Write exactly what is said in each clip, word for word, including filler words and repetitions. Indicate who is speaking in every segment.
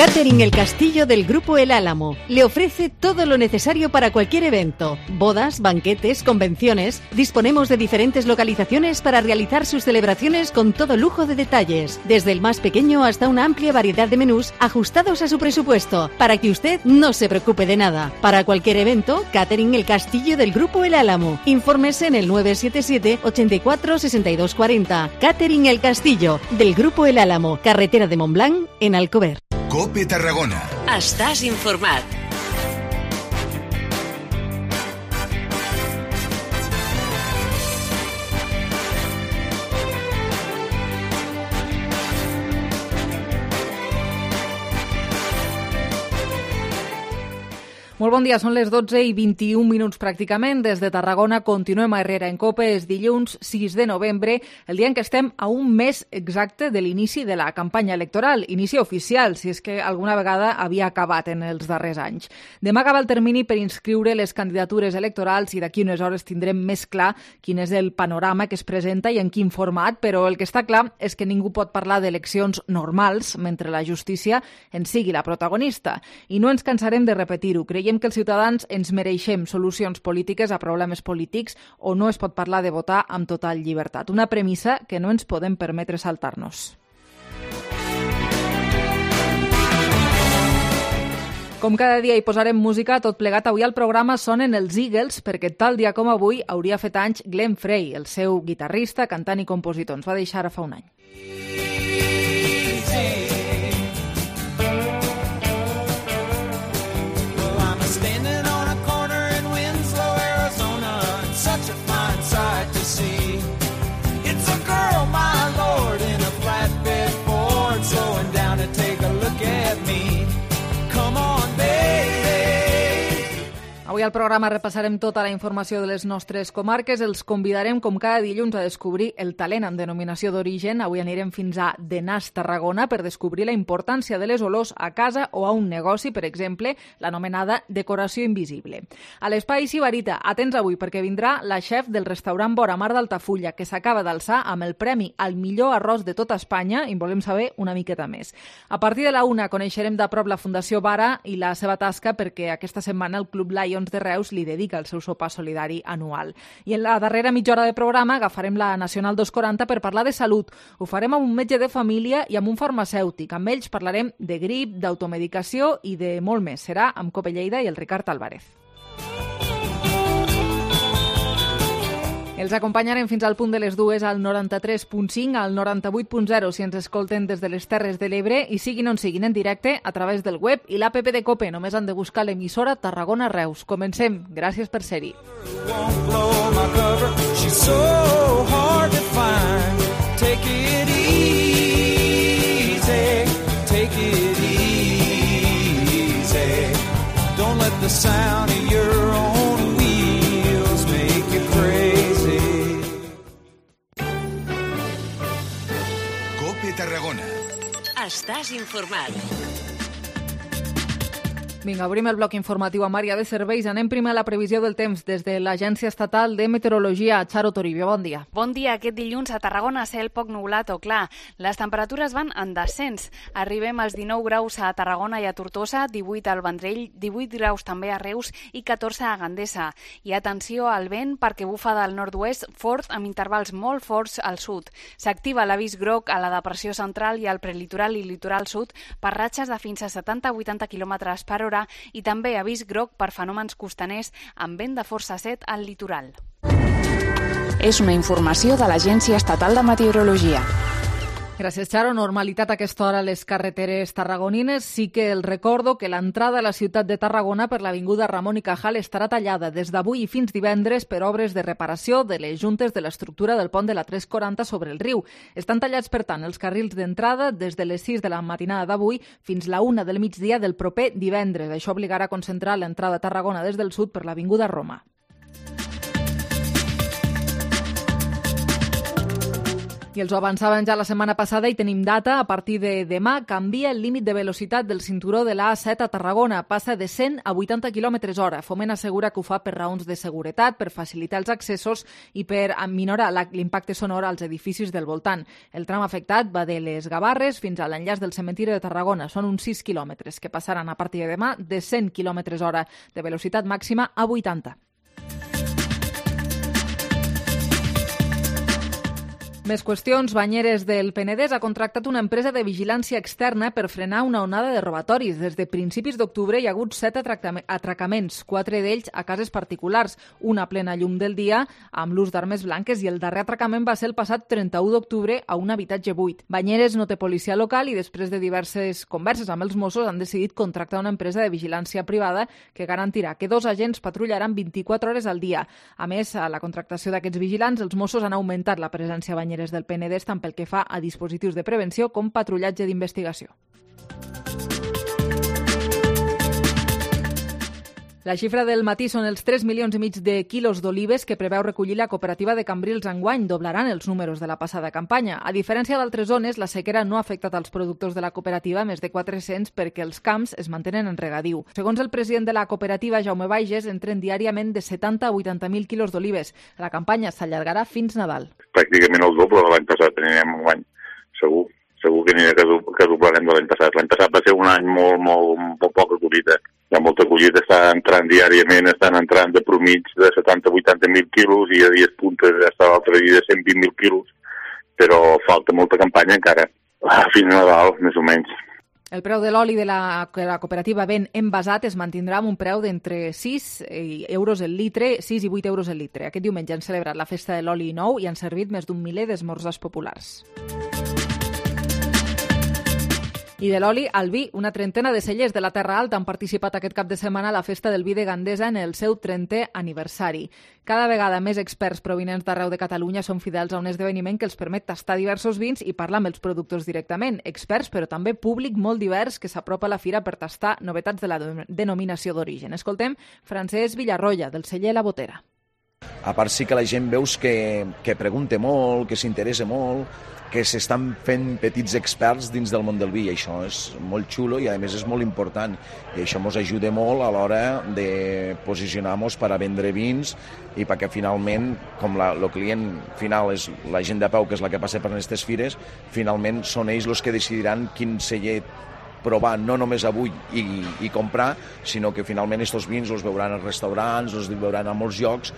Speaker 1: Catering El Castillo del Grupo El Álamo le ofrece todo lo necesario para cualquier evento. Bodas, banquetes, convenciones. Disponemos de diferentes localizaciones para realizar sus celebraciones con todo lujo de detalles. Desde el más pequeño hasta una amplia variedad de menús ajustados a su presupuesto, para que usted no se preocupe de nada. Para cualquier evento, Catering El Castillo del Grupo El Álamo. Infórmese en el nueve siete siete, ochenta y cuatro, sesenta y dos cuarenta. Catering El Castillo del Grupo El Álamo. Carretera de Montblanc, en Alcover.
Speaker 2: COPE Tarragona.
Speaker 3: Estàs informat.
Speaker 4: Molt bon dia, són les dotze i vint-i-un minuts pràcticament. Des de Tarragona continuem a Herrera en COPE. És dilluns sis de novembre, el dia en què estem a un mes exacte de l'inici de la campanya electoral. Inici oficial, si és que alguna vegada havia acabat en els darrers anys. Demà acaba el termini per inscriure les candidatures electorals i d'aquí unes hores tindrem més clar quin és el panorama que es presenta i en quin format, però el que està clar és que ningú pot parlar d'eleccions normals mentre la justícia en sigui la protagonista. I no ens cansarem de repetir-ho. Creiem que els ciutadans ens mereixem solucions polítiques a problemes polítics o no es pot parlar de votar amb total llibertat. Una premissa que no ens podem permetre saltar-nos. Com cada dia hi posarem música, tot plegat avui al programa sonen els Eagles, perquè tal dia com avui hauria fet anys Glenn Frey, el seu guitarrista, cantant i compositor. Ens va deixar fa un any. Avui al programa repassarem tota la informació de les nostres comarques. Els convidarem, com cada dilluns, a descobrir el talent amb denominació d'origen. Avui anirem fins a Denàs, Tarragona, per descobrir la importància de les olors a casa o a un negoci, per exemple, l'anomenada decoració invisible. A l'Espai Sibarita, atents avui, perquè vindrà la xef del restaurant Vora Mar d'Altafulla, que s'acaba d'alçar amb el premi al millor arròs de tota Espanya, i volem saber una miqueta més. A partir de la una coneixerem de prop la Fundació Vara i la seva tasca, perquè aquesta setmana el Club Lions de Reus li dedica el seu sopar solidari anual. I en la darrera mitja hora de programa agafarem la Nacional dos quaranta per parlar de salut. Ho farem amb un metge de família i amb un farmacèutic. Amb ells parlarem de grip, d'automedicació i de molt més. Serà amb Cope Lleida i el Ricard Álvarez. Els acompanyarem fins al punt de les dues al noranta-tres punt cinc, al noranta-vuit punt zero si ens escolten des de les Terres de l'Ebre i siguin on siguin en directe a través del web i l'app de COPE. Només han de buscar l'emissora Tarragona Reus. Comencem. Gràcies per ser-hi. Don't let the sound of your own wheels make you crazy.
Speaker 2: COPE Tarragona.
Speaker 3: Estàs informat.
Speaker 4: Vinga, obrim el bloc informatiu amb àrea de serveis. Anem primer a la previsió del temps des de l'Agència Estatal de Meteorologia. Charo Toribio, bon dia.
Speaker 5: Bon dia. Aquest dilluns a Tarragona cel poc nublat o clar. Les temperatures van en descens. Arribem als dinou graus a Tarragona i a Tortosa, divuit al Vendrell, divuit graus també a Reus i catorze a Gandesa. I atenció al vent perquè bufa del nord-oest fort amb intervals molt forts al sud. S'activa l'avís groc a la depressió central i al prelitoral i litoral sud per ratxes de fins a setanta a vuitanta quilòmetres per hora i també avís groc per fenòmens costaners amb vent de força set al litoral.
Speaker 6: És una informació de l'Agència Estatal de Meteorologia.
Speaker 4: Gràcies, Charo. Normalitat a aquesta hora a les carreteres tarragonines. Sí que el recordo que l'entrada a la ciutat de Tarragona per l'avinguda Ramon i Cajal estarà tallada des d'avui i fins divendres per obres de reparació de les juntes de l'estructura del pont de la tres quaranta sobre el riu. Estan tallats, per tant, els carrils d'entrada des de les sis de la matinada d'avui fins la una del migdia del proper divendres. Això obligarà a concentrar l'entrada a Tarragona des del sud per l'avinguda Roma. I els ho avançaven ja la setmana passada i tenim data. A partir de demà canvia el límit de velocitat del cinturó de l'A set a Tarragona. Passa de cent a vuitanta quilòmetres hora. Foment assegura que ho fa per raons de seguretat, per facilitar els accessos i per minorar l'impacte sonor als edificis del voltant. El tram afectat va de les Gavarres fins a l'enllaç del cementiri de Tarragona. Són uns sis quilòmetres que passaran a partir de demà de cent quilòmetres hora de velocitat màxima a vuitanta. Més qüestions. Banyeres del Penedès ha contractat una empresa de vigilància externa per frenar una onada de robatoris. Des de principis d'octubre hi ha hagut set atracaments, quatre d'ells a cases particulars, una a plena llum del dia amb l'ús d'armes blanques i el darrer atracament va ser el passat trenta-u d'octubre a un habitatge buit. Banyeres no té policia local i després de diverses converses amb els Mossos han decidit contractar una empresa de vigilància privada que garantirà que dos agents patrullaran vint-i-quatre hores al dia. A més, a la contractació d'aquests vigilants, els Mossos han augmentat la presència a Banyeres del Penedès tant pel que fa a dispositius de prevenció com patrullatge d'investigació. La xifra del matí són els tres milions i mig de quilos d'olives que preveu recollir la cooperativa de Cambrils enguany. Doblaran els números de la passada campanya. A diferència d'altres zones, la sequera no ha afectat als productors de la cooperativa, més de quatre-cents, perquè els camps es mantenen en regadiu. Segons el president de la cooperativa, Jaume Baiges, entren diàriament de setanta a vuitanta mil quilos d'olives. La campanya s'allargarà fins Nadal.
Speaker 7: Pràcticament el doble de l'any passat anirem enguany, segur. Segur que anirà que doblarem de l'any passat. L'any passat va ser un any molt, molt, molt poca collita. Hi ha molta collita, està entrant diàriament, estan entrant de promig de setanta a vuitanta mil quilos i a dies puntes ja està l'altre dia de cent vint mil quilos, però falta molta campanya encara, fins a Nadal, més o menys.
Speaker 4: El preu de l'oli de la, la cooperativa ven envasat es mantindrà amb un preu d'entre sis euros el litre, sis i vuit euros el litre. Aquest diumenge han celebrat la festa de l'oli nou i han servit més d'un miler d'esmorzars populars. I de l'oli al vi, una trentena de cellers de la Terra Alta han participat aquest cap de setmana a la festa del vi de Gandesa en el seu trentè aniversari. Cada vegada més experts provinents d'arreu de Catalunya són fidels a un esdeveniment que els permet tastar diversos vins i parlar amb els productors directament. Experts, però també públic molt divers que s'apropa a la fira per tastar novetats de la denominació d'origen. Escoltem Francesc Villarroya, del celler La Botera.
Speaker 8: A part sí que la gent veus que, que pregunta molt, que s'interessa molt, que s'estan fent petits experts dins del món del vi, i això és molt xulo i a més és molt important i això ens ajuda molt a l'hora de posicionar-nos per a vendre vins i perquè finalment, com la, el client final és la gent de peu, que és la que passa per aquestes fires, finalment són ells els que decidiran quin celler provar no només avui i, i comprar, sinó que finalment aquests vins els veuran als restaurants, els veuran a molts llocs.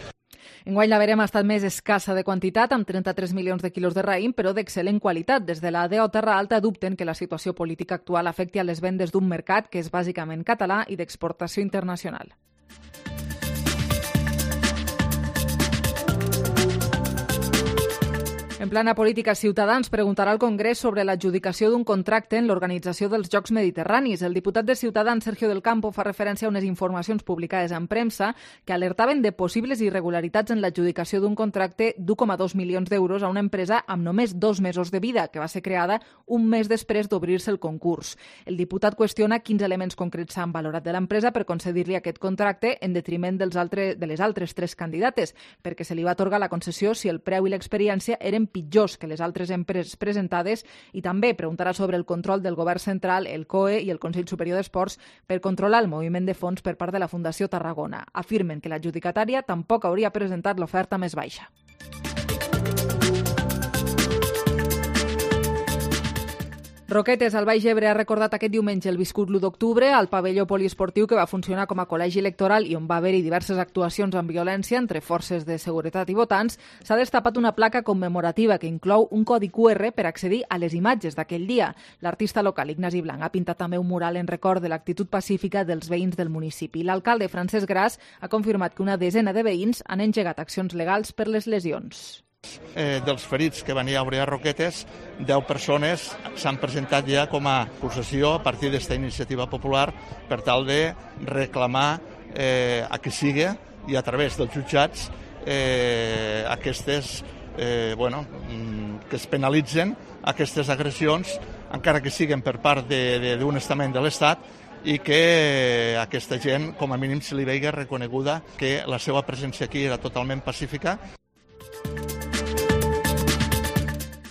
Speaker 4: Enguany la verema ha estat més escassa de quantitat, amb trenta-tres milions de quilos de raïm, però d'excel·lent qualitat. Des de la D O Terra Alta dubten que la situació política actual afecti a les vendes d'un mercat que és bàsicament català i d'exportació internacional. En plana política, Ciutadans preguntarà al Congrés sobre l'adjudicació d'un contracte en l'organització dels Jocs Mediterranis. El diputat de Ciutadans, Sergio del Campo, fa referència a unes informacions publicades en premsa que alertaven de possibles irregularitats en l'adjudicació d'un contracte d'u coma dos milions d'euros a una empresa amb només dos mesos de vida, que va ser creada un mes després d'obrir-se el concurs. El diputat qüestiona quins elements concrets s'han valorat de l'empresa per concedir-li aquest contracte en detriment dels altres, de les altres tres candidates, perquè se li va atorgar la concessió si el preu i l'experiència eren pitjors que les altres empreses presentades, i també preguntarà sobre el control del govern central, el C O E i el Consell Superior d'Esports per controlar el moviment de fons per part de la Fundació Tarragona. Afirmen que l'adjudicatària tampoc hauria presentat l'oferta més baixa. Roquetes, al Baix Ebre, ha recordat aquest diumenge el viscut l'u d'octubre al pavelló poliesportiu que va funcionar com a col·legi electoral i on va haver-hi diverses actuacions amb violència entre forces de seguretat i votants. S'ha destapat una placa commemorativa que inclou un codi cu erre per accedir a les imatges d'aquell dia. L'artista local Ignasi Blanc ha pintat també un mural en record de l'actitud pacífica dels veïns del municipi. L'alcalde Francesc Gras ha confirmat que una desena de veïns han engegat accions legals per les lesions.
Speaker 9: Eh, dels ferits que van haver a Roquetes, deu persones s'han presentat ja com a acusació a partir d'esta iniciativa popular per tal de reclamar eh, a que sigui i a través dels jutjats eh, aquestes, eh, bueno, que es penalitzen aquestes agressions, encara que siguin per part d'un estament de l'Estat, i que aquesta gent, com a mínim, se li vegi reconeguda que la seva presència aquí era totalment pacífica.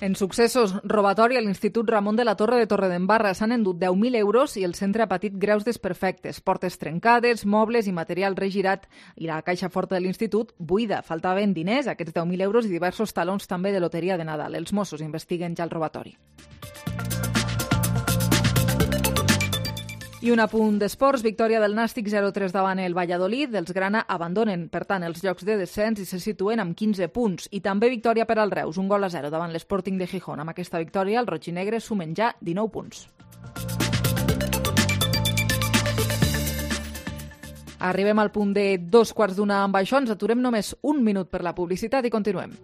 Speaker 4: En successos, robatori a l'Institut Ramon de la Torre de Torredembarra s'han endut deu mil euros i el centre ha patit greus desperfectes, portes trencades, mobles i material regirat, i la caixa forta de l'Institut buida. Faltaven diners, aquests deu mil euros i diversos talons també de loteria de Nadal. Els Mossos investiguen ja el robatori. I un apunt d'esports, victòria del Nàstic zero tres davant el Valladolid. Els Grana abandonen, per tant, els llocs de descens i se situen amb quinze punts. I també victòria per al Reus, un gol a zero davant l'Sporting de Gijón. Amb aquesta victòria, els rojinegres sumen ja dinou punts. Arribem al punt de dos quarts d'una amb això. Ens aturem només un minut per la publicitat i continuem.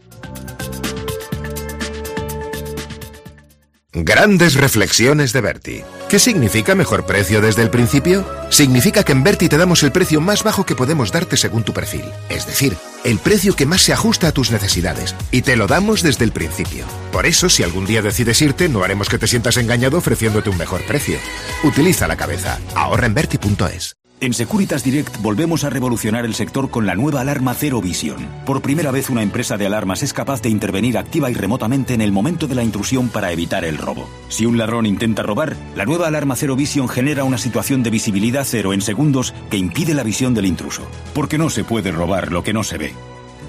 Speaker 10: Grandes reflexiones de Berti. ¿Qué significa mejor precio desde el principio? Significa que en Berti te damos el precio más bajo que podemos darte según tu perfil. Es decir, el precio que más se ajusta a tus necesidades. Y te lo damos desde el principio. Por eso, si algún día decides irte, no haremos que te sientas engañado ofreciéndote un mejor precio. Utiliza la cabeza. Ahorra en Berti punto es.
Speaker 11: En Securitas Direct volvemos a revolucionar el sector con la nueva alarma Zero Vision. Por primera vez una empresa de alarmas es capaz de intervenir activa y remotamente en el momento de la intrusión para evitar el robo. Si un ladrón intenta robar, la nueva alarma Zero Vision genera una situación de visibilidad cero en segundos que impide la visión del intruso. Porque no se puede robar lo que no se ve.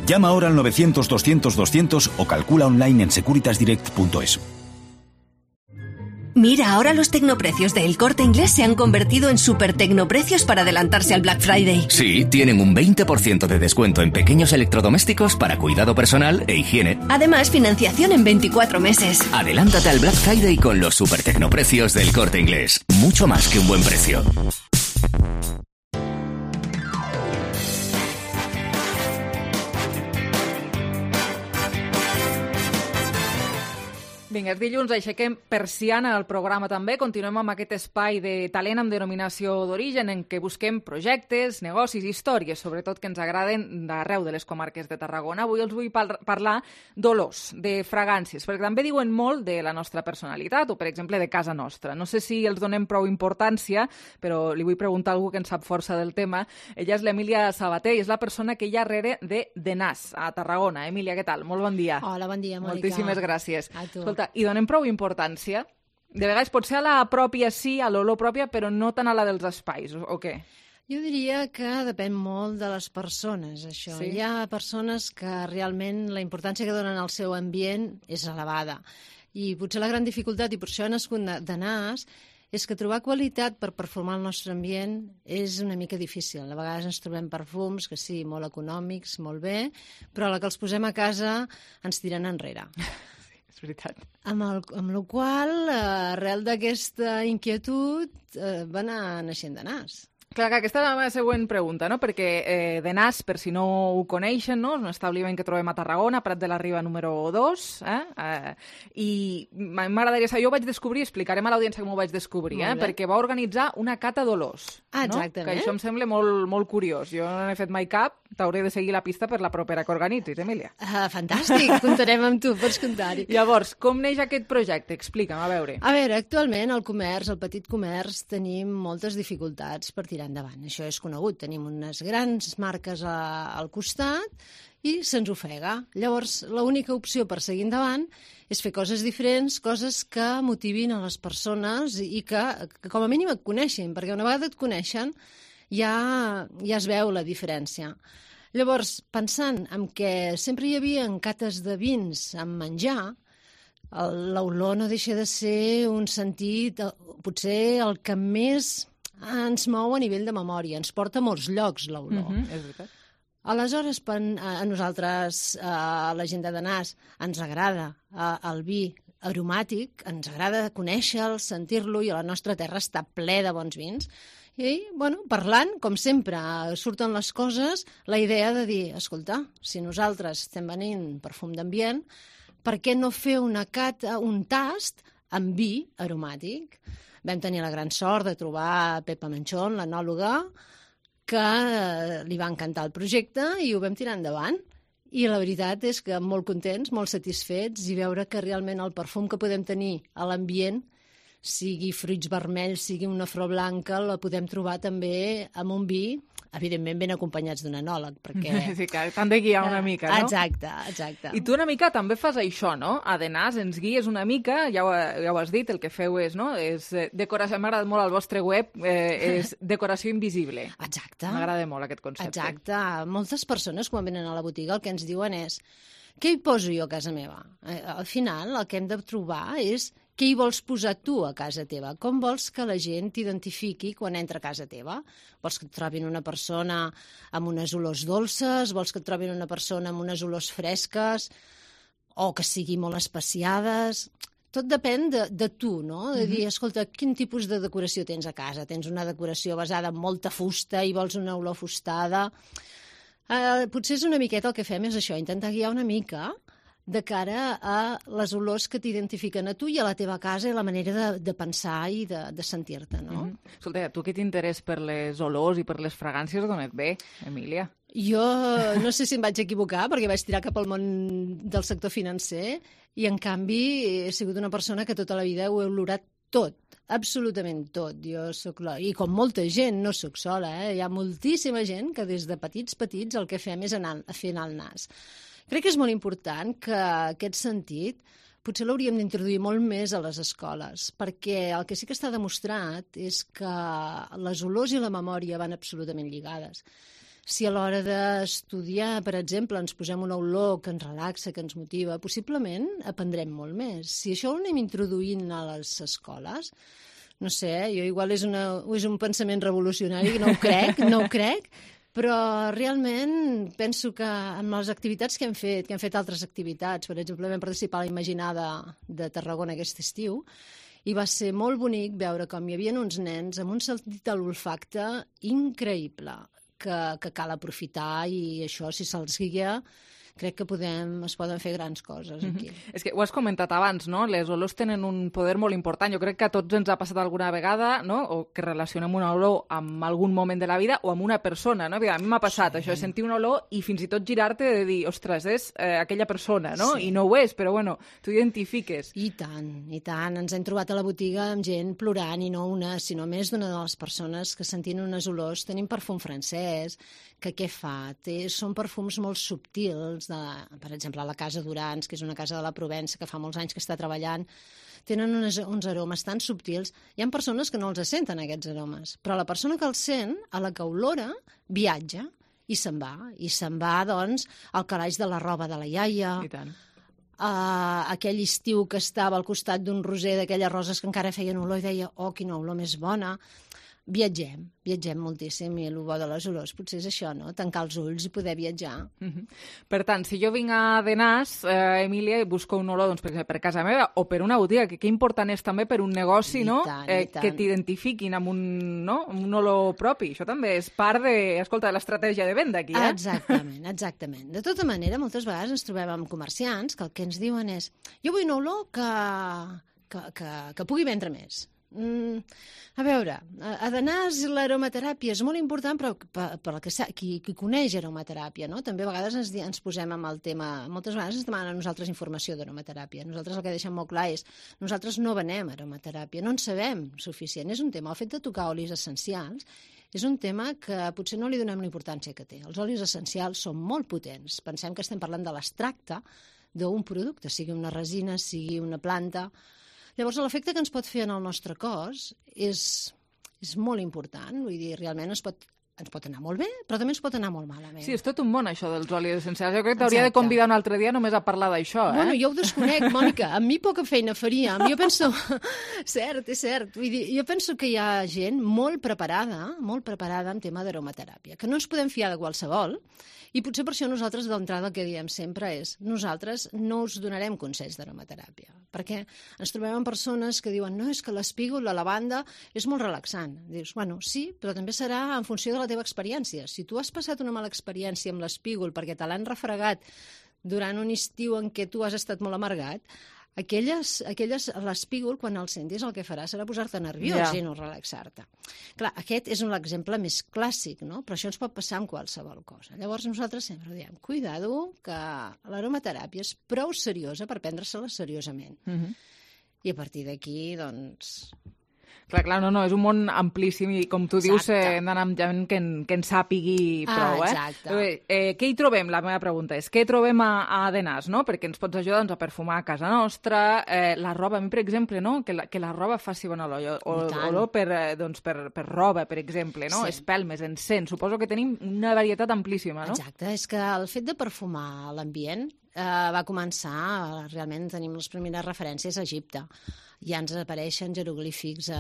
Speaker 11: Llama ahora al novecientos doscientos doscientos o calcula online en securitas direct punto es.
Speaker 12: Mira, ahora los tecnoprecios de El Corte Inglés se han convertido en super tecnoprecios para adelantarse al Black Friday.
Speaker 13: Sí, tienen un veinte por ciento de descuento en pequeños electrodomésticos para cuidado personal e higiene.
Speaker 12: Además, financiación en veinticuatro meses.
Speaker 13: Adelántate al Black Friday con los super tecnoprecios del Corte Inglés. Mucho más que un buen precio.
Speaker 4: Vinga, és dilluns, aixequem persiana al programa també. Continuem amb aquest espai de talent amb denominació d'origen en què busquem projectes, negocis, històries, sobretot que ens agraden d'arreu de les comarques de Tarragona. Avui els vull par parlar d'olors, de fragàncies, perquè també diuen molt de la nostra personalitat o, per exemple, de casa nostra. No sé si els donem prou importància, però li vull preguntar a algú que en sap força del tema. Ella és l'Emília Sabater i és la persona que hi ha darrere de The Nas, a Tarragona. Emília, què tal? Molt bon dia.
Speaker 14: Hola, bon dia, Mònica.
Speaker 4: Moltíssimes gràcies.
Speaker 14: A tu.
Speaker 4: Escolta, i donem prou importància? De vegades potser a la pròpia sí, a l'olor pròpia, però no tant a la dels espais, o, o què?
Speaker 14: Jo diria que depèn molt de les persones, això.
Speaker 4: Sí?
Speaker 14: Hi ha persones que realment la importància que donen al seu ambient és elevada. I potser la gran dificultat, i per això he nascut de, de Nas, és que trobar qualitat per perfumar el nostre ambient és una mica difícil. A vegades ens trobem perfums que sí, molt econòmics, molt bé, però a la que els posem a casa ens tiren enrere.
Speaker 4: És veritat.
Speaker 14: Amb, el, amb la qual, eh, arrel d'aquesta inquietud, eh, va anar naixent de Nas.
Speaker 4: Clar, que aquesta és la meva següent pregunta, no? Perquè eh, The Nas, per si no ho coneixen, no? És un establiment que trobem a Tarragona, Prat de la Riba número dos, eh? eh i m'agradaria saber, jo ho vaig descobrir, explicarem a l'audiència com ho vaig descobrir, eh? perquè va organitzar una cata d'olors.
Speaker 14: Ah,
Speaker 4: no?
Speaker 14: exactament.
Speaker 4: Que això em sembla molt, molt curiós. Jo no n'he fet mai cap, t'hauré de seguir la pista per la propera que organitzis, Emília.
Speaker 14: Ah, fantàstic, comptarem amb tu, pots comptar-hi.
Speaker 4: Llavors, com neix aquest projecte? Explica'm, a veure.
Speaker 14: A veure, actualment el comerç, el petit comerç, tenim moltes dificultats per tirar endavant. Això és conegut. Tenim unes grans marques a, al costat i se'ns ofega. Llavors, l'única opció per seguir endavant és fer coses diferents, coses que motivin a les persones i que, que com a mínim et coneixin, perquè una vegada et coneixen ja, ja es veu la diferència. Llavors, pensant en que sempre hi havia cates de vins amb menjar, l'olor no deixa de ser un sentit, potser el que més ens mou a nivell de memòria, ens porta a molts llocs l'olor.
Speaker 4: Mm-hmm, és veritat.
Speaker 14: Aleshores, a nosaltres, a la gent de Nas, ens agrada el vi aromàtic, ens agrada conèixer-lo, sentir-lo, i a la nostra terra està ple de bons vins. I, bueno, parlant, com sempre, surten les coses, la idea de dir, escolta, si nosaltres estem venint perfum d'ambient, per què no fer una cata, un tast amb vi aromàtic? Vam tenir la gran sort de trobar Pepa Manchón, l'enòloga, que li va encantar el projecte i ho vam tirar endavant. I la veritat és que molt contents, molt satisfets, i veure que realment el perfum que podem tenir a l'ambient, sigui fruits vermells, sigui una flor blanca, la podem trobar també amb un vi evidentment ben acompanyats d'un enòleg, perquè...
Speaker 4: Sí, que t'han de guiar una mica, no?
Speaker 14: Exacte, exacte.
Speaker 4: I tu una mica també fas això, no? A Denàs ens guies una mica, ja ho, ja ho has dit, el que feu és, no? És eh, decoració, m'ha agradat molt al vostre web, eh, és decoració invisible.
Speaker 14: Exacte.
Speaker 4: M'agrada molt aquest concepte.
Speaker 14: Exacte. Moltes persones, quan venen a la botiga, el que ens diuen és què hi poso jo a casa meva? Eh, al final, el que hem de trobar és què hi vols posar tu a casa teva? Com vols que la gent t'identifiqui quan entra a casa teva? Vols que et trobin una persona amb unes olors dolces? Vols que et trobin una persona amb unes olors fresques? O que sigui molt espaciades? Tot depèn de, de tu, no? De dir, escolta, quin tipus de decoració tens a casa? Tens una decoració basada en molta fusta i vols una olor fustada? Uh, potser és una miqueta el que fem és això, intentar guiar una mica de cara a les olors que t'identifiquen a tu i a la teva casa i la manera de, de pensar i de, de sentir-te, no?
Speaker 4: Mm-hmm. Escolta, tu aquest interès per les olors i per les fragàncies d'on et ve, Emília?
Speaker 14: Jo no sé si em vaig equivocar perquè vaig tirar cap al món del sector financer i, en canvi, he sigut una persona que tota la vida ho he olorat tot, absolutament tot. Jo soc la... I com molta gent, no sóc sola, eh? Hi ha moltíssima gent que des de petits, petits, el que fem és anar fent el nas. Crec que és molt important que aquest sentit potser l'hauríem d'introduir molt més a les escoles, perquè el que sí que està demostrat és que les olors i la memòria van absolutament lligades. Si a l'hora d'estudiar, per exemple, ens posem una olor que ens relaxa, que ens motiva, possiblement aprendrem molt més. Si això ho anem introduint a les escoles, no sé, jo igual és, una, és un pensament revolucionari, no ho crec, no ho crec, però realment penso que amb les activitats que hem fet, que hem fet altres activitats, per exemple, vam participar a la Imaginada de Tarragona aquest estiu, i va ser molt bonic veure com hi havia uns nens amb un sentit de l'olfacte increïble, que, que cal aprofitar, i això, si se'ls guia, crec que podem, es poden fer grans coses aquí.
Speaker 4: Mm-hmm. És que ho has comentat abans, no? Les olors tenen un poder molt important. Jo crec que a tots ens ha passat alguna vegada, no? O que relacionem una olor amb algun moment de la vida o amb una persona, no? A mi m'ha passat sí. això, de sentir una olor i fins i tot girar-te de dir, ostres, és eh, aquella persona, no? Sí. I no ho és, però bueno, tu identifiques.
Speaker 14: I tant, i tant. Ens hem trobat a la botiga amb gent plorant, i no una, sinó més d'una de les persones que sentint unes olors. Tenim perfum francès, que què fa? Té, són perfums molt subtils, de, per exemple, a la Casa Durans, que és una casa de la Provença que fa molts anys que està treballant, tenen unes, uns aromes tan subtils. Hi ha persones que no els senten, aquests aromes, però la persona que els sent, a la que olora, viatja i se'n va. I se'n va, doncs, al calaix de la roba de la iaia,
Speaker 4: I tant.
Speaker 14: Uh, aquell estiu que estava al costat d'un roser d'aquelles roses que encara feien olor i deia, oh, quina olor més bona. Viatgem, viatgem moltíssim, i el bo de les olors potser és això, no? Tancar els ulls i poder viatjar.
Speaker 4: Mm-hmm. Per tant, si jo vinc a Denàs, eh, Emília, i busco un olor, doncs, per, per casa meva o per una botiga, que, que important és també per un negoci,
Speaker 14: I
Speaker 4: no?
Speaker 14: tant,
Speaker 4: eh,
Speaker 14: i tant.
Speaker 4: Que t'identifiquin amb un, no? amb un olor propi. Això també és part de, escolta, de l'estratègia de venda aquí, eh?
Speaker 14: Exactament, exactament. De tota manera, moltes vegades ens trobem amb comerciants que el que ens diuen és, jo vull una olor que, que, que, que pugui vendre més. Mm, a veure, a Denàs l'aromateràpia és molt important, però per, per el que qui, qui coneix aromateràpia, no? També a vegades ens, ens posem amb el tema, moltes vegades ens demanen a nosaltres informació d'aromateràpia. Nosaltres el que deixem molt clar és, nosaltres no venem aromateràpia, no en sabem suficient. És un tema, el fet de tocar olis essencials és un tema que potser no li donem la importància que té. Els olis essencials són molt potents. Pensem que estem parlant de l'extracte d'un producte, sigui una resina, sigui una planta. Llavors, l'efecte que ens pot fer en el nostre cos és, és molt important. Vull dir, realment es pot, ens pot anar molt bé, però també ens pot anar molt malament.
Speaker 4: Sí, és tot un món, això dels olis essencials. Jo crec que t'hauria de convidar un altre dia només a parlar d'això, eh?
Speaker 14: Bueno, jo ho desconec, Mònica. Amb mi poca feina faríem. Jo penso... cert, és cert. Vull dir, jo penso que hi ha gent molt preparada, molt preparada en tema d'aromateràpia, que no ens podem fiar de qualsevol, i potser per això nosaltres d'entrada el que diem sempre és nosaltres no us donarem consells d'aromateràpia, perquè ens trobem amb persones que diuen no, és que l'espígol, la lavanda, és molt relaxant. Dius, bueno, sí, però també serà en funció de la teva experiència. Si tu has passat una mala experiència amb l'espígol perquè te l'han refregat durant un estiu en què tu has estat molt amargat, aquelles, aquelles l'espígol, quan el sentis, el que farà serà posar-te nerviós
Speaker 4: Ja.
Speaker 14: i no relaxar-te. Clar, aquest és un exemple més clàssic, no? Però això ens pot passar amb qualsevol cosa. Llavors nosaltres sempre diem, cuidado, que l'aromateràpia és prou seriosa per prendre-se-la seriosament.
Speaker 4: Mm-hmm.
Speaker 14: I a partir d'aquí, doncs...
Speaker 4: Clar, clar, no, no, és un món amplíssim i, com tu dius, eh, hem d'anar amb gent que, en, que en sàpigui prou, eh?
Speaker 14: Exacte.
Speaker 4: Eh, eh, què hi trobem? La meva pregunta és, què trobem a, a Denàs, no? Perquè ens pots ajudar doncs, a perfumar a casa nostra, eh, la roba, a mi, per exemple, no? Que la, que la roba faci bona olor, o, olor per, eh, doncs, per, per roba, per exemple, no?
Speaker 14: Sí.
Speaker 4: Espelmes, encens, suposo que tenim una varietat amplíssima, no?
Speaker 14: Exacte, és que el fet de perfumar l'ambient eh, va començar, realment tenim les primeres referències a Egipte. Ja ens apareixen jeroglífics eh,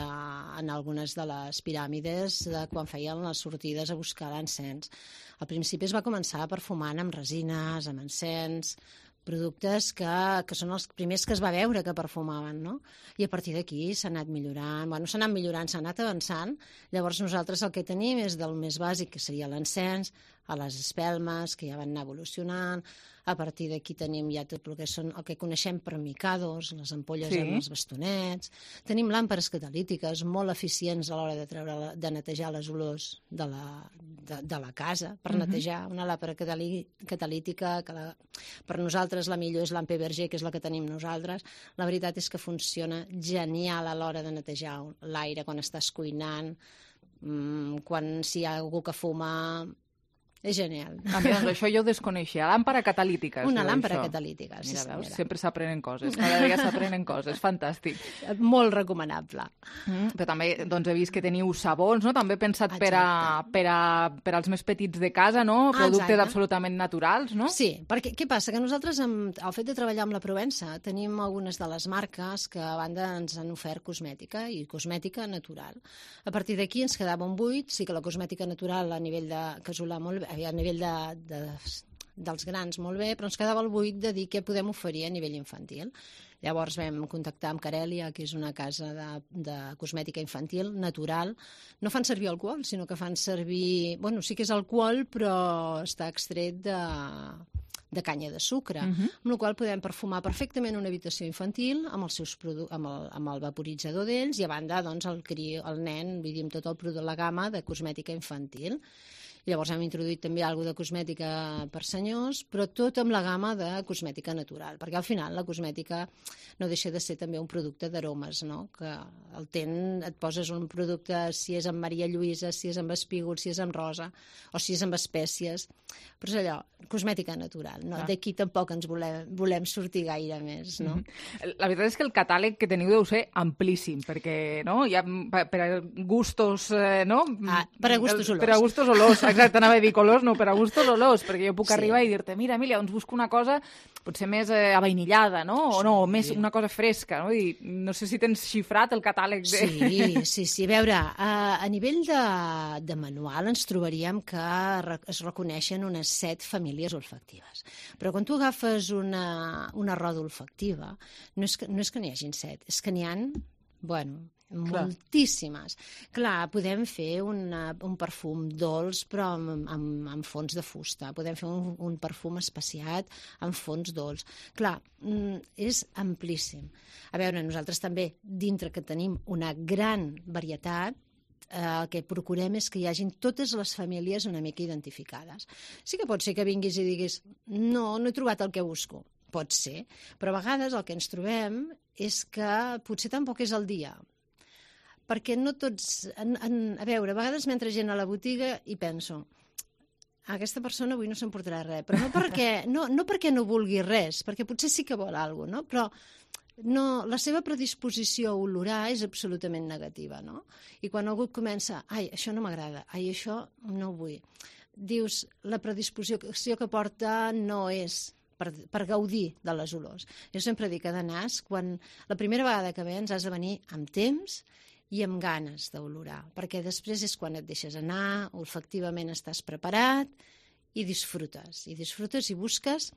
Speaker 14: en algunes de les piràmides de quan feien les sortides a buscar l'encens. Al principi es va començar perfumant amb resines, amb encens, productes que, que són els primers que es va veure que perfumaven, no? I a partir d'aquí s'ha anat millorant, bueno, s'ha anat millorant, s'ha anat avançant. Llavors nosaltres el que tenim és del més bàsic, que seria l'encens, a les espelmes, que ja van anar evolucionant. A partir d'aquí tenim ja tot el que són el que coneixem per micados, les ampolles
Speaker 4: Sí.
Speaker 14: amb els bastonets. Tenim làmperes catalítiques molt eficients a l'hora de treure, de netejar les olors de la, de, de la casa, per
Speaker 4: Mhm.
Speaker 14: netejar una làmpara catalí, catalítica, que la, per nosaltres la millor és l'Ampe Berger, que és la que tenim nosaltres. La veritat és que funciona genial a l'hora de netejar l'aire quan estàs cuinant, mmm, quan si hi ha algú que fuma. És genial.
Speaker 4: A mi, doncs, això jo ho desconeixia. Làmpara catalítica. es
Speaker 14: Una
Speaker 4: diu
Speaker 14: làmpara
Speaker 4: això.
Speaker 14: catalítica, sí
Speaker 4: Mira, veus,
Speaker 14: senyora.
Speaker 4: sempre s'aprenen coses. Cada dia s'aprenen coses. Fantàstic.
Speaker 14: Molt recomanable.
Speaker 4: Mm, però també doncs, he vist que teniu sabons, no? També pensat per, a, per, a, per als més petits de casa, no? Productes
Speaker 14: Exacte.
Speaker 4: absolutament naturals, no?
Speaker 14: Sí, perquè què passa? Que nosaltres, amb el fet de treballar amb la Provença, tenim algunes de les marques que a banda ens han ofert cosmètica i cosmètica natural. A partir d'aquí ens quedava un buit, sí que la cosmètica natural a nivell de casolà molt bé, a nivell de, de, dels grans molt bé, però ens quedava el buit de dir què podem oferir a nivell infantil. Llavors vam contactar amb Carèlia, que és una casa de, de cosmètica infantil natural. No fan servir alcohol, sinó que fan servir... Bueno, sí que és alcohol, però està extret de, de canya de sucre,
Speaker 4: Mhm.
Speaker 14: amb la qual podem perfumar perfectament una habitació infantil amb, els seus produ amb, el, amb el vaporitzador d'ells i a banda doncs, el, cri, el nen, vull dir, amb tot el producte, la gamma de cosmètica infantil. Llavors hem introduït també alguna de cosmètica per senyors, però tot amb la gamma de cosmètica natural, perquè al final la cosmètica no deixa de ser també un producte d'aromes, no? Que el ten, et poses un producte, si és amb Maria Lluïsa, si és amb espígol, si és amb rosa, o si és amb espècies, però és allò, cosmètica natural, no?
Speaker 4: Ah.
Speaker 14: D'aquí tampoc ens volem, volem sortir gaire més, no?
Speaker 4: La veritat és que el catàleg que teniu deu ser amplíssim, perquè no? Hi ha per per a gustos, eh, no?
Speaker 14: Ah, per a gustos olors.
Speaker 4: Per a gustos olors, exacte, anava a dir colors, no, per a gustos olors, perquè jo puc
Speaker 14: Sí.
Speaker 4: arribar i dir-te, mira, Emília, doncs busco una cosa potser més eh, avainillada, no? O no, més una cosa fresca, no? I no sé si tens xifrat el catàleg de...
Speaker 14: Sí, sí, sí. A veure, a, a nivell de, de manual ens trobaríem que re, es reconeixen unes set famílies olfactives. Però quan tu agafes una, una roda olfactiva, no és que, no és que n'hi hagin set, és que n'hi ha, bueno,
Speaker 4: Clar.
Speaker 14: moltíssimes. Clar, podem fer una, un perfum dolç però amb, amb, amb fons de fusta. Podem fer un, un perfum especiat amb fons dolç. Clar, mm, és amplíssim. A veure, nosaltres també, dintre que tenim una gran varietat, eh, el que procurem és que hi hagin totes les famílies una mica identificades. Sí que pot ser que vinguis i diguis no, no he trobat el que busco. Pot ser, però a vegades el que ens trobem és que potser tampoc és el dia. Perquè no tots... En, en, a veure, a vegades m'entra gent a la botiga i penso aquesta persona avui no s'emportarà res, però no perquè no, no perquè no vulgui res, perquè potser sí que vol alguna cosa, no? Però no, la seva predisposició a olorar és absolutament negativa, no? I quan algú comença, ai, això no m'agrada, ai, això no ho vull, dius, la predisposició que porta no és per, per gaudir de les olors. Jo sempre dic que de nas, quan la primera vegada que vens has de venir amb temps i amb ganes d'olorar, perquè després és quan et deixes anar, olfactivament estàs preparat i disfrutes, i disfrutes i busques,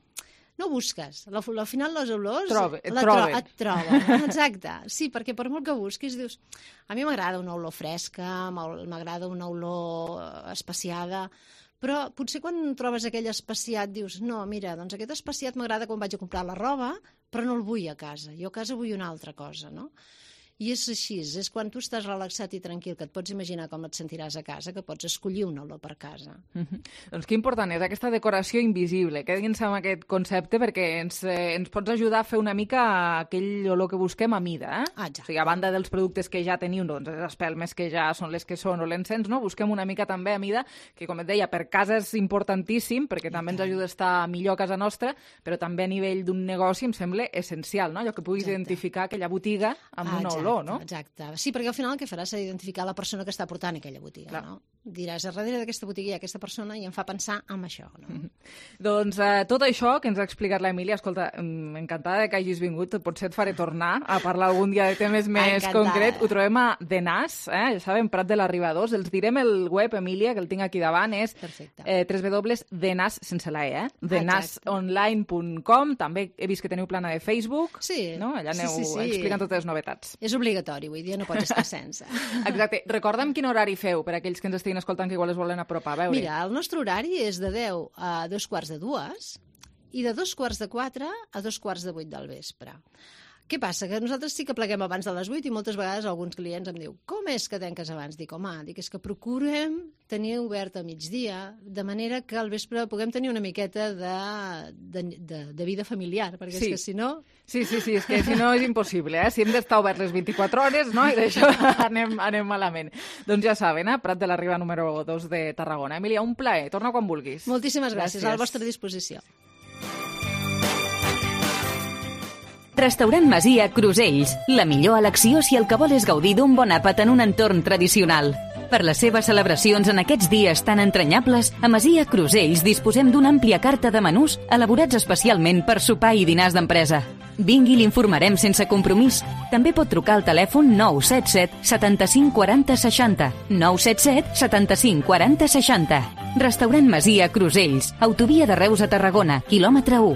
Speaker 14: no busques, al, al final les olors
Speaker 4: Trobe, et
Speaker 14: la
Speaker 4: troben.
Speaker 14: Tro, et troben, exacte, sí, perquè per molt que busquis dius, a mi m'agrada una olor fresca, m'agrada una olor especiada, però potser quan trobes aquell especiat dius, no, mira, doncs aquest especiat m'agrada quan vaig a comprar la roba, però no el vull a casa, jo a casa vull una altra cosa, no? I és així, és quan tu estàs relaxat i tranquil, que et pots imaginar com et sentiràs a casa, que pots escollir una olor per casa.
Speaker 4: Mm-hmm. Doncs que important és aquesta decoració invisible. Quedin-se amb aquest concepte perquè ens, eh, ens pots ajudar a fer una mica aquell olor que busquem a mida. Eh?
Speaker 14: Ah,
Speaker 4: o sigui, a banda dels productes que ja teniu, doncs les espelmes que ja són les que són o l'encens, no? Busquem una mica també a mida, que com et deia, per casa és importantíssim, perquè també ens ajuda a estar millor a casa nostra, però també a nivell d'un negoci em sembla essencial, no? Allò que puguis Exacte. identificar aquella botiga amb
Speaker 14: ah,
Speaker 4: una
Speaker 14: exacte,
Speaker 4: olor, no?
Speaker 14: Exacte. Sí, perquè al final el que faràs serà identificar la persona que està portant aquella botiga, Clar. no? Diràs, a darrere d'aquesta botiga hi ha aquesta persona i em fa pensar en això, no?
Speaker 4: Mm-hmm. Doncs eh, tot això que ens ha explicat l'Emília, escolta, encantada que hagis vingut, potser et faré tornar a parlar algun dia de temes més concrets. Ho trobem a The Nas, eh? Ja sabem, Prat de l'Arribadors. Els direm el web, Emília, que el tinc aquí davant, és eh, w w w punt the nas sense la e, eh? the nas online punt com. També he vist que teniu plana de Facebook,
Speaker 14: sí,
Speaker 4: no? Allà aneu
Speaker 14: sí, sí, sí.
Speaker 4: explicant totes les novetats.
Speaker 14: És obligatori, vull dir, no pots estar sense.
Speaker 4: Exacte. Recorda'm quin horari feu per aquells que ens estiguin escoltant que igual es volen apropar a veure.
Speaker 14: Mira, el nostre horari és de deu a dos quarts de dues i de dos quarts de quatre a dos quarts de vuit del vespre. Què passa? Que nosaltres sí que pleguem abans de les vuit i moltes vegades alguns clients em diu com és que tanques abans? Dic, home, dic, és que procurem tenir obert a migdia, de manera que al vespre puguem tenir una miqueta de, de, de, de vida familiar, perquè sí. és que si no...
Speaker 4: Sí, sí, sí, és que si no és impossible, eh? Si hem d'estar oberts les vint-i-quatre hores, no? I d'això anem, anem malament. Doncs ja saben, eh? Prat de la Riba número dos de Tarragona. Emília, un plaer. Torna quan vulguis.
Speaker 14: Moltíssimes gràcies. gràcies. A la vostra disposició.
Speaker 1: Restaurant Masia Crusells, la millor elecció si el que vol és gaudir d'un bon àpat en un entorn tradicional. Per les seves celebracions en aquests dies tan entranyables, a Masia Crusells disposem d'una àmplia carta de menús elaborats especialment per sopar i dinars d'empresa. Vingui i l'informarem sense compromís. També pot trucar al telèfon nou set set setanta-cinc quaranta seixanta, nou set set setanta-cinc quaranta seixanta. Restaurant Masia Crusells, autovia de Reus a Tarragona, quilòmetre u.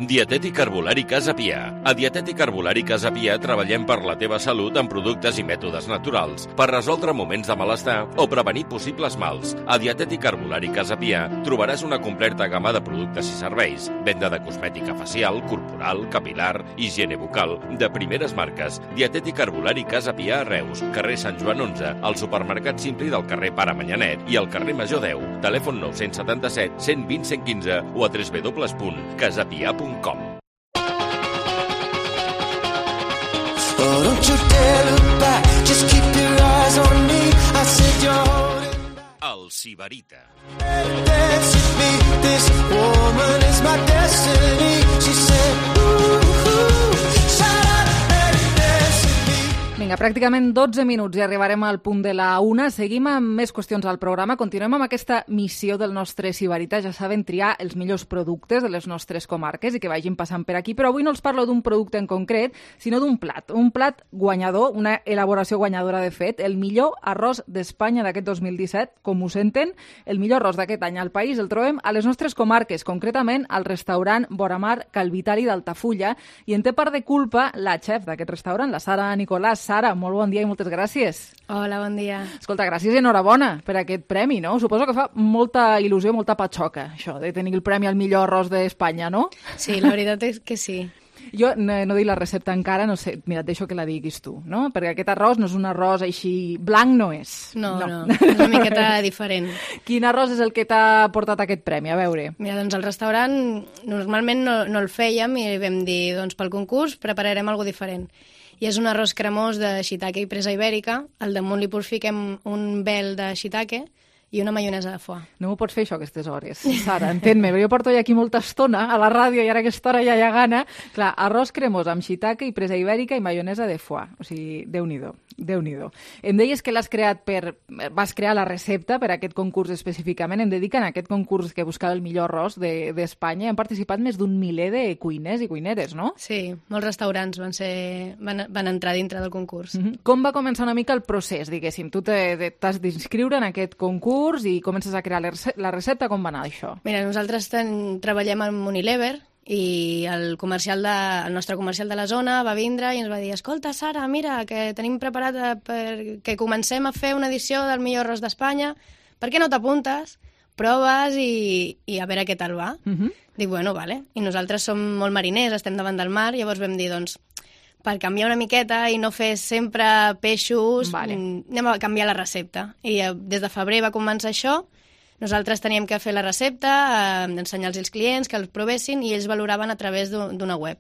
Speaker 15: Dietètic Herbolari Casa Pia. A Dietètic Herbolari Casa Pia treballem per la teva salut amb productes i mètodes naturals per resoldre moments de malestar o prevenir possibles mals. A Dietètic Herbolari Casa Pia trobaràs una completa gamma de productes i serveis, venda de cosmètica facial, corporal, capilar, higiene bucal, de primeres marques. Dietètic Herbolari Casa Pia a Reus, carrer Sant Joan onze, al supermercat Simpli del carrer Pare Manyanet i al carrer Major deu. Telèfon nou set set, cent vint, cent quinze o a w w w punt casapia punt com.
Speaker 16: Oh, don't you dare look back, just keep your eyes on me. I said you're holding back.
Speaker 15: El Sibarita.
Speaker 16: Dance with me, this woman is my destiny. She said, ooh, ooh, shut up and dance with me.
Speaker 4: Vinga, pràcticament dotze minuts i arribarem al punt de la una. Seguim amb més qüestions al programa. Continuem amb aquesta missió del nostre Sibarita. Ja saben triar els millors productes de les nostres comarques i que vagin passant per aquí. Però avui no els parlo d'un producte en concret, sinó d'un plat. Un plat guanyador, una elaboració guanyadora de fet. El millor arròs d'Espanya d'aquest dos mil disset. Com ho senten, el millor arròs d'aquest any al país el trobem a les nostres comarques, concretament al restaurant Boramar Calvitali d'Altafulla. I en té part de culpa la xef d'aquest restaurant, la Sara Nicolàs. Sara, molt bon dia i moltes gràcies.
Speaker 17: Hola, bon dia.
Speaker 4: Escolta, gràcies i enhorabona per aquest premi, no? Suposo que fa molta il·lusió, molta patxoca, això de tenir el premi al millor arròs d'Espanya, no?
Speaker 17: Sí, la veritat és que sí.
Speaker 4: Jo no, no dic la recepta encara, no sé, mira, et deixo que la diguis tu, no? Perquè aquest arròs no és un arròs així blanc, no és.
Speaker 17: No, no, no, és una miqueta diferent.
Speaker 4: Quin arròs és el que t'ha portat aquest premi? A veure.
Speaker 17: Mira, doncs el restaurant normalment no, no el fèiem i vam dir, doncs pel concurs prepararem alguna diferent. I és un arròs cremós de shiitake i presa ibèrica, al damunt li fiquem un vel de shiitake i una maionesa de foie.
Speaker 4: No m'ho pots fer això a aquestes hores, Sara, entén-me, però jo porto ja aquí molta estona a la ràdio i ara aquesta hora ja hi ha gana. Clar, arròs cremós amb shiitake i presa ibèrica i maionesa de foie. O sigui, Déu-n'hi-do, Déu-n'hi-do. Em deies que l'has creat per... vas crear la recepta per a aquest concurs específicament. Em dediquen a aquest concurs que buscava el millor arròs d'Espanya. De, Han participat més d'un miler de cuiners i cuineres, no?
Speaker 17: Sí, molts restaurants van, ser, van, van entrar dintre del concurs.
Speaker 4: Mm-hmm. Com va començar una mica el procés, diguéssim? Tu t'has d'inscriure en aquest concurs i comences a crear la recepta, com va anar això?
Speaker 17: Mira, nosaltres ten, treballem amb Unilever i el, comercial de, el nostre comercial de la zona va vindre i ens va dir, escolta, Sara, mira, que tenim preparat per que comencem a fer una edició del millor arròs d'Espanya, per què no t'apuntes? Proves i, i a veure què tal va. Uh-huh. Dic, bueno, vale. I nosaltres som molt mariners, estem davant del mar, llavors vam dir, doncs, per canviar una miqueta i no fer sempre peixos, vale. anem a canviar la recepta. I eh, des de febrer va començar això, nosaltres teníem que fer la recepta, eh, ensenyar-los als clients, que els provessin, i ells valoraven a través d'una web.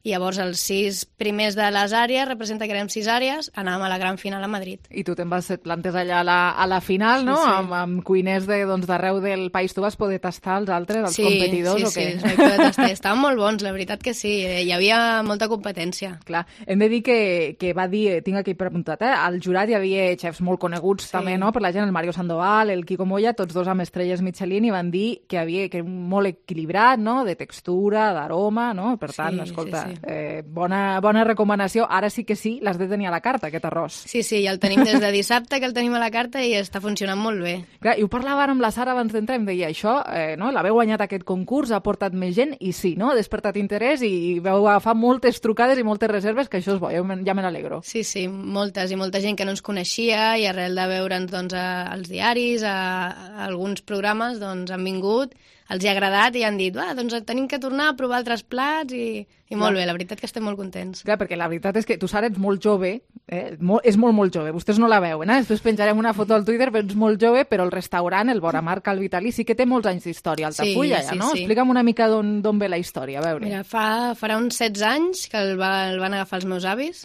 Speaker 17: I llavors els sis primers de les àrees, representa que érem sis àrees, anàvem a la gran final a Madrid.
Speaker 4: I tu te'n vas, et plantes allà a la, a la final, no? Sí, sí. Amb, amb cuiners d'arreu de, doncs, del país. Tu vas poder tastar els altres, els
Speaker 17: sí,
Speaker 4: competidors,
Speaker 17: sí,
Speaker 4: o què?
Speaker 17: Sí, sí, vaig tastar. Estaven molt bons, la veritat que sí. Hi havia molta competència.
Speaker 4: Clar, hem de dir que, que va dir, tinc aquí preguntat, eh? Al jurat hi havia xefs molt coneguts sí. també, no? Per la gent, el Mario Sandoval, el Quico Moya, tots dos amb estrelles Michelin, i van dir que havia que molt equilibrat, no? De textura, d'aroma, no? Per tant, sí, escolta, sí, sí. Eh, bona Bona recomanació. Ara sí que sí, l'has de tenir a la carta, aquest arròs.
Speaker 17: Sí, sí, ja el tenim des de dissabte, que el tenim a la carta i està funcionant molt bé.
Speaker 4: Clar, i ho parlava amb la Sara abans d'entrar, em deia això, eh, no? L'haveu guanyat aquest concurs, ha portat més gent, i sí, no? Ha despertat interès i vau agafar moltes trucades i moltes reserves, que això és bo, ja me n'alegro.
Speaker 17: Sí, sí, moltes, i molta gent que no ens coneixia, i arrel de veure'ns doncs, als diaris, a, a alguns programes, doncs han vingut, els hi ha agradat i han dit, ah, doncs tenim que tornar a provar altres plats i, i molt bé, la veritat que estem molt contents.
Speaker 4: Clar, perquè la veritat és que tu, Sara, ets molt jove, eh? Molt, és molt, molt jove, vostès no la veuen, eh? Després penjarem una foto al Twitter, però ets molt jove, però el restaurant, el Boramar Cal Vitali, sí que té molts anys d'història, Altafulla, sí, ja, no? Sí. Explica'm una mica d'on ve la història, a veure.
Speaker 17: Mira, fa, farà uns setze anys que el, va, el van agafar els meus avis,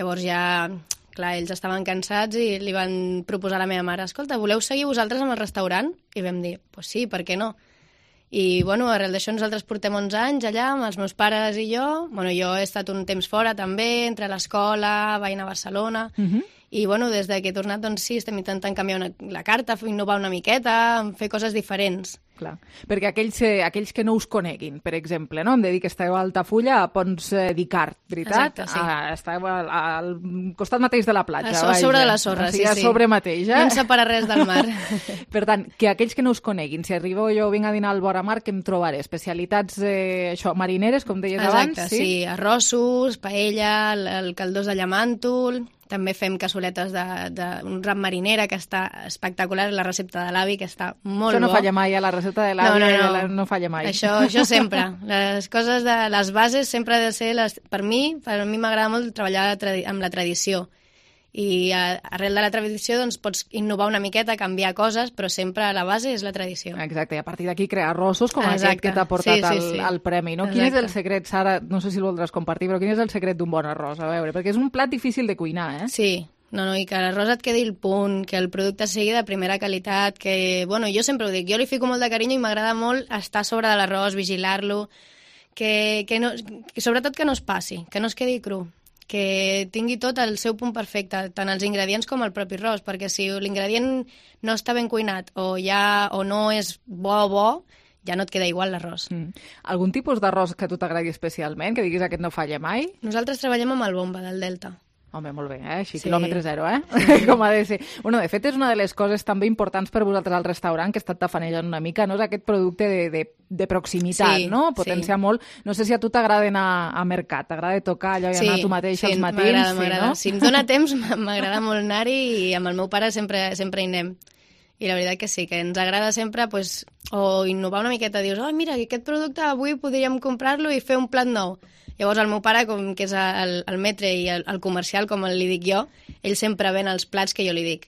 Speaker 17: llavors ja... Clar, ells estaven cansats i li van proposar a la meva mare, escolta, voleu seguir vosaltres amb el restaurant? I vam dir, pues sí, per què no? I, bueno, arrel d'això nosaltres portem onze anys allà amb els meus pares i jo. Bueno, jo he estat un temps fora també, entre l'escola, vaig anar a Barcelona, uh-huh. i, bueno, des que he tornat, doncs sí, estem intentant canviar una, la carta, innovar una miqueta, fer coses diferents.
Speaker 4: Clar, perquè aquells, eh, aquells que no us coneguin, per exemple, no? Em de dir que esteu a Altafulla, a Pons eh, d'Icart, veritat?
Speaker 17: Exacte, sí.
Speaker 4: Ah, esteu al, al costat mateix de la platja.
Speaker 17: A, a sobre de la sorra,
Speaker 4: o sigui,
Speaker 17: sí,
Speaker 4: a
Speaker 17: sí.
Speaker 4: A sobre mateix, eh?
Speaker 17: No ens separa res del mar.
Speaker 4: Per tant, que aquells que no us coneguin, si arribo jo vinc a dinar al Boramar, què em trobaré? Especialitats, eh, això, marineres, com deies
Speaker 17: Exacte,
Speaker 4: abans?
Speaker 17: Sí, sí, arrossos, paella, el, el caldós de llamàntol... També fem cassoletes d'un ram marinera, que està espectacular, la recepta de l'avi, que està molt bo.
Speaker 4: Això no bo. Falla mai, a la recepta de l'avi no, no, no. no falla mai.
Speaker 17: Això, això sempre. Les coses de les bases sempre ha de ser... Les, per mi, per mi m'agrada molt treballar amb la tradició. I arrel de la tradició doncs, pots innovar una miqueta, canviar coses, però sempre la base és la tradició.
Speaker 4: Exacte, i a partir d'aquí crear arrossos com
Speaker 17: Exacte.
Speaker 4: Aquest que t'ha portat
Speaker 17: sí, sí, sí.
Speaker 4: El, el premi. No? Quin és el secret, Sara? No sé si el voldràs compartir, però quin és el secret d'un bon arròs? A veure, perquè és un plat difícil de cuinar, eh?
Speaker 17: Sí, no, no, i que l'arròs et quedi el punt, que el producte sigui de primera qualitat, que, bueno, jo sempre ho dic, jo li fico molt de carinyo i m'agrada molt estar sobre de l'arròs, vigilar-lo, que, que, no, que sobretot que no es passi, que no es quedi cru, que tingui tot el seu punt perfecte, tant els ingredients com el propi arròs, perquè si l'ingredient no està ben cuinat o, ja, o no és bo bo, ja no et queda igual l'arròs.
Speaker 4: Mm. Algun tipus d'arròs que a tu t'agradi especialment, que diguis aquest no falla mai?
Speaker 17: Nosaltres treballem amb el bomba del Delta.
Speaker 4: Home, molt bé, eh? Així, sí. Quilòmetre zero, eh? Sí. Com ha de ser. Bueno, de fet, és una de les coses també importants per vosaltres al restaurant, que he estat tafanejant una mica, no? És aquest producte de, de, de proximitat,
Speaker 17: sí,
Speaker 4: no? Potenciar sí. molt. No sé si a tu t'agrada anar a mercat, t'agrada tocar allò i
Speaker 17: sí,
Speaker 4: anar tu mateix
Speaker 17: sí,
Speaker 4: als matins.
Speaker 17: M'agrada,
Speaker 4: sí,
Speaker 17: m'agrada.
Speaker 4: No?
Speaker 17: Si em dóna temps, m'agrada molt anar-hi i amb el meu pare sempre, sempre hi anem. I la veritat que sí, que ens agrada sempre pues, o innovar una miqueta. Dius, oh, mira, aquest producte avui podríem comprar-lo i fer un plat nou. Llavors el meu pare, com que és el, el metre i el, el comercial, com li dic jo, ell sempre ven els plats que jo li dic.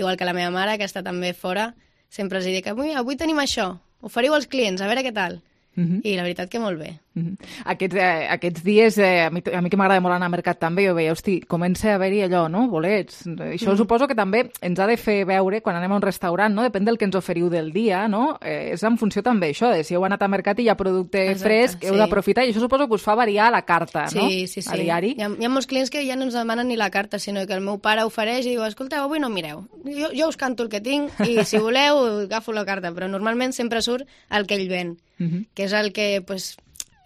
Speaker 17: Igual que la meva mare, que està també fora, sempre els dic, avui, avui tenim això, oferiu als clients, a veure què tal. Uh-huh. I la veritat que molt bé.
Speaker 4: Uh-huh. Aquests, eh, aquests dies, eh, a, mi, a mi que m'agrada molt anar al mercat també, jo veia, hosti, comença a haver-hi allò, no? Bolets. Això uh-huh. suposo que també ens ha de fer veure, quan anem a un restaurant, no? Depèn del que ens oferiu del dia, no? Eh, és en funció també això, de si heu anat al mercat i hi ha producte Exacte, fresc, sí. heu d'aprofitar, i això suposo que us fa variar la carta,
Speaker 17: sí,
Speaker 4: no?
Speaker 17: Sí, sí,
Speaker 4: a diari.
Speaker 17: Hi ha, hi ha molts clients que ja no ens demanen ni la carta, sinó que el meu pare ofereix i diu, escolteu, avui no mireu, jo, jo us canto el que tinc i si voleu agafo la carta, però normalment sempre surt el que ell ven. Uh-huh. Que és el que pues,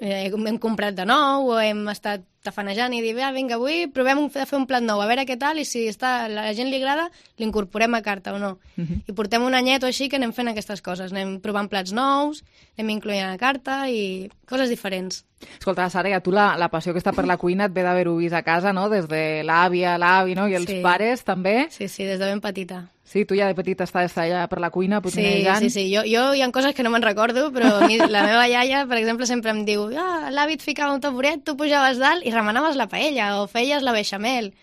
Speaker 17: eh, hem comprat de nou o hem estat tafanejant i dir, ah, vinga, avui provem de fer un plat nou, a veure què tal, i si està, a la gent li agrada, l'incorporem a carta o no. Uh-huh. I portem un anyet o així que anem fent aquestes coses, anem provant plats nous, anem incloent a la carta i coses diferents.
Speaker 4: Escolta, Sara, a tu la, la passió que està per la cuina et ve d'haver-ho vist a casa, no? Des de l'àvia, l'avi, no? I els
Speaker 17: sí.
Speaker 4: pares, també.
Speaker 17: Sí, sí, des de ben petita.
Speaker 4: Sí, tu ja de petita estaves allà per la cuina potinejant.
Speaker 17: Sí, sí, sí. Jo, jo hi ha coses que no me'n recordo, però a mi, la meva iaia, per exemple, sempre em diu ah, l'avi et ficava un taburet, tu pujaves dalt i remanaves la paella o feies la beixamel.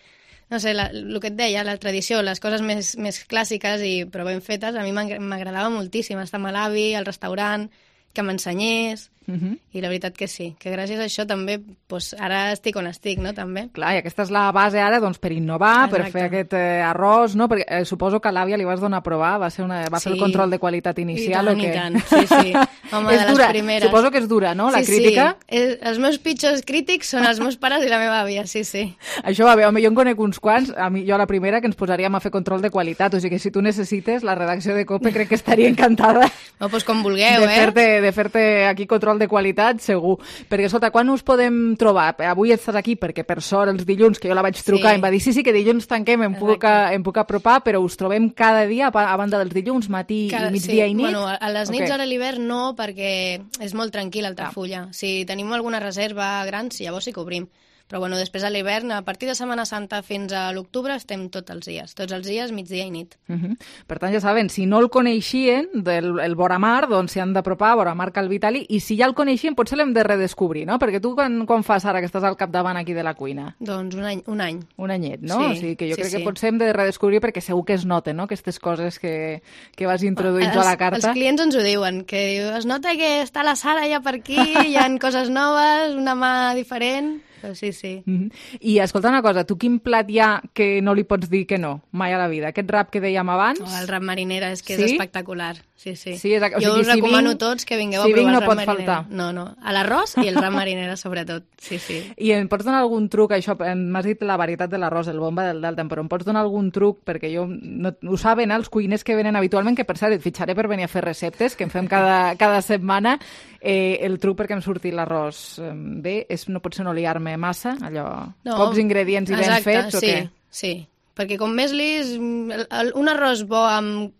Speaker 17: No sé, la, el que et deia, la tradició, les coses més, més clàssiques i però ben fetes, a mi m'agradava moltíssim estar amb l'avi, al restaurant, que m'ensenyés, uh-huh. i la veritat que sí, que gràcies a això també, doncs, ara estic on estic, no?, també.
Speaker 4: Clar, i aquesta és la base ara, doncs, per innovar, exacte. Per fer aquest eh, arròs, no?, perquè eh, suposo que a l'àvia li vas donar a provar, va, ser una, va sí. fer el control de qualitat inicial,
Speaker 17: I tant,
Speaker 4: o què?
Speaker 17: i tant, sí, sí, home, de les
Speaker 4: dura.
Speaker 17: Primeres.
Speaker 4: Suposo que és dura, no?, la
Speaker 17: sí,
Speaker 4: crítica.
Speaker 17: Sí, sí, els meus pitjors crítics són els meus pares i la meva àvia, sí, sí.
Speaker 4: Això va bé, home, jo en conec uns quants, a mi, jo a la primera, que ens posaríem a fer control de qualitat, o sigui que si tu necessites, la redacció de COPE crec que estaria encantada.
Speaker 17: No, doncs com vulgueu,
Speaker 4: de
Speaker 17: eh?
Speaker 4: Fer-te, de fer-te aquí control de qualitat, segur. Perquè, escolta, quan us podem trobar? Avui estàs aquí perquè, per sort, els dilluns, que jo la vaig trucar, sí. em va dir, sí, sí, que dilluns tanquem, em puc, em puc apropar, però us trobem cada dia, a banda dels dilluns, matí cada, i migdia
Speaker 17: sí.
Speaker 4: i nit?
Speaker 17: Bueno, a les nits
Speaker 4: okay.
Speaker 17: ara a l'hivern no, perquè és molt tranquil Altafulla. Ah. Si tenim alguna reserva gran, sí, llavors sí que obrim. Però bueno, després a l'hivern, a partir de Setmana Santa fins a l'octubre, estem tots els dies. Tots els dies, migdia i nit.
Speaker 4: Uh-huh. Per tant, ja saben, si no el coneixien, del el Boramar, doncs s'hi han d'apropar a Boramar Cal Vitali, i si ja el coneixien, potser l'hem de redescobrir, no? Perquè tu quan, quan fas ara que estàs al capdavant aquí de la cuina?
Speaker 17: Doncs un any. Un any,
Speaker 4: un anyet, no?
Speaker 17: Sí,
Speaker 4: o sigui que jo
Speaker 17: sí,
Speaker 4: crec
Speaker 17: sí.
Speaker 4: que potser hem de redescobrir perquè segur que es noten, no?, aquestes coses que, que vas introduint
Speaker 17: els,
Speaker 4: a la carta.
Speaker 17: Els clients ens ho diuen, que es nota que està la Sara ja per aquí, hi ha coses noves, una mà diferent... Però sí, sí.
Speaker 4: Mm-hmm. I escolta una cosa, tu quin plat hi ha que no li pots dir que no, mai a la vida? Aquest rap que dèiem abans?
Speaker 17: Oh, el rap marinera, és que
Speaker 4: sí?
Speaker 17: és espectacular. Sí, sí.
Speaker 4: sí és, o
Speaker 17: jo
Speaker 4: sigui,
Speaker 17: us recomano
Speaker 4: si vinc,
Speaker 17: tots que vingueu
Speaker 4: si
Speaker 17: a provar
Speaker 4: no
Speaker 17: el rap
Speaker 4: pot
Speaker 17: marinera.
Speaker 4: Faltar.
Speaker 17: No, no, a l'arròs i el rap marinera sobretot, sí, sí.
Speaker 4: I em pots donar algun truc, això, m'has dit la varietat de l'arròs, el bomba del Delta, però em pots donar algun truc, perquè jo, no, ho saben els cuiners que venen habitualment, que per cert et fitxaré per venir a fer receptes, que en fem cada, cada setmana, eh, el truc perquè em surti l'arròs bé, és, no pot ser no liar-me massa, allò, no, pocs ingredients i
Speaker 17: exacte,
Speaker 4: ben fets, o
Speaker 17: sí,
Speaker 4: què?
Speaker 17: Sí, perquè com més lis, un arròs bo amb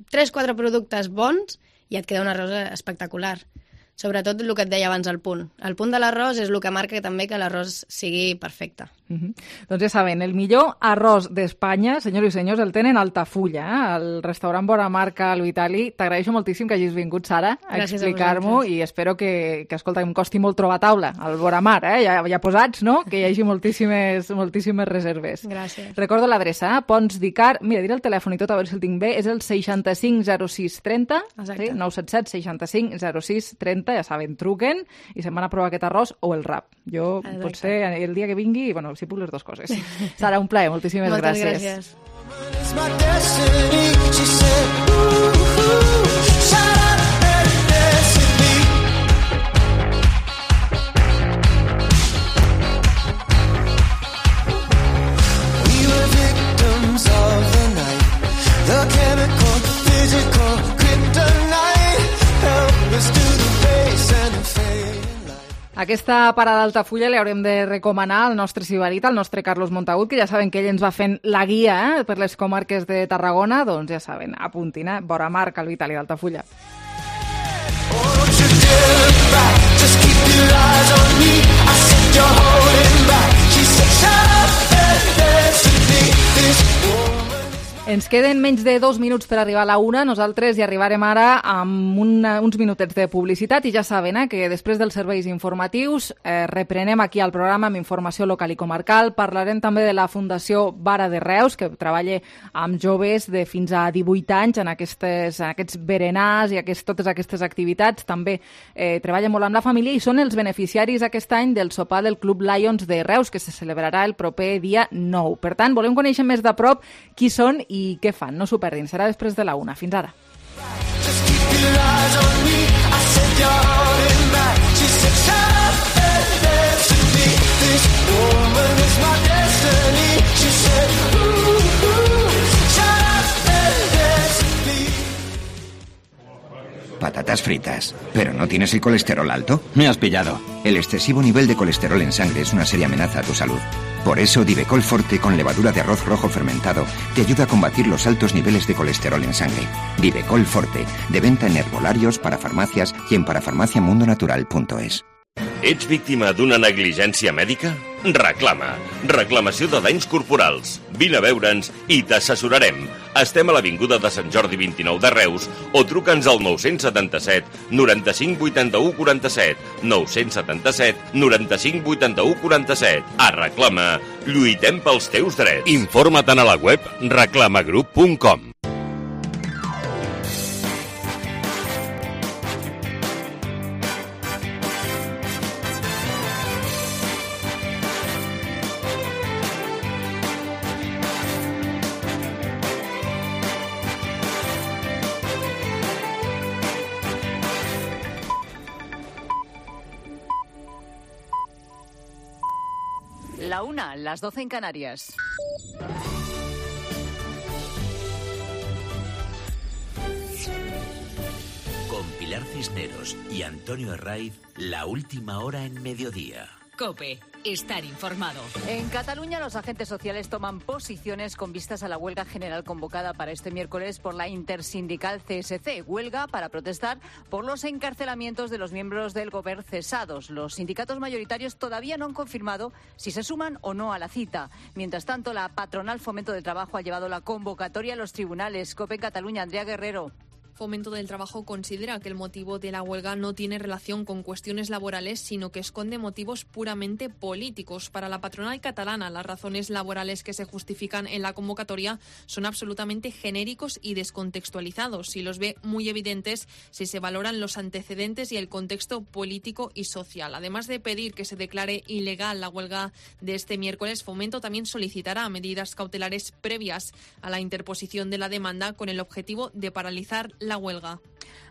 Speaker 17: tres quatre productes bons i et queda un arròs espectacular. Sobretot el que et deia abans, el punt. El punt de l'arròs és el que marca també que l'arròs sigui perfecte.
Speaker 4: Uh-huh. Doncs ja saben, el millor arròs d'Espanya, senyors i senyors, el tenen a Altafulla, eh? Al restaurant Boramar Cal Vitali. T'agraeixo moltíssim que hagis vingut, Sara, a
Speaker 17: Gràcies
Speaker 4: explicar-m'ho i espero que, que, escolta, em costi molt trobar taula al Boramar, eh? Ja, ja posats, no? Que hi hagi moltíssimes, moltíssimes reserves.
Speaker 17: Gràcies.
Speaker 4: Recordo l'adreça, eh? Pons d'Icar, mira, diré el telèfon i tot, a veure si el tinc bé, és el seixanta-cinc zero sis trenta, sí? nou set set seixanta-cinc zero sis trenta, ja saben, truquen i se'n van a provar aquest arròs o el rap. Jo, exacte. Potser el dia que vingui, bueno, si puc les dues coses. Sara, un plaer, moltíssimes
Speaker 17: Moltes
Speaker 4: gràcies. Aquesta parada d'Altafulla li haurem de recomanar al nostre sibarita, al nostre Carlos Montagut, que ja saben que ell ens va fent la guia eh, per les comarques de Tarragona, doncs ja saben, apuntin, eh? Boramar Cal Vitali d'Altafulla. Ens queden menys de dos minuts per arribar a la una. Nosaltres hi arribarem ara amb una, uns minutets de publicitat i ja saben eh, que després dels serveis informatius eh, reprenem aquí al programa amb informació local i comarcal. Parlarem també de la Fundació Vara de Reus, que treballa amb joves de fins a divuit anys en, aquestes, en aquests berenars i aquest, totes aquestes activitats. També eh, treballa molt amb la família i són els beneficiaris aquest any del sopar del Club Lions de Reus, que se celebrarà el proper dia nou. Per tant, volem conèixer més de prop qui són i i què fan, no s'ho perdin, serà després de la una. Fins ara.
Speaker 10: Patatas fritas. ¿Pero no tienes el colesterol alto?
Speaker 11: Me has pillado.
Speaker 10: El excesivo nivel de colesterol en sangre es una seria amenaza a tu salud. Por eso, Divecol Forte con levadura de arroz rojo fermentado te ayuda a combatir los altos niveles de colesterol en sangre. Divecol Forte, de venta en herbolarios, parafarmacias y en parafarmaciamundonatural punto es.
Speaker 15: Ets víctima d'una negligència mèdica? Reclama. Reclamació de danys corporals. Vine a veure'ns i t'assessorarem. Estem a l'Avinguda de Sant Jordi vint-i-nou de Reus o truca'ns al nou setanta set noranta-cinc vuitanta-u quaranta-set. nou setanta set noranta-cinc vuitanta-u quaranta-set. A Reclama, lluitem pels teus drets. Informa't a la web reclamagroup punt com.
Speaker 18: La una, las doce en Canarias.
Speaker 19: Con Pilar Cisneros y Antonio Herraiz, la última hora en mediodía.
Speaker 18: COPE. Estar informado. En Cataluña, los agentes sociales toman posiciones con vistas a la huelga general convocada para este miércoles por la intersindical C S C. Huelga para protestar por los encarcelamientos de los miembros del Gobierno cesados. Los sindicatos mayoritarios todavía no han confirmado si se suman o no a la cita. Mientras tanto, la patronal Fomento del Trabajo ha llevado la convocatoria a los tribunales. COPE en Cataluña, Andrea Guerrero.
Speaker 20: Fomento del Trabajo considera que el motivo de la huelga no tiene relación con cuestiones laborales, sino que esconde motivos puramente políticos. Para la patronal catalana, las razones laborales que se justifican en la convocatoria son absolutamente genéricos y descontextualizados, y los ve muy evidentes si se valoran los antecedentes y el contexto político y social. Además de pedir que se declare ilegal la huelga de este miércoles, Fomento también solicitará medidas cautelares previas a la interposición de la demanda con el objetivo de paralizar la huelga.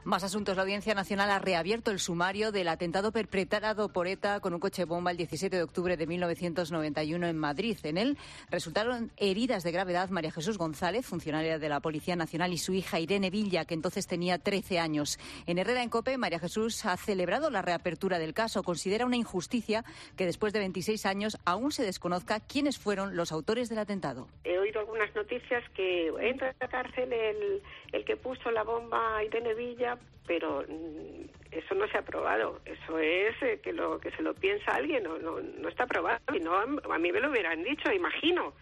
Speaker 18: Más asuntos. La Audiencia Nacional ha reabierto el sumario del atentado perpetrado por ETA con un coche bomba el diecisiete de octubre de mil novecientos noventa y uno en Madrid. En él resultaron heridas de gravedad María Jesús González, funcionaria de la Policía Nacional, y su hija Irene Villa, que entonces tenía trece años. En Herrera en COPE, María Jesús ha celebrado la reapertura del caso. Considera una injusticia que después de veintiséis años aún se desconozca quiénes fueron los autores del atentado.
Speaker 21: He oído algunas noticias que entra a la cárcel el, el que puso la bomba a Irene Villa, pero eso no se ha probado. Eso es eh, que lo que se lo piensa alguien, no, no, no está probado. Y no, a mí me lo hubieran dicho, imagino.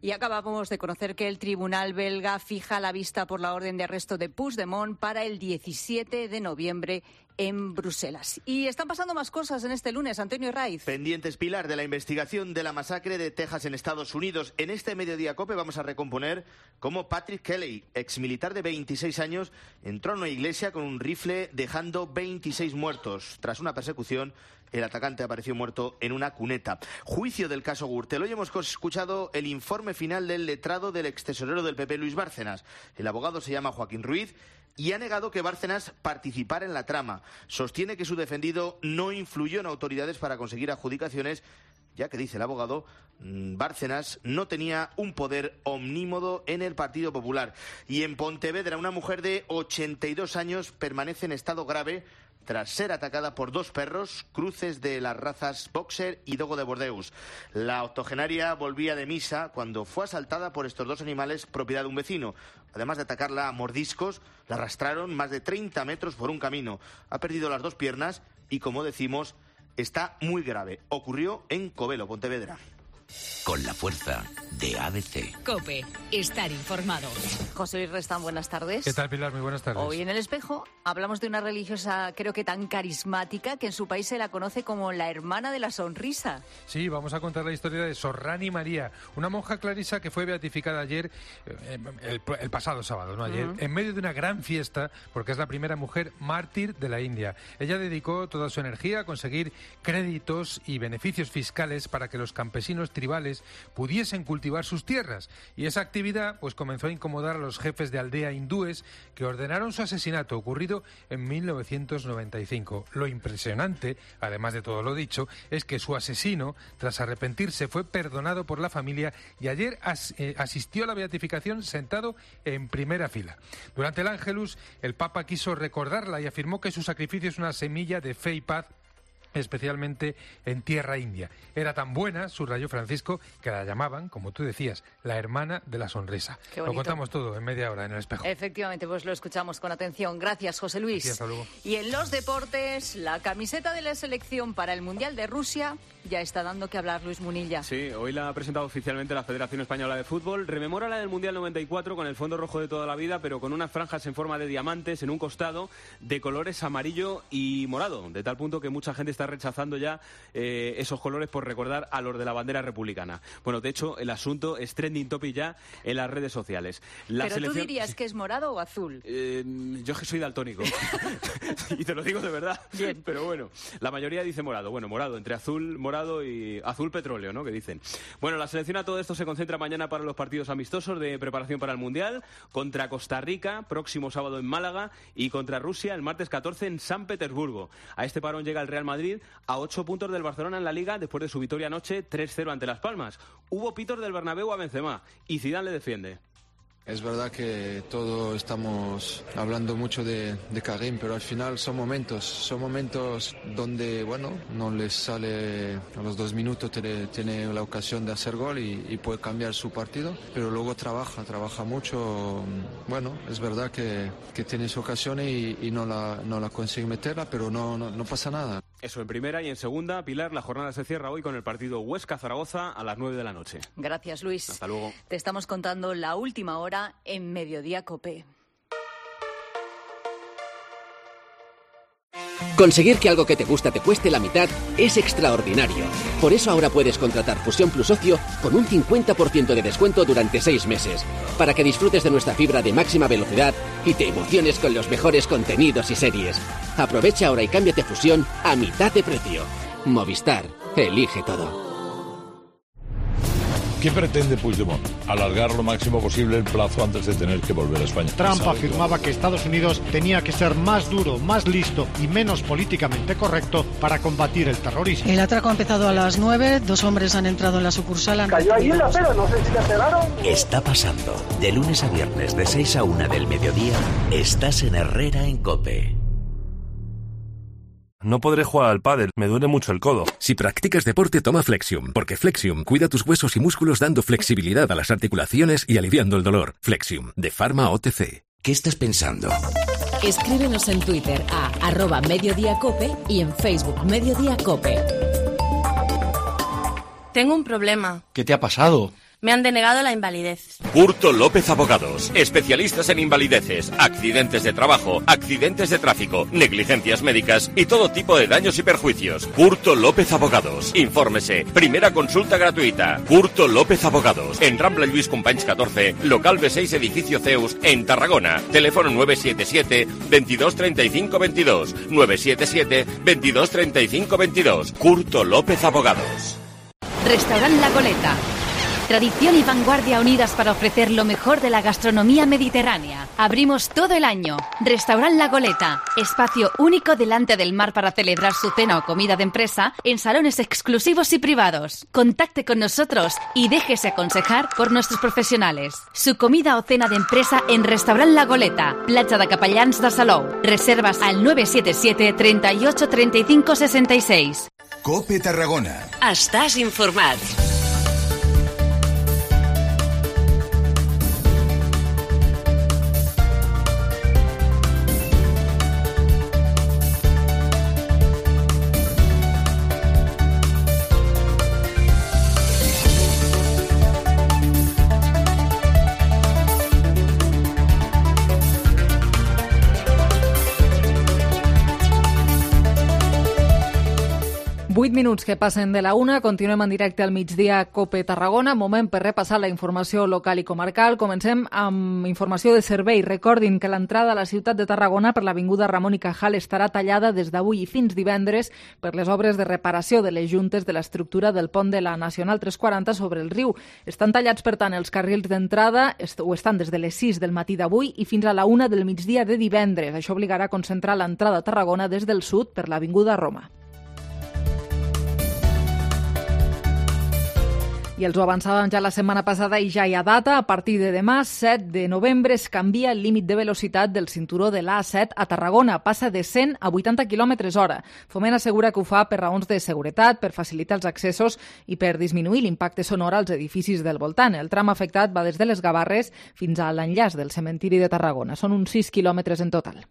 Speaker 18: Y acabamos de conocer que el tribunal belga fija la vista por la orden de arresto de Puigdemont para el diecisiete de noviembre en Bruselas. Y están pasando más cosas en este lunes. Antonio Herraiz.
Speaker 22: Pendientes, Pilar, de la investigación de la masacre de Texas en Estados Unidos. En este Mediodía COPE vamos a recomponer cómo Patrick Kelly, exmilitar de veintiséis años, entró a una iglesia con un rifle dejando veintiséis muertos. Tras una persecución, el atacante apareció muerto en una cuneta. Juicio del caso Gürtel. Hoy hemos escuchado el informe final del letrado del extesorero del P P, Luis Bárcenas. El abogado se llama Joaquín Ruiz y ha negado que Bárcenas participara en la trama. Sostiene que su defendido no influyó en autoridades para conseguir adjudicaciones, ya que, dice el abogado, Bárcenas no tenía un poder omnímodo en el Partido Popular. Y en Pontevedra, una mujer de ochenta y dos años permanece en estado grave tras ser atacada por dos perros, cruces de las razas Boxer y Dogo de Bordeus. La octogenaria volvía de misa cuando fue asaltada por estos dos animales, propiedad de un vecino. Además de atacarla a mordiscos, la arrastraron más de treinta metros por un camino. Ha perdido las dos piernas y, como decimos, está muy grave. Ocurrió en Covelo, Pontevedra.
Speaker 19: Con la fuerza de A B C.
Speaker 18: COPE. Estar informado. José Luis Restán, buenas tardes.
Speaker 23: ¿Qué tal, Pilar? Muy buenas tardes.
Speaker 18: Hoy en El Espejo hablamos de una religiosa, creo que tan carismática, que en su país se la conoce como la hermana de la sonrisa.
Speaker 23: Sí, vamos a contar la historia de Sorrani María, una monja clarisa que fue beatificada ayer, eh, el, el pasado sábado, no ayer, uh-huh. en medio de una gran fiesta, porque es la primera mujer mártir de la India. Ella dedicó toda su energía a conseguir créditos y beneficios fiscales para que los campesinos tribales pudiesen cultivar sus tierras, y esa actividad pues comenzó a incomodar a los jefes de aldea hindúes, que ordenaron su asesinato, ocurrido en mil novecientos noventa y cinco. Lo impresionante, además de todo lo dicho, es que su asesino, tras arrepentirse, fue perdonado por la familia y ayer as, eh, asistió a la beatificación sentado en primera fila. Durante el Ángelus, el Papa quiso recordarla y afirmó que su sacrificio es una semilla de fe y paz especialmente en tierra india. Era tan buena, subrayó Francisco, que la llamaban, como tú decías, la hermana de la sonrisa.
Speaker 18: Qué
Speaker 23: lo
Speaker 18: bonito.
Speaker 23: contamos todo en media hora en El Espejo.
Speaker 18: Efectivamente, pues lo escuchamos con atención. Gracias, José Luis.
Speaker 23: Sí, hasta luego.
Speaker 18: Y en los deportes, la camiseta de la selección para el Mundial de Rusia ya está dando que hablar, Luis Munilla.
Speaker 2: Sí, hoy la ha presentado oficialmente la Federación Española de Fútbol. Rememora la del Mundial noventa y cuatro con el fondo rojo de toda la vida, pero con unas franjas en forma de diamantes en un costado de colores amarillo y morado, de tal punto que mucha gente está rechazando ya eh, esos colores por recordar a los de la bandera republicana. Bueno, de hecho, el asunto es trending topic ya en las redes sociales. La
Speaker 18: ¿Pero
Speaker 2: selección...
Speaker 18: tú dirías que es morado o azul?
Speaker 2: Eh, yo que soy daltónico y te lo digo de verdad.
Speaker 18: Bien.
Speaker 2: Pero bueno, la mayoría dice morado. Bueno, morado, entre azul, morado y azul petróleo, ¿no? Que dicen. Bueno, la selección a todo esto se concentra mañana para los partidos amistosos de preparación para el Mundial, contra Costa Rica, próximo sábado en Málaga, y contra Rusia el martes catorce en San Petersburgo. A este parón llega el Real Madrid a ocho puntos del Barcelona en la Liga después de su victoria anoche tres cero ante Las Palmas. Hubo pitos del Bernabéu a Benzema y Zidane le defiende.
Speaker 3: Es verdad que todos estamos hablando mucho de, de Karim, pero al final son momentos, son momentos donde, bueno, no les sale a los dos minutos, tiene, tiene la ocasión de hacer gol y, y puede cambiar su partido, pero luego trabaja, trabaja mucho. Bueno, es verdad que, que tiene su ocasión y, y no, la, no la consigue meterla, pero no, no, no pasa nada.
Speaker 2: Eso en primera, y en segunda, Pilar, la jornada se cierra hoy con el partido Huesca-Zaragoza a las nueve de la noche.
Speaker 18: Gracias, Luis.
Speaker 2: Hasta luego.
Speaker 18: Te estamos contando la última hora en Mediodía COPE.
Speaker 5: Conseguir que algo que te gusta te cueste la mitad es extraordinario. Por eso ahora puedes contratar Fusión Plus Ocio con un cincuenta por ciento de descuento durante seis meses, para que disfrutes de nuestra fibra de máxima velocidad y te emociones con los mejores contenidos y series. Aprovecha ahora y cámbiate Fusión a mitad de precio. Movistar, elige todo.
Speaker 24: ¿Qué pretende Puigdemont? Alargar lo máximo posible el plazo antes de tener que volver a España.
Speaker 25: Trump afirmaba que Estados Unidos tenía que ser más duro, más listo y menos políticamente correcto para combatir el terrorismo.
Speaker 26: El atraco ha empezado a las nueve, dos hombres han entrado en la sucursal. Han...
Speaker 27: Cayó ahí en la acera, no sé si te pegaron.
Speaker 19: Está pasando. De lunes a viernes, de seis a una del mediodía, estás en Herrera en COPE.
Speaker 28: No podré jugar al pádel, me duele mucho el codo.
Speaker 29: Si practicas deporte, toma Flexium, porque Flexium cuida tus huesos y músculos dando flexibilidad a las articulaciones y aliviando el dolor. Flexium, de Pharma O T C.
Speaker 19: ¿Qué estás pensando?
Speaker 30: Escríbenos en Twitter a arroba Mediodía Cope y en Facebook Mediodía Cope.
Speaker 31: Tengo un problema.
Speaker 28: ¿Qué te ha pasado?
Speaker 31: Me han denegado la invalidez.
Speaker 15: Curto López Abogados, especialistas en invalideces, accidentes de trabajo, accidentes de tráfico, negligencias médicas y todo tipo de daños y perjuicios. Curto López Abogados. Infórmese. Primera consulta gratuita. Curto López Abogados. En Rambla Lluís Companys catorce, local B seis, edificio Zeus, en Tarragona. Teléfono nueve siete siete, veintidós treinta y cinco veintidós. nueve siete siete, veintidós treinta y cinco veintidós. Curto López Abogados.
Speaker 1: Restaurant La Goleta. Tradición y vanguardia unidas para ofrecer lo mejor de la gastronomía mediterránea. Abrimos todo el año. Restaurant La Goleta. Espacio único delante del mar para celebrar su cena o comida de empresa en salones exclusivos y privados. Contacte con nosotros y déjese aconsejar por nuestros profesionales. Su comida o cena de empresa en Restaurant La Goleta. Platja de Capellans de Salou. Reservas al nueve siete siete, treinta y ocho, treinta y cinco, sesenta y seis.
Speaker 32: COPE Tarragona.
Speaker 12: Estàs informat.
Speaker 4: vuit minuts que passen de la una, continuem en directe al migdia COPE Tarragona, moment per repassar la informació local i comarcal. Comencem amb informació de servei. Recordin que l'entrada a la ciutat de Tarragona per l'avinguda Ramon i Cajal estarà tallada des d'avui i fins divendres per les obres de reparació de les juntes de l'estructura del pont de la Nacional tres quaranta sobre el riu. Estan tallats, per tant, els carrils d'entrada, o estan des de les sis del matí d'avui i fins a la una del migdia de divendres. Això obligarà a concentrar l'entrada a Tarragona des del sud per l'avinguda Roma. I els ho avançàvem ja la setmana passada i ja hi ha data. A partir de demà, set de novembre, es canvia el límit de velocitat del cinturó de l'A set a Tarragona. Passa de cent a vuitanta quilòmetres hora. Foment assegura que ho fa per raons de seguretat, per facilitar els accessos i per disminuir l'impacte sonor als edificis del voltant. El tram afectat va des de les Gavarres fins a l'enllaç del cementiri de Tarragona. Són uns sis quilòmetres en total.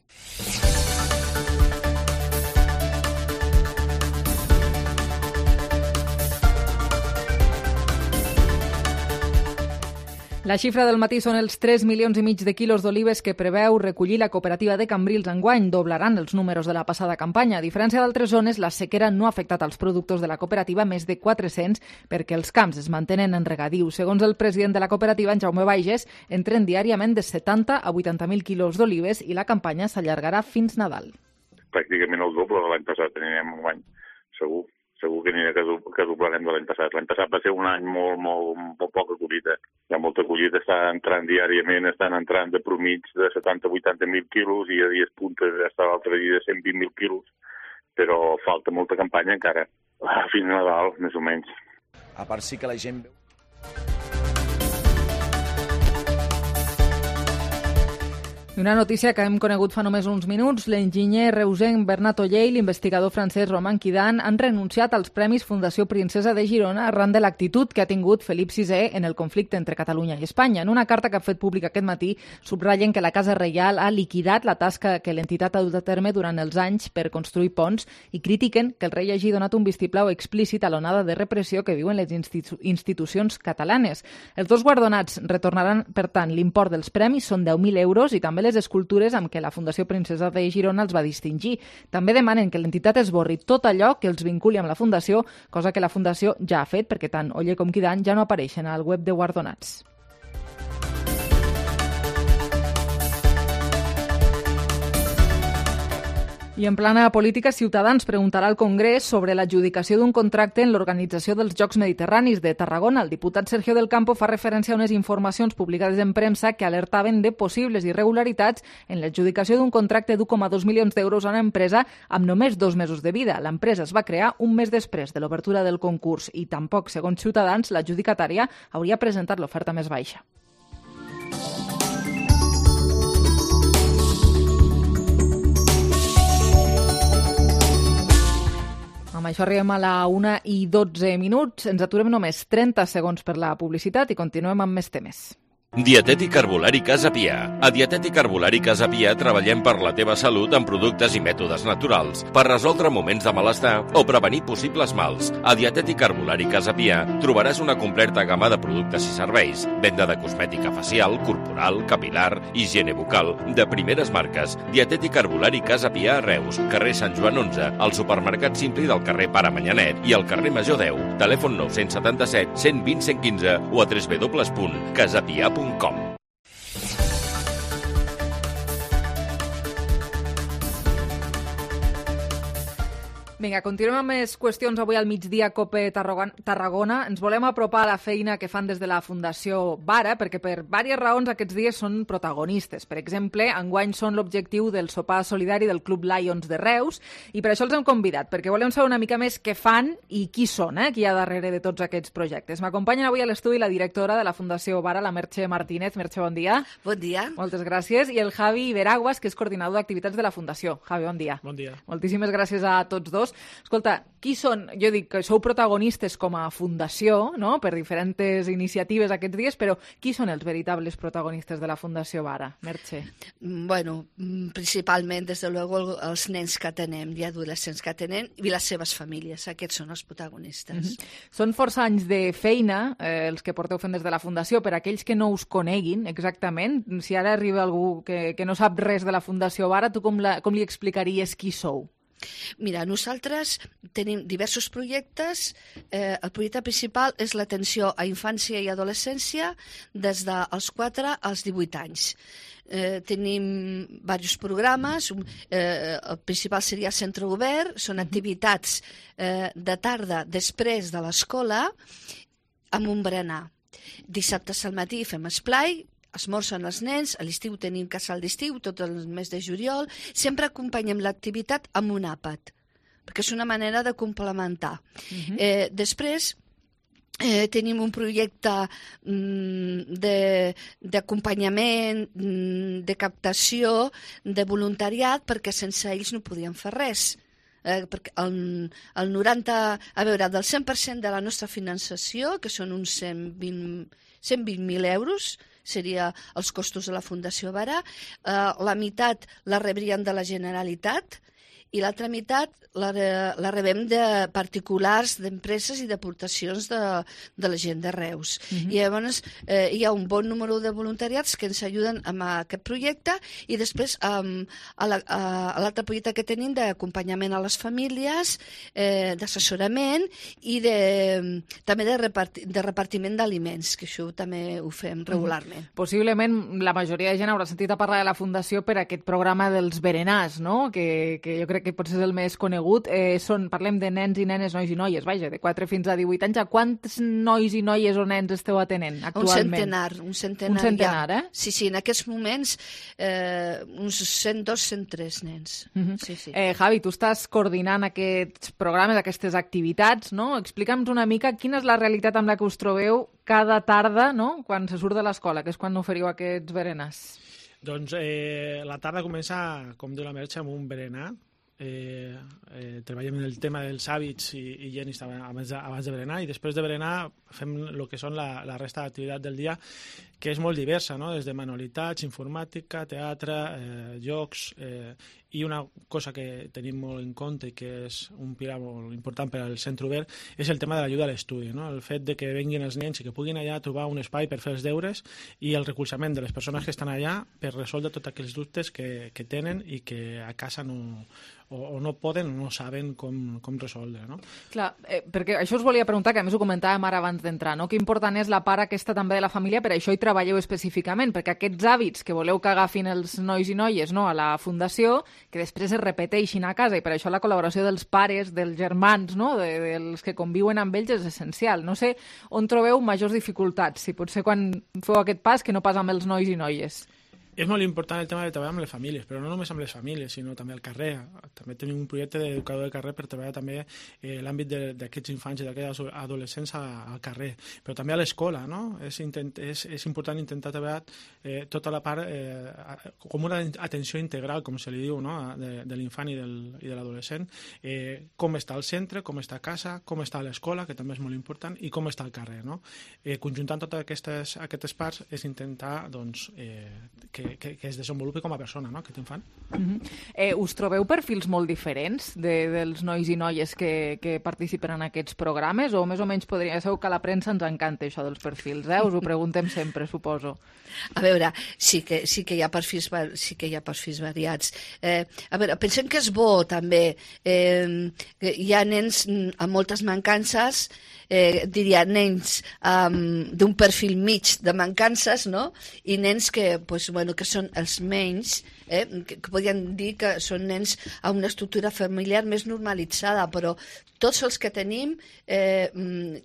Speaker 4: La xifra del matí són els tres milions i mig de quilos d'olives que preveu recollir la cooperativa de Cambrils enguany. Doblaran els números de la passada campanya. A diferència d'altres zones, la sequera no ha afectat als productors de la cooperativa, més de quatre-cents, perquè els camps es mantenen en regadiu. Segons el president de la cooperativa, en Jaume Baiges, entren diàriament de setanta a vuitanta mil quilos d'olives i la campanya s'allargarà fins Nadal.
Speaker 6: Pràcticament el doble de l'any passat anirem enguany, segur. Segur que anirà que doblarem de l'any passat. L'any passat va ser un any molt, molt, molt poca collita. Hi ha molta collita, està entrant diàriament, estan entrant de promig de setanta a vuitanta mil quilos i a dies puntes està l'altre dia de cent vint mil quilos, però falta molta campanya encara. Fins a Nadal, més o menys.
Speaker 7: A part sí que la gent veu...
Speaker 4: Una notícia que hem conegut fa només uns minuts. L'enginyer reusenc Bernat Oller i l'investigador francès Romain Quidan han renunciat als Premis Fundació Princesa de Girona arran de l'actitud que ha tingut Felip sisè en el conflicte entre Catalunya i Espanya. En una carta que ha fet pública aquest matí, subratllen que la Casa Reial ha liquidat la tasca que l'entitat ha dut a terme durant els anys per construir ponts i critiquen que el rei hagi donat un vistiplau explícit a l'onada de repressió que viuen les institu- institucions catalanes. Els dos guardonats retornaran, per tant, l'import dels premis, són deu mil euros, i també les escultures amb què la Fundació Princesa de Girona els va distingir. També demanen que l'entitat esborri tot allò que els vinculi amb la Fundació, cosa que la Fundació ja ha fet, perquè tant Oller com Quidan ja no apareixen al web de guardonats. I en plana política, Ciutadans preguntarà al Congrés sobre l'adjudicació d'un contracte en l'organització dels Jocs Mediterranis de Tarragona. El diputat Sergio del Campo fa referència a unes informacions publicades en premsa que alertaven de possibles irregularitats en l'adjudicació d'un contracte d'u coma dos milions d'euros a una empresa amb només dos mesos de vida. L'empresa es va crear un mes després de l'obertura del concurs i tampoc, segons Ciutadans, l'adjudicatària hauria presentat l'oferta més baixa. Amb això arribem a la una i dotze minuts. Ens aturem només trenta segons per la publicitat i continuem amb més temes.
Speaker 15: Dietètic Herbolari Casa Pia. A Dietètic Herbolari Casa Pia treballem per la teva salut amb productes i mètodes naturals, per resoldre moments de malestar o prevenir possibles mals. A Dietètic Herbolari Casa Pia trobaràs una completa gamma de productes i serveis, venda de cosmètica facial, corporal, capilar, higiene bucal, de primeres marques. Dietètic Herbolari Casa Pia a Reus, carrer Sant Joan onze, al supermercat Simpli del carrer Pare Manyanet i al carrer Major deu. Telèfon nou set set, cent vint, cent quinze o a w w w punt casapia punt com.
Speaker 4: Vinga, continuem amb més qüestions avui al migdia Cope Tarragona. Ens volem apropar a la feina que fan des de la Fundació Vara, perquè per diverses raons aquests dies són protagonistes. Per exemple, enguany són l'objectiu del sopar solidari del Club Lions de Reus, i per això els hem convidat, perquè volem saber una mica més què fan i qui són, eh, qui hi ha darrere de tots aquests projectes. M'acompanyen avui a l'estudi la directora de la Fundació Vara, la Merche Martínez. Merche, bon dia.
Speaker 8: Bon dia.
Speaker 4: Moltes gràcies. I el Javi Veraguas, que és coordinador d'activitats de la Fundació. Javi, bon dia.
Speaker 9: Bon dia.
Speaker 4: Moltíssimes gràcies a tots dos. Escolta, qui són? Jo dic que sou protagonistes com a fundació, no?, per diferents iniciatives aquests dies, però qui són els veritables protagonistes de la Fundació Vara? Merche.
Speaker 8: Bueno, principalment, des de luego, els nens que atenem i adolescents que atenem i les seves famílies. Aquests són els protagonistes.
Speaker 4: Mm-hmm. Són força anys de feina, eh, els que porteu fent des de la Fundació. Per aquells que no us coneguin exactament, si ara arriba algú que, que no sap res de la Fundació Vara, tu com, la, com li explicaries qui sou?
Speaker 8: Mira, nosaltres tenim diversos projectes. Eh, el projecte principal és l'atenció a infància i adolescència des dels quatre als divuit anys. Eh, tenim diversos programes. Eh, el principal seria Centre Obert. Són activitats eh, de tarda després de l'escola amb un berenar. Dissabtes al matí fem esplai, esmorzen els nens, a l'estiu tenim casal d'estiu, tot el mes de juliol. Sempre acompanyem l'activitat amb un àpat, perquè és una manera de complementar. Uh-huh. eh, després, Eh, tenim un projecte mm, d'acompanyament, mm, de captació, de voluntariat, perquè sense ells no podíem fer res. Eh, perquè el, el noranta, a veure, del cent per cent de la nostra finançació, que són uns cent vint mil euros, seria els costos de la Fundació Barà, eh, la meitat la rebrien de la Generalitat i l'altra meitat la, la rebem de particulars, d'empreses i d'aportacions de, de la gent de Reus. Uh-huh. I llavors eh, hi ha un bon número de voluntariats que ens ajuden amb aquest projecte i després um, a l'altre projecte que tenim d'acompanyament a les famílies, eh, d'assessorament i de, també de, reparti, de repartiment d'aliments, que això també ho fem regularment.
Speaker 4: Uh-huh. Possiblement la majoria de gent haurà sentit a parlar de la Fundació per aquest programa dels berenars, no? que, que jo crec que potser és el més conegut. Eh, són, parlem de nens i nenes, nois i noies, vaja, de quatre fins a divuit anys. A quants nois i noies o nens esteu atenent actualment?
Speaker 8: Un centenar. Un centenar,
Speaker 4: un centenar ja. eh?
Speaker 8: Sí, sí, en aquests moments eh, uns cent dos, cent tres nens. Uh-huh. Sí, sí.
Speaker 4: Eh, Javi, tu estàs coordinant aquests programes, aquestes activitats, no? Explica'ns una mica quina és la realitat amb la que us trobeu cada tarda, no? Quan se surt de l'escola, que és quan oferiu aquests berenars.
Speaker 9: Doncs eh, la tarda comença, com diu la Merche, amb un berenar. Eh, eh, treballem en el tema dels hàbits i, i higienis abans de, abans de berenar, i després de berenar fem el que són la, la resta d'activitat del dia, que és molt diversa, no? Des de manualitats, informàtica, teatre, eh, jocs, eh, i una cosa que tenim molt en compte i que és un pilar molt important per al centre obert és el tema de l'ajuda a l'estudi, no? El fet de que venguin els nens i que puguin allà trobar un espai per fer els deures i el recolzament de les persones que estan allà per resoldre tots aquells dubtes que, que tenen i que a casa no, o, o no poden o no saben com, com resoldre, no?
Speaker 4: Clar, eh, perquè això us volia preguntar, que a més ho comentàvem ara abans d'entrar, no? Que important és la part aquesta també de la família, per això hi treballeu específicament, perquè aquests hàbits que voleu que agafin els nois i noies, no, a la Fundació, que després es repeteixin a casa, i per això la col·laboració dels pares, dels germans, no? de, dels que conviuen amb ells és essencial. No sé on trobeu majors dificultats, si potser quan feu aquest pas que no pas amb els nois i noies.
Speaker 9: És molt important el tema de treballar amb les famílies, però no només amb les famílies, sinó també al carrer. També tenim un projecte d'educador de carrer per treballar també eh, l'àmbit d'aquests infants i d'aquests adolescents a, al carrer, però també a l'escola, no? És, intent, és, és important intentar treballar eh, tota la part eh, com una atenció integral, com se li diu, no? de, de l'infant i, del, i de l'adolescent, eh, com està al centre, com està a casa, com està a l'escola, que també és molt important, i com està al carrer, no? Eh, conjuntant totes aquestes, aquestes parts és intentar doncs, eh, que Que, que es desenvolupi com a persona, no?, aquest infant.
Speaker 4: Uh-huh. eh, us trobeu perfils molt diferents de, dels nois i noies que, que participen en aquests programes, o més o menys podria ser que a la premsa ens encanta això dels perfils, eh? Us ho preguntem sempre, suposo.
Speaker 8: A veure, sí que, sí que hi ha perfils, sí que hi ha perfils variats. Eh, a veure, pensem que és bo, també. Eh, hi ha nens amb moltes mancances, eh, diria nens um, d'un perfil mig de mancances, no?, i nens que, pues, bueno, que són els menys, eh, que, que podríem dir que són nens amb una estructura familiar més normalitzada, però tots els que tenim eh,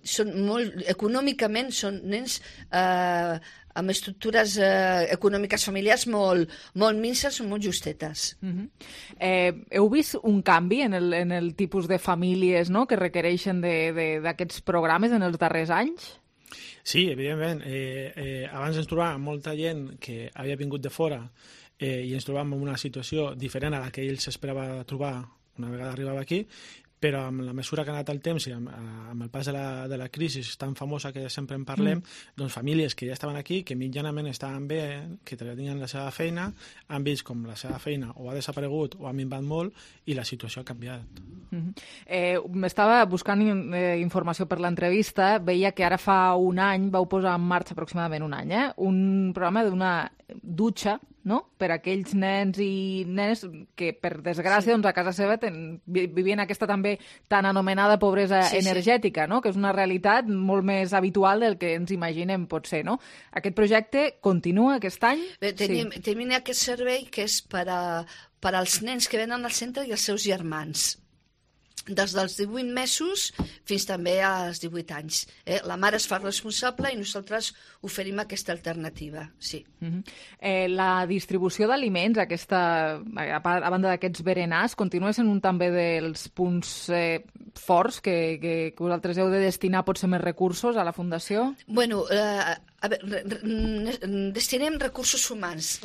Speaker 8: són molt, econòmicament són nens eh, amb estructures eh, econòmiques familiars molt, molt minces o molt justetes.
Speaker 4: Uh-huh. eh, heu vist un canvi en el, en el tipus de famílies, no?, que requereixen d'aquests programes en els darrers anys?
Speaker 9: Sí, evidentment. Eh, eh, abans ens trobàvem molta gent que havia vingut de fora eh, i ens trobàvem en una situació diferent a la que ell s'esperava trobar una vegada arribava aquí, però amb la mesura que ha anat el temps i amb, amb el pas de la, de la crisi tan famosa que sempre en parlem, mm. doncs famílies que ja estaven aquí, que mitjanament estaven bé, que tenien la seva feina, han vist com la seva feina o ha desaparegut o ha minvat molt i la situació ha canviat.
Speaker 4: Mm-hmm. eh, M'estava buscant eh, informació per l'entrevista, veia que ara fa un any vau posar en marxa, aproximadament un any, eh, un programa d'una dutxa, no?, per a aquells nens i nenes que, per desgràcia, sí. doncs a casa seva ten, vivien aquesta també tan anomenada pobresa sí, energètica, sí. no?, que és una realitat molt més habitual del que ens imaginem, potser, no? Aquest projecte continua aquest any?
Speaker 8: Bé, tenim, sí. tenim aquest servei que és per, a, per als nens que venen al centre i els seus germans, des dels divuit mesos fins també als divuit anys. Eh? La mare es fa responsable i nosaltres oferim aquesta alternativa, sí.
Speaker 4: Uh-huh. eh, la distribució d'aliments, aquesta, a banda d'aquests berenars, continua sent un també dels punts eh, forts que, que, que vosaltres heu de destinar potser més recursos a la Fundació?
Speaker 8: Bueno, eh, a veure, destinem recursos humans.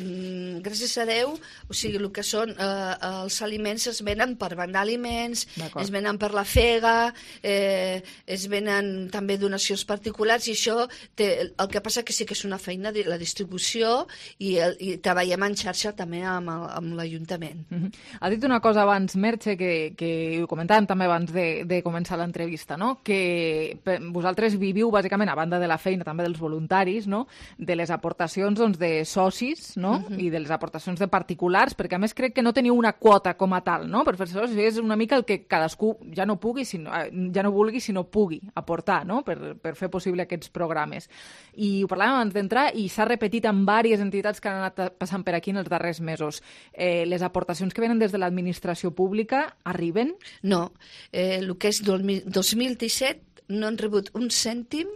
Speaker 8: Gràcies a Déu, o sigui, el que són eh, els aliments es venen per banc d'aliments, es venen per la fega, eh, es venen també donacions particulars, i això té, el que passa que sí que és una feina de la distribució i, el, i treballem en xarxa també amb, el, amb l'Ajuntament.
Speaker 4: Uh-huh. Ha dit una cosa abans, Merche, que, que ho comentàvem també abans de, de començar l'entrevista, no? Que vosaltres viviu bàsicament, a banda de la feina també dels voluntaris, no? De les aportacions doncs, de socis, no? Uh-huh. I de les aportacions de particulars, perquè a més crec que no teniu una quota com a tal, no? Per fer socis és una mica el que cadascú ja no pugui, sinó, ja no vulgui, sinó pugui aportar, no? Per, per fer possible aquests programes. I ho parlàvem abans d'entrar i s'ha repetit en diverses entitats que han anat passant per aquí en els darrers mesos. Eh, les aportacions que venen des de l'administració pública arriben?
Speaker 8: No. Eh, el que és dos mil disset no han rebut un cèntim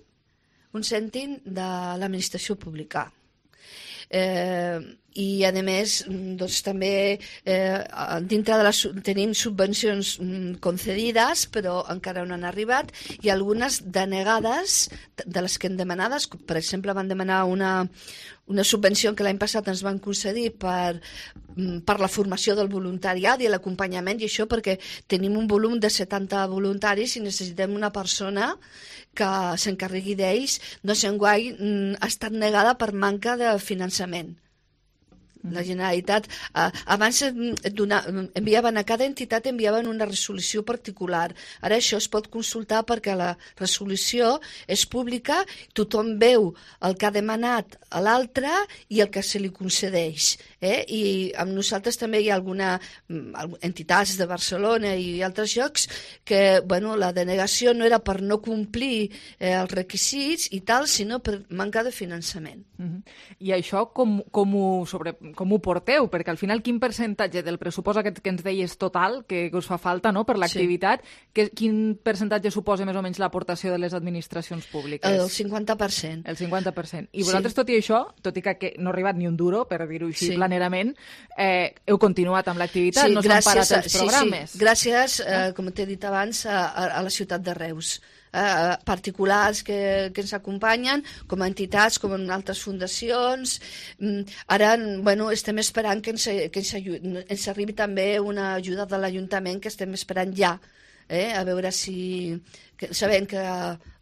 Speaker 8: un cèntim de l'administració pública. Eh, i a més doncs, també eh, dintre de les, tenim subvencions mm, concedides, però encara no han arribat, i algunes denegades de les que hem demanades. Per exemple, van demanar una, una subvenció que l'any passat ens van concedir per, per la formació del voluntariat i l'acompanyament, i això perquè tenim un volum de setanta voluntaris i necessitem una persona que s'encarregui d'ells. Doncs enguany mm, ha estat negada per manca de finançament. La Generalitat, eh, abans donar, enviaven a cada entitat enviaven una resolució particular. Ara això es pot consultar perquè la resolució és pública, tothom veu el que ha demanat a l'altre i el que se li concedeix. Eh? I amb nosaltres també hi ha alguna entitats de Barcelona i altres llocs que bueno, la denegació no era per no complir eh, els requisits i tal, sinó per manca de finançament.
Speaker 4: Uh-huh. I això com, com ho sobre com ho porteu? Perquè al final quin percentatge del pressupost aquest que ens deies total, que, que us fa falta no, per l'activitat, sí. Quin percentatge suposa més o menys l'aportació de les administracions públiques?
Speaker 8: El cinquanta per cent.
Speaker 4: El cinquanta per cent. I vosaltres, sí. Tot i això, tot i que, que no ha arribat ni un duro, per dir-ho així sí. planerament, eh, heu continuat amb l'activitat, sí, no s'han parat els programes.
Speaker 8: Sí, sí. Gràcies, eh, com t'he dit abans, a, a la ciutat de Reus. Eh, particulars que, que ens acompanyen, com a entitats, com en altres fundacions. Ara, bueno, estem esperant que ens, que ens, ens arribi també una ajuda de l'Ajuntament, que estem esperant ja, eh, a veure si... Que, sabent que,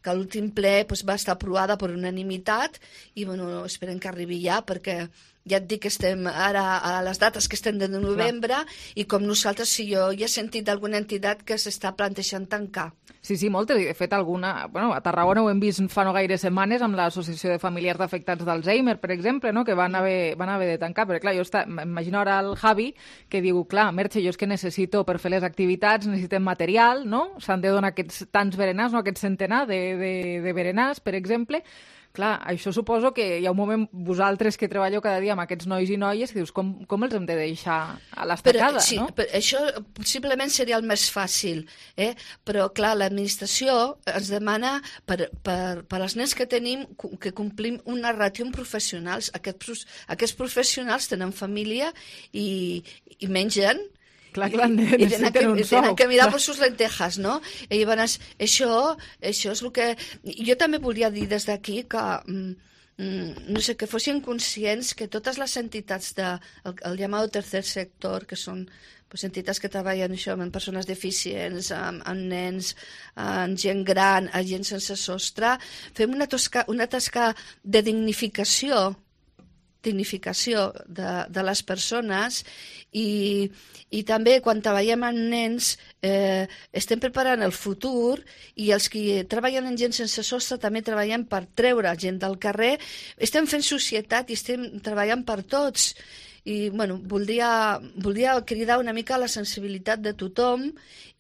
Speaker 8: que l'últim ple pues, va estar aprovada per unanimitat i bueno, esperem que arribi ja, perquè ja et dic que estem ara a les dates que estem de novembre. Clar. I com nosaltres, si jo ja he sentit d'alguna entitat que s'està plantejant tancar.
Speaker 4: Sí, sí, moltes. De fet, alguna... Bueno, a Tarragona ho hem vist fa no gaire setmanes amb l'Associació de Familiars d'Afectats d'Alzheimer, per exemple, no? Que van haver, van haver de tancar. Però, clar, jo està... m'imagino ara el Javi que diu, clar, Merche, jo és que necessito, per fer les activitats, necessitem material, no? S'han de donar aquests tants berenars, no? Aquest centenar de, de, de berenars, per exemple. Clar, això suposo que hi ha un moment, vosaltres que treballeu cada dia amb aquests nois i noies, que dius, com, com els hem de deixar a l'estacada,
Speaker 8: sí,
Speaker 4: no?
Speaker 8: Però això possiblement seria el més fàcil, eh? Però clar, l'administració ens demana per, per, per als nens que tenim que complim una ràtio amb professionals. Aquests, aquests professionals tenen família i, i mengen.
Speaker 4: Clar, clar, necessiten un sou.
Speaker 8: I tenen que mirar per sus lentejas, no? I llavors, això, això és el que... Jo també volia dir des d'aquí que, mm, no sé, que fossin conscients que totes les entitats del de, el llamado tercer sector, que són pues, entitats que treballen això, amb persones deficients, amb, amb nens, amb gent gran, amb gent sense sostre, fem una, tosca, una tasca de dignificació dignificació de, de les persones i, i també quan treballem amb nens eh, estem preparant el futur i els que treballen amb gent sense sostre també treballen per treure gent del carrer. Estem fent societat i estem treballant per tots i bueno, voldria, voldria cridar una mica la sensibilitat de tothom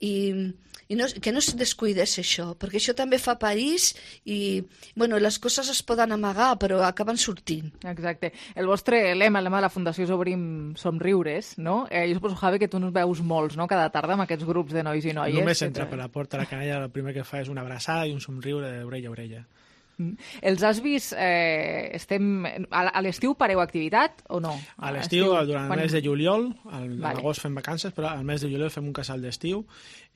Speaker 8: i i no, que no es descuidés això, perquè això també fa país i bueno, les coses es poden amagar, però acaben sortint.
Speaker 4: Exacte. El vostre lema, el lema de la Fundació és Obrim Somriures, no? Eh, jo suposo, Javi, que tu nos veus molts, no?, cada tarda amb aquests grups de nois i noies.
Speaker 9: Només entra per la porta, la canalla, el primer que fa és una abraçada i un somriure d'orella a orella.
Speaker 4: Els has vist, eh, estem, a l'estiu pareu activitat o no?
Speaker 9: A l'estiu, durant el mes de juliol, a l'agost fem vacances, però al mes de juliol fem un casal d'estiu,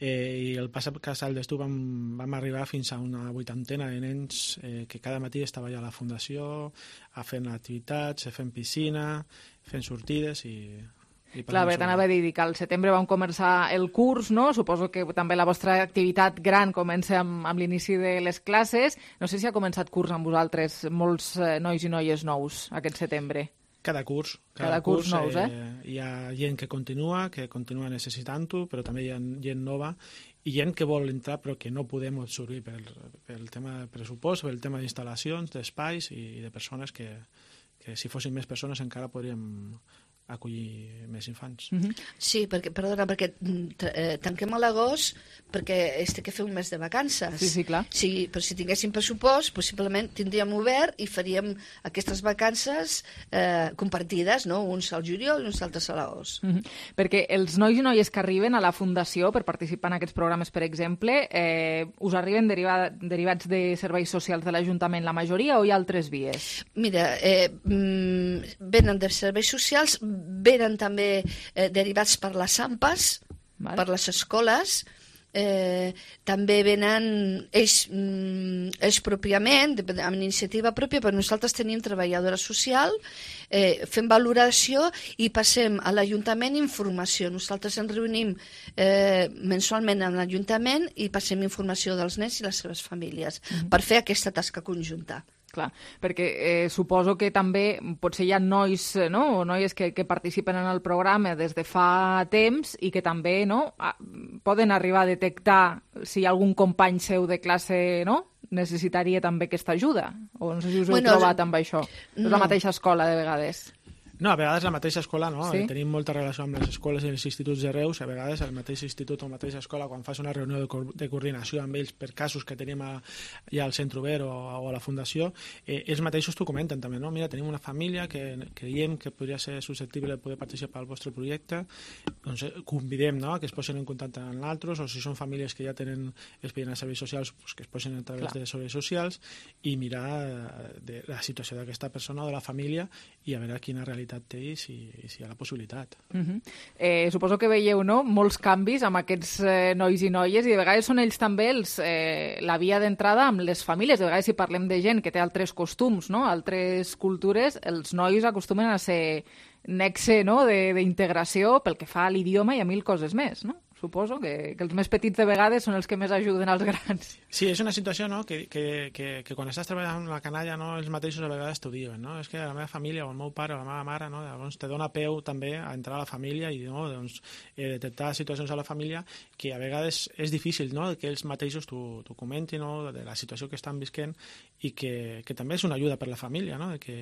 Speaker 9: i el passat casal d'estiu vam, vam arribar fins a una vuitantena de nens eh, que cada matí estava allà a la fundació, a fent activitats, fent piscina, fent sortides i...
Speaker 4: Clar, bé, t'anava a dir que al setembre vam començar el curs, no? Suposo que també la vostra activitat gran comença amb, amb l'inici de les classes. No sé si ha començat curs amb vosaltres, molts eh, nois i noies nous aquest setembre.
Speaker 9: Cada curs.
Speaker 4: Cada, cada curs, curs nous, eh?
Speaker 9: eh? Hi ha gent que continua, que continua necessitant-ho, però també hi ha gent nova i gent que vol entrar però que no podem absorbir pel, pel tema de pressupost, pel tema d'instal·lacions, d'espais i de persones que, que si fossin més persones encara podríem acollir més infants.
Speaker 8: Mm-hmm. Sí, perquè, perdona, perquè eh, tanquem a l'agost perquè es té que fer un mes de vacances.
Speaker 4: Sí, sí, clar.
Speaker 8: Sí, però si tinguéssim pressupost, possiblement tindríem obert i faríem aquestes vacances eh, compartides, no? Uns al juliol i uns altres a l'agost.
Speaker 4: Mm-hmm. Perquè els nois i noies que arriben a la Fundació per participar en aquests programes, per exemple, eh, us arriben deriva, derivats de serveis socials de l'Ajuntament la majoria o hi ha altres vies?
Speaker 8: Mira, eh, mm, venen de serveis socials, venen també eh, derivats per les AMPAs, vale. Per les escoles, eh, també venen ells, mm, ells pròpiament, amb iniciativa pròpia, però nosaltres tenim treballadora social, eh, fem valoració i passem a l'Ajuntament informació. Nosaltres ens reunim eh, mensualment amb l'Ajuntament i passem informació dels nens i les seves famílies mm-hmm. per fer aquesta tasca conjunta.
Speaker 4: Clar, perquè eh, suposo que també potser hi ha nois no? o noies que, que participen en el programa des de fa temps i que també no? a, poden arribar a detectar si algun company seu de classe no? necessitaria també aquesta ajuda. O no sé si us heu bueno, trobat amb això. No. És la mateixa escola, de vegades.
Speaker 9: No, a vegades la mateixa escola, no?
Speaker 4: Sí?
Speaker 9: Tenim molta relació amb les escoles i els instituts de Reus, a vegades el mateix institut o la mateixa escola, quan fas una reunió de, co de coordinació amb ells per casos que tenim a, ja al Centre Obert o, o a la Fundació, eh, ells mateixos t'ho comenten també, no? Mira, tenim una família que creiem que podria ser susceptible de poder participar al vostre projecte, doncs convidem no? que es posin en contacte amb nosaltres, o si són famílies que ja tenen expedient a serveis socials, pues que es posin a través Clar. de serveis socials i mirar de la situació d'aquesta persona o de la família i a veure quina realitat té i si, i si hi ha la possibilitat.
Speaker 4: Uh-huh. eh, suposo que veieu no? molts canvis amb aquests eh, nois i noies i de vegades són ells també els, eh, la via d'entrada amb les famílies. De vegades si parlem de gent que té altres costums, no? altres cultures, els nois acostumen a ser nexe no? d'integració pel que fa a l'idioma i a mil coses més, no? Suposo que, que els més petits de vegades són els que més ajuden als grans.
Speaker 9: Sí, és una situació no? que, que, que, que quan estàs treballant amb la canalla no? els mateixos a vegades t'ho diuen. No? És que la meva família o el meu pare o la meva mare no? Llavors te dona peu també a entrar a la família i no? doncs, eh, detectar situacions a la família que a vegades és difícil no? que ells mateixos t'ho comentin no? de la situació que estan visquent i que, que també és una ajuda per la família, no? de que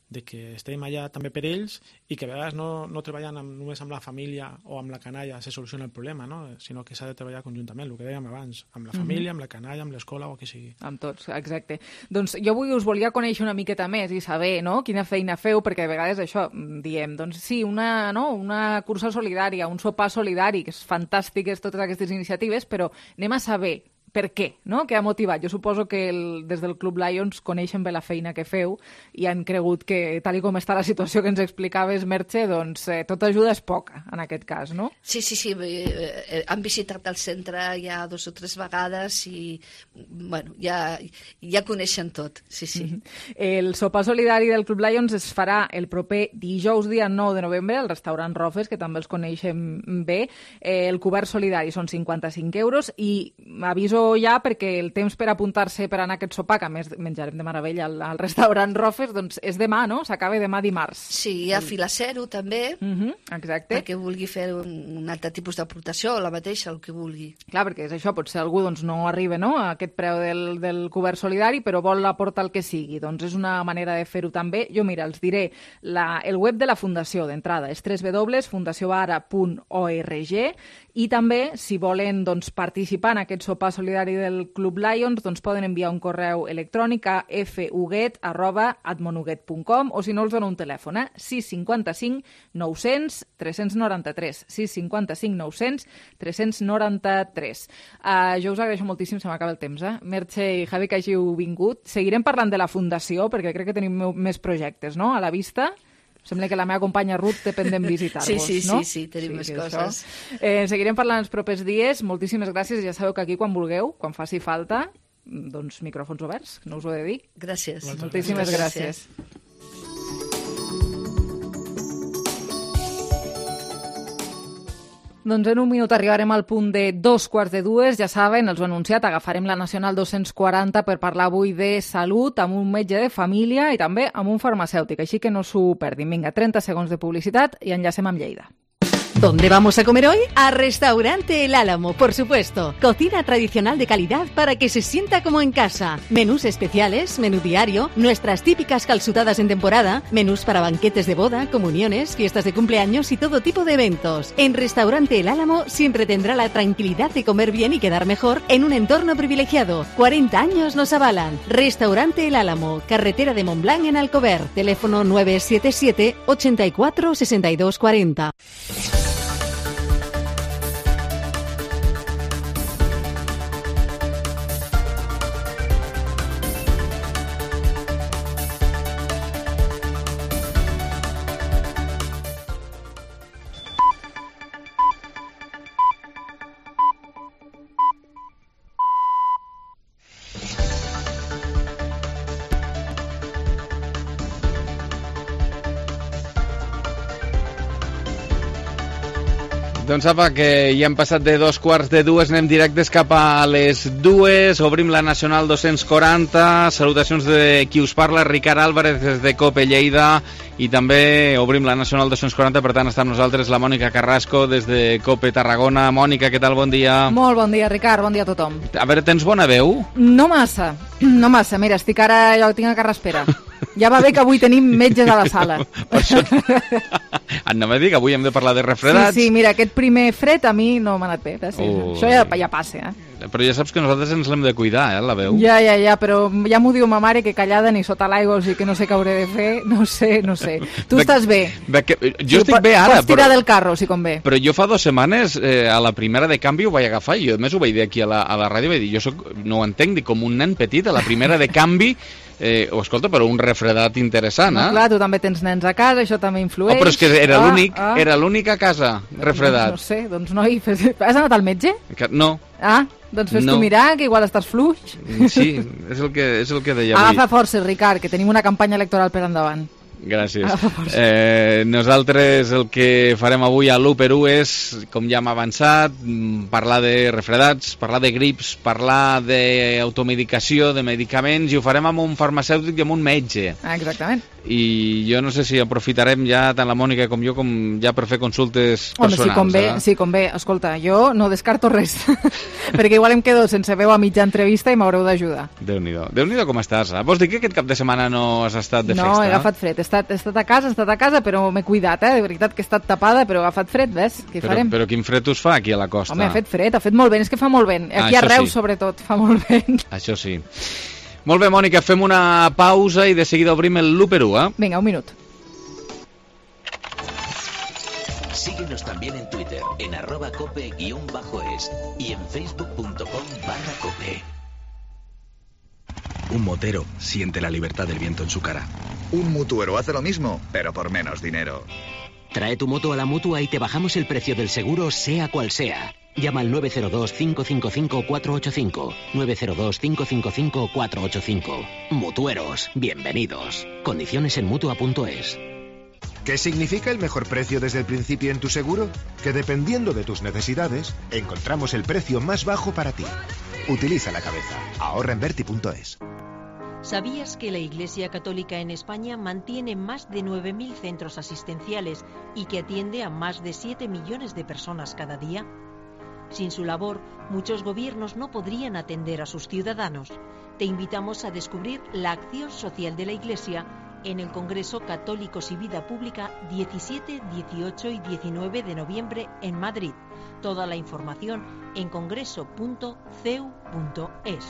Speaker 9: de que estem allà també per ells i que a vegades no, no treballen amb, només amb la família o amb la canalla se soluciona el problema, no? Sinó que s'ha de treballar conjuntament, el que dèiem abans, amb la família, mm-hmm. amb la canalla, amb l'escola o el que sigui.
Speaker 4: Amb tots, exacte. Doncs jo avui us volia conèixer una miqueta més i saber no? quina feina feu, perquè a vegades això diem, doncs sí, una, no? una cursa solidària, un sopar solidari, que és fantàstiques totes aquestes iniciatives, però anem a saber per què, no? Què ha motivat? Jo suposo que el, des del Club Lions coneixen bé la feina que feu i han cregut que, tal i com està la situació que ens explicaves, Merche, doncs eh, tota ajuda és poca, en aquest cas, no?
Speaker 8: Sí, sí, sí. Eh, han visitat el centre ja dos o tres vegades i, bueno, ja, ja coneixen tot, sí, sí.
Speaker 4: Mm-hmm. El sopar solidari del Club Lions es farà el proper dijous, dia nou de novembre, al restaurant Rofes, que també els coneixem bé. Eh, el cobert solidari són cinquanta-cinc euros i aviso ja perquè el temps per apuntar-se per anar a aquest sopar, que a més menjarem de meravella al, al restaurant Rofes, doncs és demà, no? S'acaba demà dimarts.
Speaker 8: Sí, hi ha fila zero també,
Speaker 4: uh-huh, exacte.
Speaker 8: perquè vulgui fer un, un altre tipus d'aportació, la mateixa, el que vulgui.
Speaker 4: Clar, perquè és això, potser algú doncs, no arriba no? a aquest preu del, del cobert solidari, però vol aportar el que sigui. Doncs és una manera de fer-ho també. Jo, mira, els diré la, el web de la Fundació, d'entrada, és w w w punt fundació ara punt org i també, si volen doncs, participar en aquest sopar solidari solidari del Club Lions, doncs poden enviar un correu electrònic a fuguet arroba admonuguet punt com o si no els dono un telèfon, eh? sis cinquanta-cinc nou-cents tres-cents noranta-tres, sis cinquanta-cinc nou-cents tres-cents noranta-tres. Uh, jo us agraeixo moltíssim, se m'acaba el temps, eh? Merche i Javi, que hàgiu vingut. Seguirem parlant de la Fundació, perquè crec que tenim més projectes, no?, a la vista. Sembla que la meva companya Ruth té pendent visitar-vos,
Speaker 8: sí, sí,
Speaker 4: no?
Speaker 8: Sí, sí, tenim sí, més coses.
Speaker 4: Eh, seguirem parlant els propers dies. Moltíssimes gràcies. Ja sabeu que aquí, quan vulgueu, quan faci falta, doncs micròfons oberts, no us ho he de dir.
Speaker 8: Gràcies.
Speaker 4: Moltíssimes gràcies. gràcies. Doncs en un minut arribarem al punt de dos quarts de dues. Ja saben, els ho he anunciat, agafarem la Nacional dos-cents quaranta per parlar avui de salut amb un metge de família i també amb un farmacèutic, així que no s'ho perdin. Vinga, trenta segons de publicitat i enllacem amb Lleida.
Speaker 1: ¿Dónde vamos a comer hoy? A Restaurante El Álamo, por supuesto. Cocina tradicional de calidad para que se sienta como en casa. Menús especiales, menú diario, nuestras típicas calzutadas en temporada, menús para banquetes de boda, comuniones, fiestas de cumpleaños y todo tipo de eventos. En Restaurante El Álamo siempre tendrá la tranquilidad de comer bien y quedar mejor en un entorno privilegiado. cuarenta años nos avalan. Restaurante El Álamo, carretera de Montblanc en Alcover. Teléfono nueve siete siete ochenta y cuatro sesenta y dos cuarenta.
Speaker 3: Doncs apa, que ja hem passat de dos quarts de dues, anem directes cap a les dues, obrim la Nacional dos-cents quaranta, salutacions de qui us parla, Ricard Álvarez des de COPE Lleida, i també obrim la Nacional dos-cents quaranta, per tant està amb nosaltres la Mònica Carrasco des de COPE Tarragona. Mònica, què tal? Bon dia.
Speaker 4: Molt bon dia, Ricard, bon dia a tothom.
Speaker 3: A veure, tens bona veu?
Speaker 4: No massa, no massa, mira, estic ara, jo tinc a carraspera. Ja va bé que avui tenim metges a la sala.
Speaker 3: Per això... no me dic, avui hem de parlar de refredats.
Speaker 4: Sí, sí, mira, aquest primer fred a mi no m'ha anat bé. Sí. Oh. Això ja, ja passa, eh?
Speaker 3: Però ja saps que nosaltres ens l'hem de cuidar, eh, la veu.
Speaker 4: Ja, ja, ja, però ja m'ho diu ma mare que callada ni sota l'aigua, o sigui que no sé què hauré de fer, no sé, no sé. Tu de, estàs bé.
Speaker 3: De que, jo sí, estic bé ara,
Speaker 4: pots tirar
Speaker 3: però,
Speaker 4: del carro, si convé.
Speaker 3: Però jo fa dues setmanes, eh, a la primera de canvi ho vaig agafar, i jo a més ho vaig dir aquí a la, a la ràdio, vaig dir, jo soc, no ho entenc, dic, com un nen petit, a la primera de canvi, eh, oh, escolta, però un refredat interessant, eh?
Speaker 4: No, clar, tu també tens nens a casa, això també influeix.
Speaker 3: Oh, però és que era ah, l'únic, ah. era l'únic a casa, refredat.
Speaker 4: No, no sé, doncs noi, has anat al metge?
Speaker 3: Que, no.
Speaker 4: Ah, doncs fes no. tu mirar, que igual estàs fluix.
Speaker 3: Sí, és el que, és el que deia avui.
Speaker 4: Agafa forces, Ricard, que tenim una campanya electoral per endavant.
Speaker 3: Gràcies. Eh, nosaltres el que farem avui a l'u per u és, com ja hem avançat, parlar de refredats, parlar de grips, parlar d'automedicació, de medicaments, i ho farem amb un farmacèutic i amb un metge.
Speaker 4: Ah, exactament.
Speaker 3: I jo no sé si aprofitarem ja tant la Mònica com jo com ja per fer consultes personals.
Speaker 4: Home, sí, convé, eh? sí, convé. Escolta, jo no descarto res, perquè igual em quedo sense veu a mitja entrevista i m'haureu d'ajudar.
Speaker 3: Déu-n'hi-do. Déu-n'hi-do com estàs. Eh? Vols dir que aquest cap de setmana no has estat de festa?
Speaker 4: No, he agafat fred. He estat, he estat a casa, he estat a casa, però m'he cuidat, eh? De veritat que he estat tapada, però he agafat fred, ves? Què
Speaker 3: però,
Speaker 4: farem?
Speaker 3: Però quin fred us fa aquí a la costa?
Speaker 4: Home, ha fet fred, ha fet molt vent, és que fa molt vent. Aquí ah, a Reus, sí. sobretot, fa molt vent.
Speaker 3: Això sí. Molt bé, Mònica, fem una pausa i de seguida obrim el l'u per u, eh?
Speaker 4: Vinga, un minut.
Speaker 19: Síguenos también en Twitter, en arroba cope guión bajo es y en facebook.com barra cope.
Speaker 10: Un motero siente la libertad del viento en su cara.
Speaker 11: Un mutuero hace lo mismo, pero por menos dinero.
Speaker 13: Trae tu moto a la Mutua y te bajamos el precio del seguro, sea cual sea. Llama al nueve cero dos, cinco cinco cinco, cuatro ocho cinco. nueve cero dos, cinco cinco cinco, cuatro ocho cinco. Mutueros, bienvenidos. Condiciones en Mutua punto es.
Speaker 14: ¿Qué significa el mejor precio desde el principio en tu seguro? Que dependiendo de tus necesidades, encontramos el precio más bajo para ti. Utiliza la cabeza. Ahorra en Berti punto es.
Speaker 16: ¿Sabías que la Iglesia Católica en España mantiene más de nueve mil centros asistenciales y que atiende a más de siete millones de personas cada día? Sin su labor, muchos gobiernos no podrían atender a sus ciudadanos. Te invitamos a descubrir la acción social de la Iglesia en el Congreso Católicos y Vida Pública diecisiete, dieciocho y diecinueve de noviembre en Madrid. Toda la información en congreso punto c e u punto es.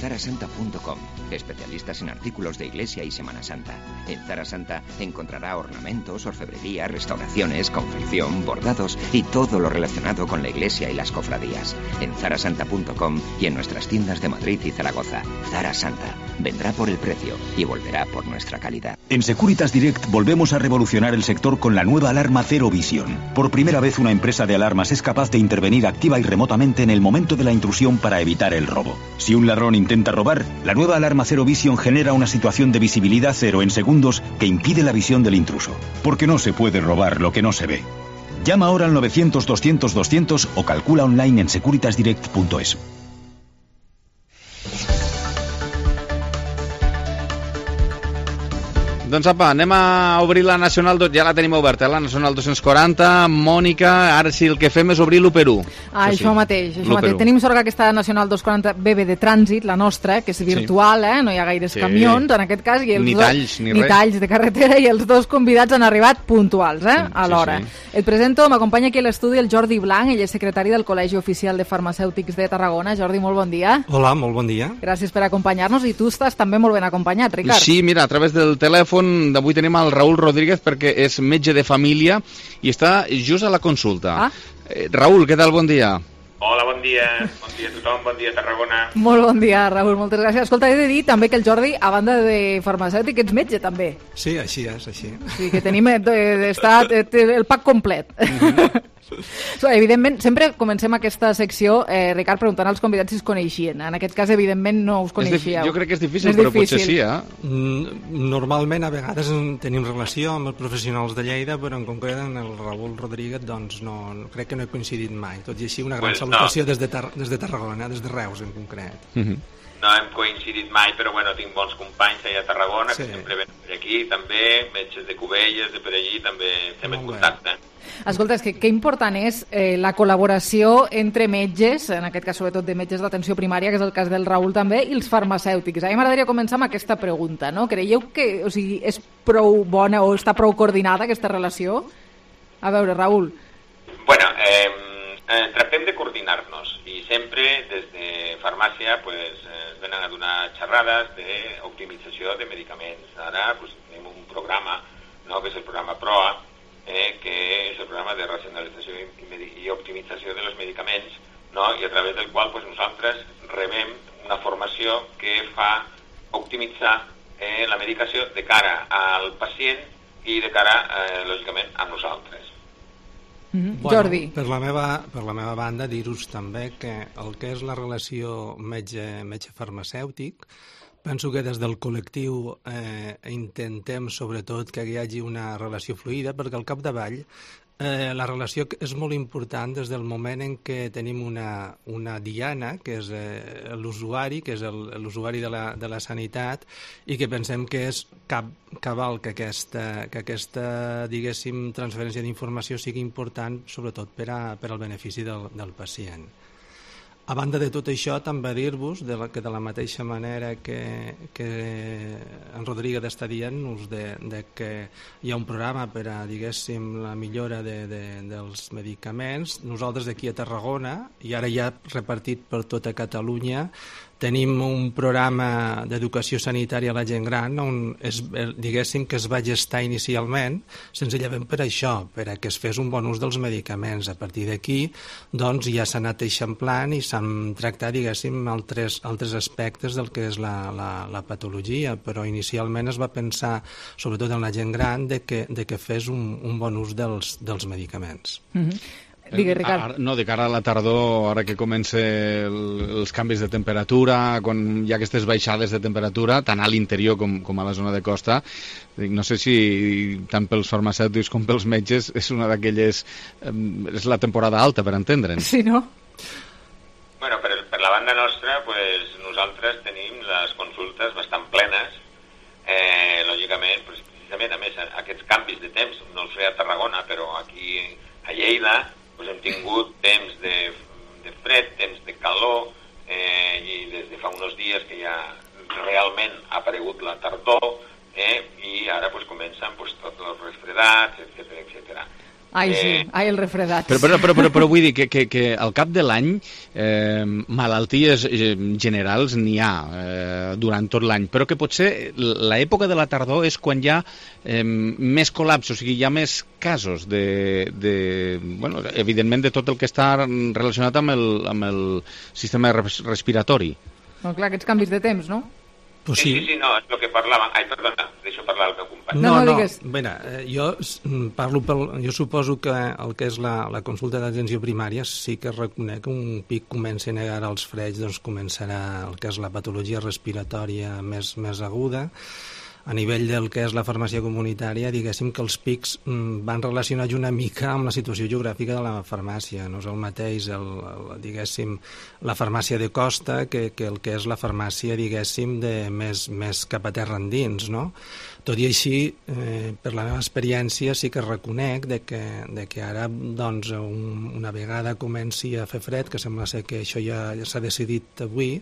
Speaker 2: zara santa punto com, especialistas en artículos de iglesia y Semana Santa. En Zara Santa encontrará ornamentos, orfebrería, restauraciones, confección, bordados y todo lo relacionado con la iglesia y las cofradías. En zara santa punto com y en nuestras tiendas de Madrid y Zaragoza. Zara Santa vendrá por el precio y volverá por nuestra calidad.
Speaker 5: En Securitas Direct volvemos a revolucionar el sector con la nueva alarma Zero Vision. Por primera vez una empresa de alarmas es capaz de intervenir activa y remotamente en el momento de la intrusión para evitar el robo. Si un ladrón intenta robar, la nueva alarma Zero Vision genera una situación de visibilidad cero en segundos que impide la visión del intruso. Porque no se puede robar lo que no se ve. Llama ahora al novecientos, doscientos, doscientos o calcula online en securitas direct punto es.
Speaker 3: Doncs apa, anem a obrir la Nacional, ja la tenim oberta, la Nacional dos-cents quaranta. Mònica, ara sí el que fem és obrir l'u per u.
Speaker 4: Ah, això, això sí. mateix, això mateix. Tenim sort que aquesta Nacional dos-cents quaranta B B de trànsit, la nostra, que és virtual, sí. eh? No hi ha gaires sí. camions, en aquest cas. I els
Speaker 3: ni
Speaker 4: dos,
Speaker 3: talls, ni,
Speaker 4: ni
Speaker 3: res.
Speaker 4: talls de carretera, i els dos convidats han arribat puntuals, eh?
Speaker 3: Sí,
Speaker 4: a l'hora.
Speaker 3: sí, sí.
Speaker 4: Et presento, m'acompanya aquí a l'estudi el Jordi Blanc, ell és secretari del Col·legi Oficial de Farmacèutics de Tarragona. Jordi, molt bon dia.
Speaker 17: Hola, molt bon dia.
Speaker 4: Gràcies per acompanyar-nos, i tu estàs també molt ben acompanyat, Ricard.
Speaker 3: Sí, mira, a través del telèfon d'avui tenim el Raül Rodríguez, perquè és metge de família i està just a la consulta.
Speaker 4: Ah.
Speaker 3: Eh, Raül, què tal? Bon dia.
Speaker 18: Hola, bon dia. Bon dia a tothom, bon dia a Tarragona.
Speaker 4: Molt bon dia, Raül, moltes gràcies. Escolta, he de dir també que el Jordi, a banda de farmacèutic, ets metge també.
Speaker 17: Sí, així és, així.
Speaker 4: Sí, que tenim eh, està, el pack complet. Mm-hmm. So, evidentment, sempre comencem aquesta secció, eh, Ricard, preguntant als convidats si es coneixien. En aquest cas, evidentment, no us coneixíeu.
Speaker 3: Jo crec que és difícil, és però difícil. Potser sí,
Speaker 17: eh? Normalment, a vegades tenim relació amb els professionals de Lleida, però en concret en el Raül Rodríguez, doncs, no, crec que no he coincidit mai. Tot i així, una gran pues salutació no. des, de Tar des de Tarragona, des de Reus, en concret.
Speaker 3: Mm-hmm.
Speaker 18: No hem coincidit mai, però bueno, tinc bons companys allà a Tarragona, sí. que sempre venen per aquí, també, metges de Cubelles, de per allí, també estem en contacte.
Speaker 4: Escolta, és que què important és eh, la col·laboració entre metges, en aquest cas sobretot de metges d'atenció primària, que és el cas del Raül també, i els farmacèutics. A mi m'agradaria començar amb aquesta pregunta, no? Creieu que o sigui, és prou bona o està prou coordinada aquesta relació? A veure, Raül.
Speaker 18: Bueno, eh, eh, tractem de coordinar-nos i sempre des de farmàcia pues, eh, venen a donar xerrades d'optimització de medicaments. Ara pues, tenim un programa, no?, que és el programa PROA, Eh, que és el programa de racionalització i, i optimització de los medicaments, no? I a través del qual pues, nosaltres rebem una formació que fa optimitzar eh, la medicació de cara al pacient i de cara, eh, lògicament, a nosaltres.
Speaker 4: Mm-hmm.
Speaker 17: Bueno,
Speaker 4: Jordi.
Speaker 17: Per la meva, per la meva banda, dir-vos també que el que és la relació metge, metge farmacèutic, penso que des del col·lectiu eh, intentem sobretot que hi hagi una relació fluida, perquè al capdavall eh, la relació és molt important des del moment en què tenim una, una diana, que és eh, l'usuari, que és l'usuari de, la, de la sanitat, i que pensem que és cap, cabal que aquesta, que aquesta diguéssim, transferència d'informació sigui important, sobretot per, a, per al benefici del, del pacient. A banda de tot això, també dir-vos de la, que de la mateixa manera que, que en Rodríguez està dient-nos de, de que hi ha un programa per a, diguéssim, la millora de, de, dels medicaments, nosaltres aquí a Tarragona, i ara ja repartit per tota Catalunya, tenim un programa d'educació sanitària a la gent gran on es, diguéssim que es va gestar inicialment senzillament per això, per a que es fes un bon ús dels medicaments. A partir d'aquí doncs ja s'ha anat eixamplant i s'han tractat, diguéssim, altres, altres aspectes del que és la, la, la patologia, però inicialment es va pensar, sobretot en la gent gran, de que, de que fes un, un bon ús dels, dels medicaments.
Speaker 4: Mm-hmm. Digue, Ricard.
Speaker 3: No, de cara a la tardor, ara que comença el, els canvis de temperatura, quan hi ha aquestes baixades de temperatura, tant a l'interior com, com a la zona de costa, no sé si tant pels farmacèutics com pels metges és una d'aquelles... és la temporada alta, per entendre'ns.
Speaker 4: Sí, no?
Speaker 18: Bueno, per, per la banda nostra, pues, nosaltres tenim les consultes bastant plenes, eh, lògicament, pues, precisament, a més, aquests canvis de temps, no els ve a Tarragona, però aquí a Lleida, pues hem tingut temps de, de fred, temps de calor, eh, i des de fa uns dies que ja realment ha aparegut refredats, etcètera, etcètera.
Speaker 4: Ai, sí, eh... ai, el refredat.
Speaker 3: Però, però, però, però, però vull dir que, que, que al cap de l'any eh, malalties generals n'hi ha eh, durant tot l'any, però que potser l'època de la tardor és quan hi ha eh, més col·lapse, o sigui, hi ha més casos de, de, bueno, evidentment de tot el que està relacionat amb el, amb el sistema respiratori.
Speaker 4: No, clar, aquests canvis de temps, no?
Speaker 18: Pues sí. sí, sí, sí, no, és el que parlàvem. Ai, perdona, deixo parlar el meu company.
Speaker 17: No, no, no mira, jo parlo pel... Jo suposo que el que és la, la consulta d'atenció primària sí que reconec que un pic comenci a negar els freig, doncs començarà el que és la patologia respiratòria més, més aguda. A nivell del que és la farmàcia comunitària, diguéssim que els pics van relacionats una mica amb la situació geogràfica de la farmàcia. No és el mateix, el, el, diguéssim, la farmàcia de costa que, que el que és la farmàcia, diguéssim, de més, més cap a terra endins, no? Tot i així, eh, per la meva experiència, sí que reconec de que, de que ara, doncs, un, una vegada comenci a fer fred, que sembla ser que això ja, ja s'ha decidit avui,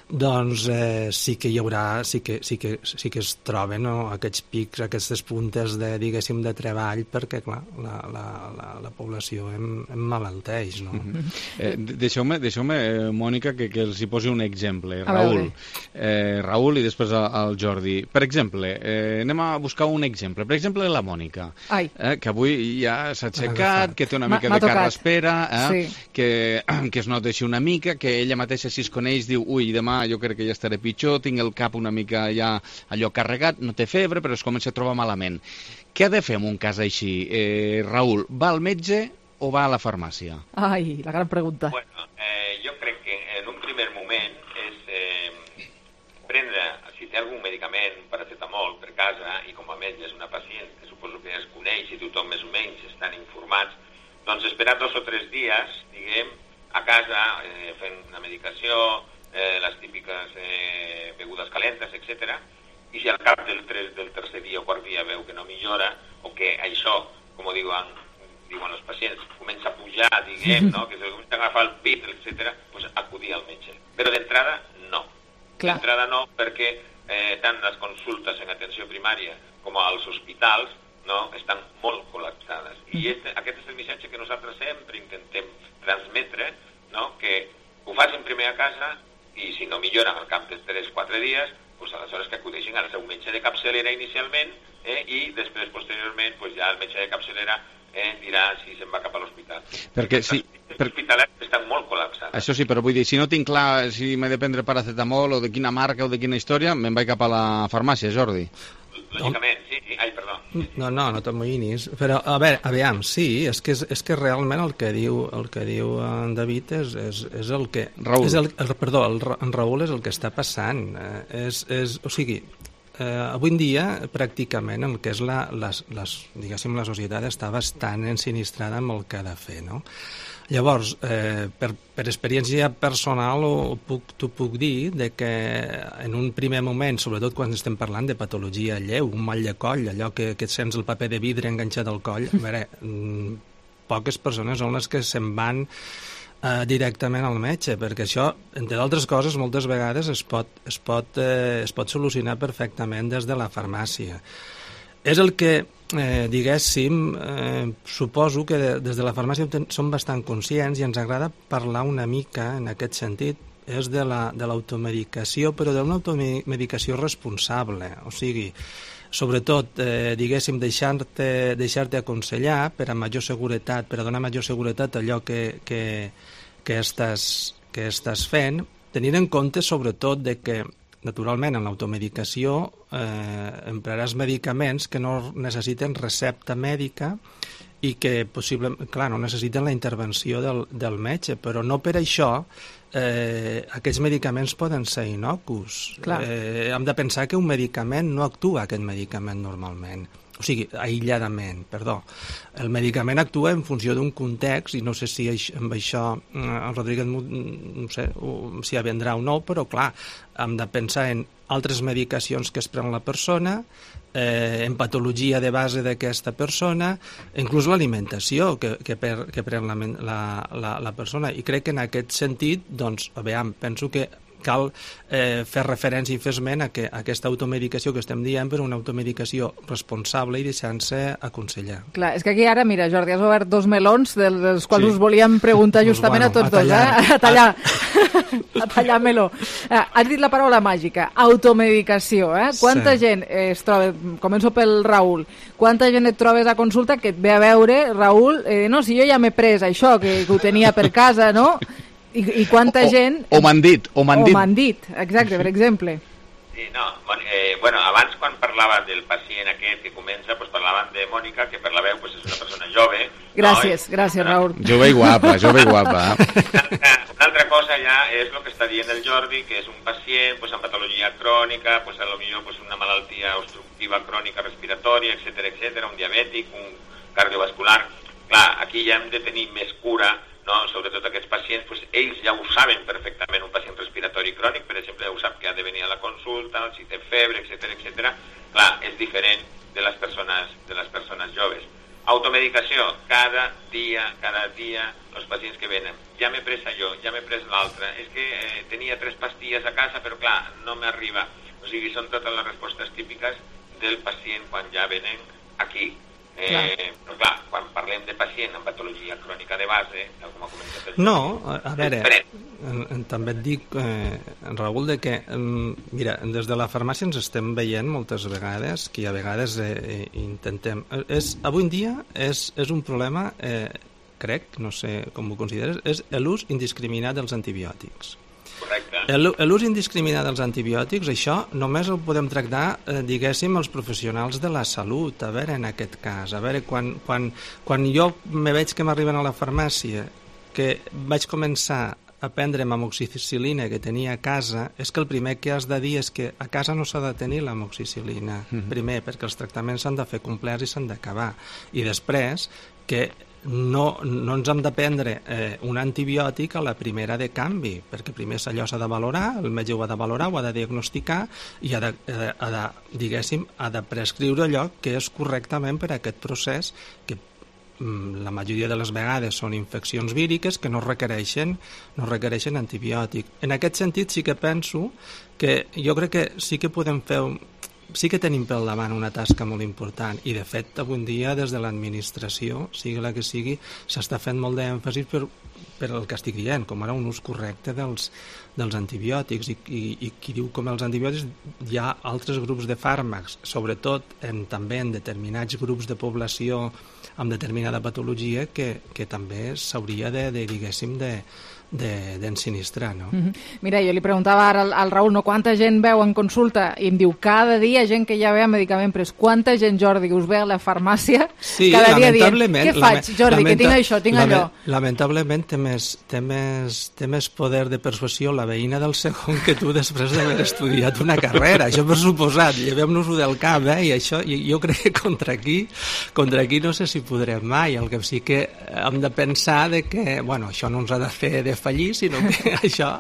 Speaker 17: doncs eh, sí que hi haurà, sí que, sí que, sí que es troben, no, aquests pics, aquestes puntes de, diguéssim, de treball, perquè, clar, la, la, la, la població em, em malalteix, no?
Speaker 3: Mm-hmm. eh, Deixeu-me, deixeu-me, Mònica, que, que els hi posi un exemple. Raül, eh, Raül i després el Jordi. Per exemple, eh, anem a buscar un exemple. Per exemple, la Mònica, eh, que avui ja s'ha aixecat, que té una mica de carraspera, eh, sí. que, que es nota així una mica, que ella mateixa, si es coneix, diu, ui, demà jo crec que ja estaré pitjor, tinc el cap una mica ja allò carregat, no té febre, però es comença a trobar malament. Què ha de fer en un cas així? Eh, Raül, va al metge o va a la farmàcia?
Speaker 4: Ai, la gran pregunta.
Speaker 18: Bueno, eh, jo crec que en un primer moment és eh, prendre, si té algun medicament, paracetamol per casa, i com a metge és una pacient que suposo que es coneix i tothom més o menys estan informats, doncs esperar dos o tres dies, diguem, a casa, eh, fent una medicació, eh, les típiques eh, begudes calentes, etcètera. I si al cap del, tres, del tercer dia o quart dia veu que no millora, o que això, com diuen, diuen els pacients, comença a pujar, diguem, no? Que se comença a agafar el pit, etcètera, doncs acudir al metge. Però d'entrada, no. D'entrada no, perquè eh, tant les consultes en atenció primària com als hospitals, no, estan molt col·lapsades. I este, aquest és el missatge que nosaltres sempre intentem transmetre, no? Que ho facin primer a casa i si no milloren al cap de tres o quatre dies, pues aleshores que acudeixin al seu metge de capçalera inicialment eh, i després, posteriorment, pues ja el metge de capçalera eh, dirà si se'n va cap a l'hospital.
Speaker 3: Perquè si...
Speaker 18: Els hospitalets estan molt col·lapsats.
Speaker 3: Això sí, però vull dir, si no tinc clar si m'he de prendre paracetamol o de quina marca o de quina història, me'n vaig cap a la farmàcia, Jordi.
Speaker 18: Lògicament, sí, sí. Ai, perdó.
Speaker 17: No, no, no t'amoïnis. Però, a veure, aviam, sí, és que, és, és que realment el que diu el que diu en David és, és, és el que...
Speaker 3: Raül.
Speaker 17: És el, el, perdó, el, en Raül és el que està passant. Eh, és, és, o sigui, eh, avui en dia, pràcticament, el que és la, les, les, diguéssim, la societat està bastant ensinistrada amb el que ha de fer, no? Llavors, eh, per, per experiència personal ho puc, t'ho puc dir de que en un primer moment, sobretot quan estem parlant de patologia lleu, un mal de coll, allò que, que et sents el paper de vidre enganxat al coll, a veure, poques persones són les que se'n van eh, directament al metge, perquè això, entre d'altres coses, moltes vegades es pot, es, pot, eh, es pot solucionar perfectament des de la farmàcia. És el que, eh, diguéssim, eh, suposo que de, des de la farmàcia som bastant conscients i ens agrada parlar una mica en aquest sentit, és de la, de l'automedicació, però d'una automedicació responsable, o sigui, sobretot, eh, diguéssim, deixar-te deixar-te aconsellar per a major seguretat, per a donar major seguretat a allò que, que, que, estàs, que estàs fent, tenint en compte sobretot de que naturalment, en l'automedicació eh, empraràs medicaments que no necessiten recepta mèdica i que, possiblement, clar, no necessiten la intervenció del, del metge, però no per això eh, aquests medicaments poden ser innocus. Eh, hem de pensar que un medicament no actua aquest medicament normalment. O sigui, aïlladament, perdó. El medicament actua en funció d'un context, i no sé si amb això el Rodríguez no sé si vendrà o no, però clar, hem de pensar en altres medicacions que es pren la persona, eh, en patologia de base d'aquesta persona, inclús l'alimentació que, que, per, que pren la, la, la, la persona. I crec que en aquest sentit, doncs, aviam, penso que cal eh, fer referència i fer esment a que aquesta automedicació que estem dient per una automedicació responsable i deixant-se aconsellar.
Speaker 4: Clar, és que aquí ara, mira, Jordi, has obert dos melons dels quals
Speaker 17: Sí.
Speaker 4: us volíem preguntar justament
Speaker 17: Pues bueno,
Speaker 4: a tots
Speaker 17: a
Speaker 4: dos,
Speaker 17: tallar.
Speaker 4: eh? A tallar. A tallar meló. Eh, has dit la paraula màgica, automedicació, eh? Quanta
Speaker 17: Sí.
Speaker 4: gent eh, es troba, començo pel Raül, quanta gent et trobes a consulta que et ve a veure, Raül, eh, no, si jo ja m'he pres això, que, que ho tenia per casa, no? I, i quanta
Speaker 3: O-
Speaker 4: gent...
Speaker 3: o m'han dit, o m'han
Speaker 4: o
Speaker 3: dit.
Speaker 4: m'han dit, exacte, per exemple.
Speaker 18: Sí, no, bon, eh, bueno, abans quan parlava del pacient aquest que comença, pues parlaven de Mònica, que per la veu pues, és una persona jove.
Speaker 4: Gràcies,
Speaker 18: no?
Speaker 4: gràcies, Raül.
Speaker 3: Jove i guapa, jove i guapa.
Speaker 18: Una altra cosa ja és el que està dient el Jordi, que és un pacient pues, amb patologia crònica, pues, a lo millor pues, una malaltia obstructiva crònica respiratòria, etcètera, etcètera, un diabètic, un cardiovascular. Clar, aquí ja hem de tenir més cura, no? Sobretot aquests pacients, pues, ells ja ho saben perfectament, un pacient respiratori crònic, per exemple, ja ho sap que ha de venir a la consulta, si té febre, etcètera, etcètera. Clar, és diferent de les persones, de les persones joves. Automedicació, cada dia, cada dia, els pacients que venen. Ja m'he pres allò, ja m'he pres l'altre. És que eh, tenia tres pastilles a casa, però clar, no m'arriba. O sigui, són totes les respostes típiques del pacient quan ja venen aquí. Eh, però clar, quan parlem de pacient amb patologia crònica de base, tal com ha comentat el
Speaker 17: No,
Speaker 18: Jordi,
Speaker 17: a, a veure, en, en, també et dic, eh, Raül, de que, em, mira, des de la farmàcia ens estem veient moltes vegades, que a vegades eh, intentem... És, avui en dia és, és un problema, eh, crec, no sé com ho consideres, és l'ús indiscriminat dels antibiòtics. L'ús indiscriminat dels antibiòtics, això només el podem tractar, eh, diguéssim, els professionals de la salut, a veure, en aquest cas. A veure, quan, quan, quan jo me veig que m'arriben a la farmàcia, que vaig començar a prendre'm amoxicil·lina que tenia a casa, és que el primer que has de dir és que a casa no s'ha de tenir l'amoxicil·lina. Mm-hmm. Primer, perquè els tractaments s'han de fer complerts i s'han d'acabar. I després, que no, no ens hem de prendre eh, un antibiòtic a la primera de canvi, perquè primer allò s'ha de valorar, el metge ho ha de valorar, ho ha de diagnosticar i ha de, ha de, diguéssim, ha de prescriure allò que és correctament per a aquest procés que la majoria de les vegades són infeccions víriques que no requereixen, no requereixen antibiòtic. En aquest sentit sí que penso que jo crec que sí que podem fer un, sí que tenim pel davant una tasca molt important i de fet avui en dia des de l'administració, sigui la que sigui, s'està fent molt d'èmfasi per, per el que estic dient, com ara un ús correcte dels, dels antibiòtics i, i, i qui diu com els antibiòtics hi ha altres grups de fàrmacs, sobretot en, també en determinats grups de població amb determinada patologia que, que també s'hauria de, de, diguéssim, de d'ensinistrar, no?
Speaker 4: Mm-hmm. Mira, jo li preguntava ara al, al Raül, no, quanta gent veu en consulta? I em diu, cada dia gent que ja ve a medicament pres. Quanta gent, Jordi, que us ve a la farmàcia
Speaker 17: sí,
Speaker 4: cada dia dient, què faig,
Speaker 17: lament,
Speaker 4: Jordi, que tinc això, tinc
Speaker 17: lament,
Speaker 4: allò?
Speaker 17: Lamentablement té més, té, més, té més poder de persuasió la veïna del segon que tu després d'haver estudiat una carrera. Això per suposat, llevem-nos-ho del cap, eh? I això, i jo crec que contra aquí, contra aquí no sé si podrem mai. El que sí que hem de pensar de que, bueno, això no ens ha de fer de fallir, sinó que això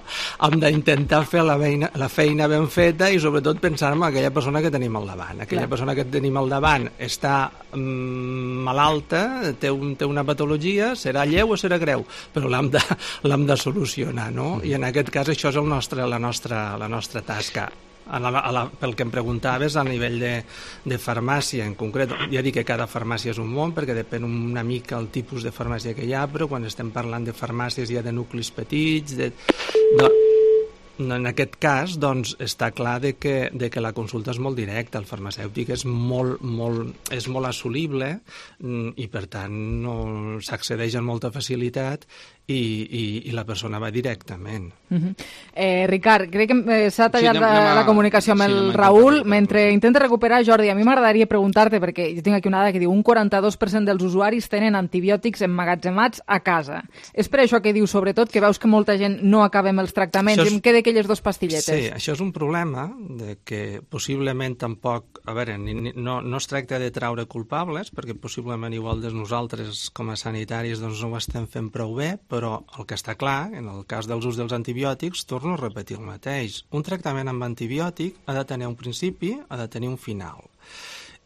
Speaker 17: hem d'intentar fer la feina, la feina ben feta i sobretot pensar en aquella persona que tenim al davant. Aquella Clar. persona que tenim al davant està mm, malalta, té, un, té una patologia, serà lleu o serà greu, però l'hem de, l'hem de solucionar, no? I en aquest cas això és el nostre, la, nostra, la nostra tasca. A la, a la, pel que em preguntaves a nivell de, de farmàcia en concret, ja dic que cada farmàcia és un món perquè depèn una mica el tipus de farmàcia que hi ha, però quan estem parlant de farmàcies ja de nuclis petits de, no, en aquest cas doncs està clar de que, de que la consulta és molt directa, el farmacèutic és molt, molt, és molt assolible i per tant no s'accedeix amb molta facilitat i, i, i la persona va directament.
Speaker 4: Uh-huh. eh, Ricard, crec que eh, s'ha tallat sí,
Speaker 17: anem,
Speaker 4: la, la comunicació amb sí, el Raül. Mentre intenta recuperar, Jordi, a mi m'agradaria preguntar-te, perquè jo tinc aquí una dada que diu un quaranta-dos per cent dels usuaris tenen antibiòtics emmagatzemats a casa. És per això que diu, sobretot, que veus que molta gent no acabem els tractaments és... i em queda aquelles dues pastilletes.
Speaker 17: Sí, això és un problema de que possiblement tampoc, a veure, ni, ni, no, no es tracta de traure culpables, perquè possiblement igual de nosaltres com a sanitaris doncs no ho estem fent prou bé, però el que està clar, en el cas dels ús dels antibiòtics, torno a repetir el mateix. Un tractament amb antibiòtic ha de tenir un principi, ha de tenir un final.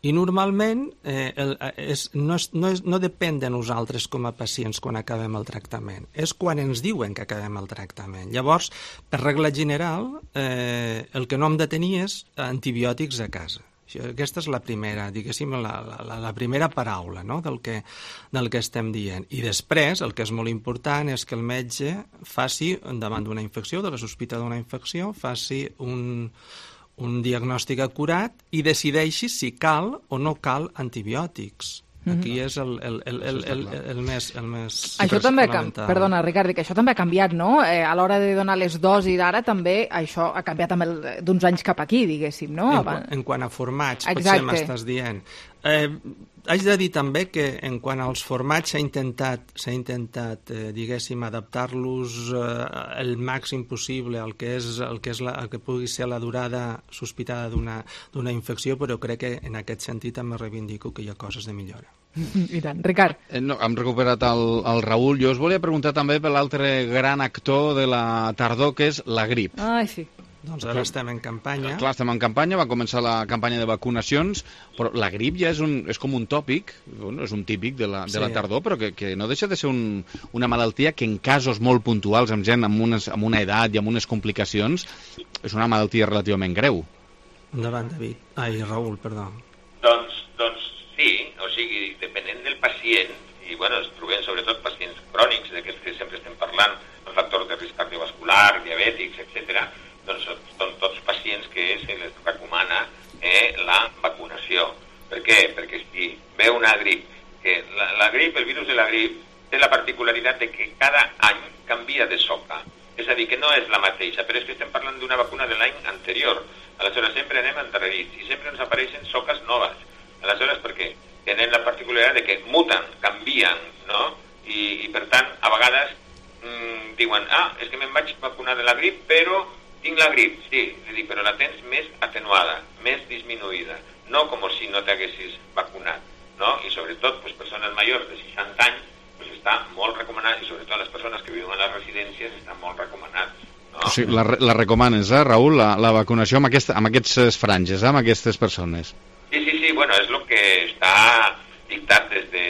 Speaker 17: I normalment eh, el, és, no, és, no, és, no depèn de nosaltres com a pacients quan acabem el tractament, és quan ens diuen que acabem el tractament. Llavors, per regla general, eh, el que no hem de tenir és antibiòtics a casa. Aquesta és la primera, diguéssim, la, la, la primera paraula, no?, del que, del que estem dient. I després, el que és molt important és que el metge faci, davant d'una infecció, de la sospita d'una infecció, faci un... un diagnòstic acurat i decideixi si cal o no cal antibiòtics. Aquí és el, el, el, el, el, el més, el més
Speaker 4: això també, perdona, Ricard, que això també ha canviat, no? Eh, a l'hora de donar les dosis ara també això ha canviat d'uns anys cap aquí, diguéssim, no?
Speaker 17: En, en quant a formats, potser m'estàs dient. Eh, haig de dir també que en quant als formats s'ha intentat, s'ha intentat eh, diguéssim, adaptar-los eh, el màxim possible al que, és, el que, és la, el que pugui ser la durada sospitada d'una infecció, però crec que en aquest sentit també reivindico que hi ha coses de millora.
Speaker 4: I tant. Ricard.
Speaker 3: Eh, no, hem recuperat el, el Raül. Jo us volia preguntar també per l'altre gran actor de la tardor, que és la grip.
Speaker 4: Ai, sí.
Speaker 17: Doncs ara estem en campanya.
Speaker 3: Clar, estem en campanya, va començar la campanya de vacunacions, però la grip ja és, un, és com un tòpic, bueno, és un típic de la, de la tardor, però que, que no deixa de ser un, una malaltia que en casos molt puntuals, amb gent amb, unes, amb una edat i amb unes complicacions, és una malaltia relativament greu.
Speaker 17: Endavant, David. Ai, Raül, perdó.
Speaker 18: Doncs, doncs sí, o sigui, depenent del pacient, i bueno, es trobem sobretot pacients crònics, d'aquests que sempre estem parlant, amb factors de risc cardiovascular, diabètics, etcètera, doncs són tots pacients que se les recomana eh, la vacunació. Per què? Perquè si ve una grip, que la, la grip, el virus de la grip, té la particularitat de que cada any canvia de soca. És a dir, que no és la mateixa, però és que estem parlant d'una vacuna de l'any anterior. Aleshores, sempre anem endarrerits i sempre ens apareixen soques noves. Aleshores, per què? Tenen la particularitat de que muten, canvien, no? I, i per tant, a vegades mmm, diuen, ah, és que me'n vaig vacunar de la grip, però tinc la grip, sí, dic, però la tens més atenuada, més disminuïda, no com si no t'haguessis vacunat, no? I sobretot, pues, persones majors de seixanta anys, pues, està molt recomanat, i sobretot les persones que viuen a les residències està molt recomanat. No?
Speaker 3: O sigui, la, la recomanes, eh, Raül, la, la vacunació amb, aquesta, amb aquestes franges, eh, amb aquestes persones?
Speaker 18: Sí, sí, sí, bueno, és el que està dictat des de,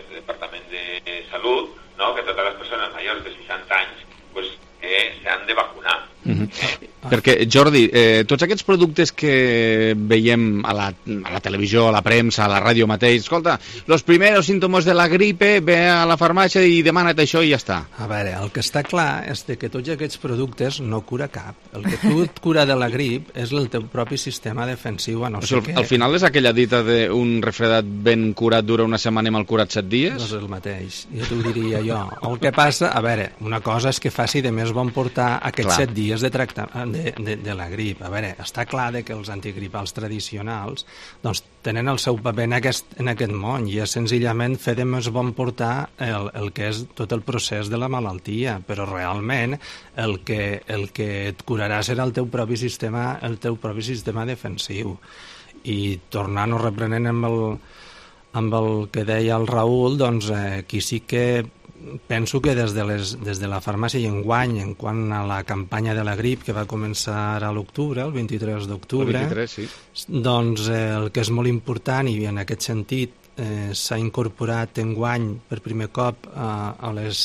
Speaker 18: del Departament de Salut, no? Que totes les persones majors de seixanta anys pues, eh, s'han de vacunar.
Speaker 3: Mm-hmm. eh? Perquè, Jordi, eh, tots aquests productes que veiem a la, a la televisió, a la premsa, a la ràdio mateix, escolta, los primeros símptomes de la gripe, ve a la farmàcia i demana't això i ja està.
Speaker 17: A veure, el que està clar és que tots aquests productes no cura cap. El que tu et cura de la grip és el teu propi sistema defensiu, a no
Speaker 3: o
Speaker 17: sigui,
Speaker 3: sigui, al final és aquella dita d'un refredat ben curat dura una setmana i mal curat set dies?
Speaker 17: No és el mateix, ja t'ho diria jo. El que passa, a veure, una cosa és que faci de més bon portar aquests clar. set dies de tractament de, de, de la grip. A veure, està clar que els antigripals tradicionals doncs, tenen el seu paper en aquest, en aquest món i és senzillament fer de més bon portar el, el que és tot el procés de la malaltia, però realment el que, el que et curarà serà el teu propi sistema, el teu propi sistema defensiu. I tornant o reprenent amb el, amb el que deia el Raül, doncs eh, aquí sí que penso que des de, les, des de la farmàcia i enguany, en quant a la campanya de la grip que va començar a l'octubre, el vint-i-tres d'octubre,
Speaker 3: sí.
Speaker 17: doncs eh, el que és molt important i en aquest sentit eh, s'ha incorporat enguany per primer cop eh, a les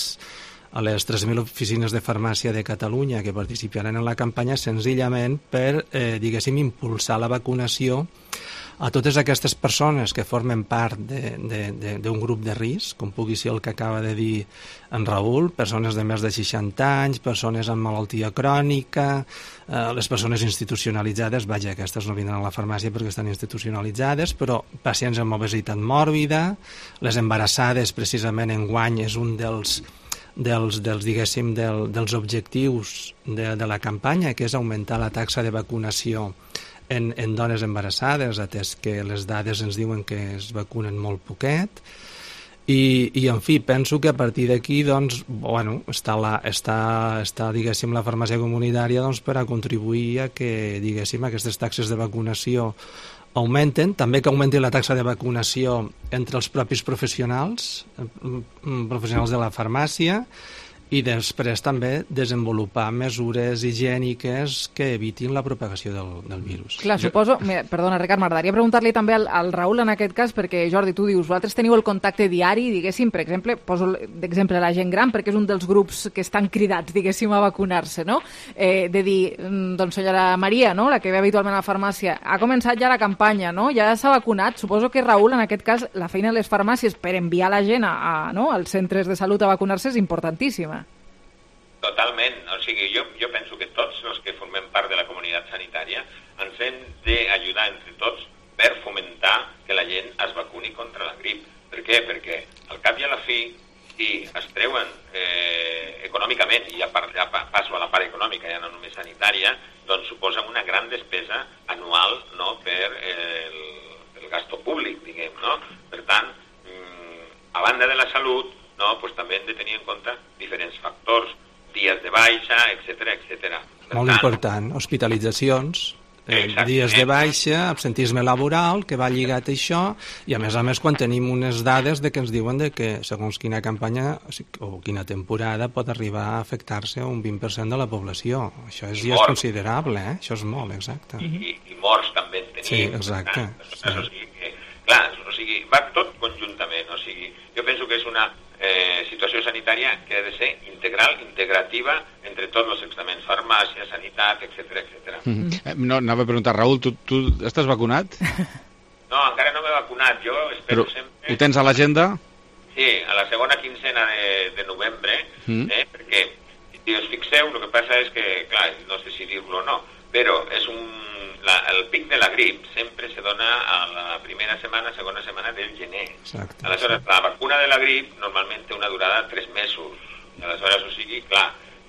Speaker 17: a les tres mil oficines de farmàcia de Catalunya que participaran en la campanya senzillament per, eh, diguéssim, impulsar la vacunació a totes aquestes persones que formen part d'un grup de risc, com pugui ser el que acaba de dir en Raül, persones de més de seixanta anys, persones amb malaltia crònica, eh, les persones institucionalitzades, vaja, aquestes no vindran a la farmàcia perquè estan institucionalitzades, però pacients amb obesitat mòrbida, les embarassades, precisament enguany és un dels dels, dels diguéssim, del, dels objectius de, de la campanya, que és augmentar la taxa de vacunació En, en dones embarassades, atès que les dades ens diuen que es vacunen molt poquet, i, i en fi, penso que a partir d'aquí doncs, bueno, està, la, està, està diguéssim, la farmàcia comunitària doncs, per a contribuir a que diguéssim, aquestes taxes de vacunació augmenten, també que augmenti la taxa de vacunació entre els propis professionals, professionals de la farmàcia, i després també desenvolupar mesures higièniques que evitin la propagació del, del virus.
Speaker 4: Clar, suposo... Mira, perdona, Ricard, m'agradaria preguntar-li també al, al Raül en aquest cas, perquè, Jordi, tu dius, vosaltres teniu el contacte diari, diguéssim, per exemple, poso d'exemple la gent gran, perquè és un dels grups que estan cridats, diguéssim, a vacunar-se, no? Eh, de dir, doncs, senyora Maria, no?, la que ve habitualment a la farmàcia, ha començat ja la campanya, no?, ja s'ha vacunat. Suposo que, Raül, en aquest cas, la feina de les farmàcies per enviar la gent a, a, no?, als centres de salut a vacunar-se és importantíssima.
Speaker 18: Totalment. O sigui, jo, jo penso que tots els que formem part de la comunitat sanitària ens hem d'ajudar entre tots per fomentar que la gent es vacuni contra la grip. Per què? Perquè al cap i a la fi, si es treuen eh, econòmicament, i ja, par, ja passo a la part econòmica, ja no només sanitària, doncs suposen una gran despesa anual, no?, per eh, el, el gasto públic, diguem, no? Per tant, mmm, a banda de la salut, no?, pues també hem de tenir en compte diferents factors, dies de baixa, etcètera, etcètera.
Speaker 17: Molt tant, important, hospitalitzacions, eh, dies de baixa, absentisme laboral, que va lligat a això, i a més a més quan tenim unes dades de que ens diuen de que segons quina campanya o quina temporada pot arribar a afectar-se un vint per cent de la població. Això és, ja és considerable, eh? Això és molt, exacte.
Speaker 18: I, i morts també en tenim.
Speaker 17: Sí, exacte.
Speaker 18: Sí. O sigui que, clar, o sigui, va tot conjuntament, o sigui, jo penso que és una Eh, situació sanitària que ha de ser integral, integrativa entre tots els estaments, farmàcia, sanitat, etcètera, etcètera.
Speaker 3: Mm-hmm. No, anava a preguntar, Raül, tu, tu estàs vacunat?
Speaker 18: No, encara no m'he vacunat, jo espero
Speaker 3: Però
Speaker 18: sempre...
Speaker 3: Ho tens a l'agenda?
Speaker 18: Sí, a la segona quincena de, de novembre, mm. eh, perquè, si us fixeu, el que passa és que, clar, no sé si dir-lo o no, però és un... La, el pic de la grip sempre se dona a la primera setmana, segona setmana del gener.
Speaker 17: Exacte.
Speaker 18: Aleshores, la vacuna de la grip normalment té una durada de tres mesos. Aleshores, o sigui, clar,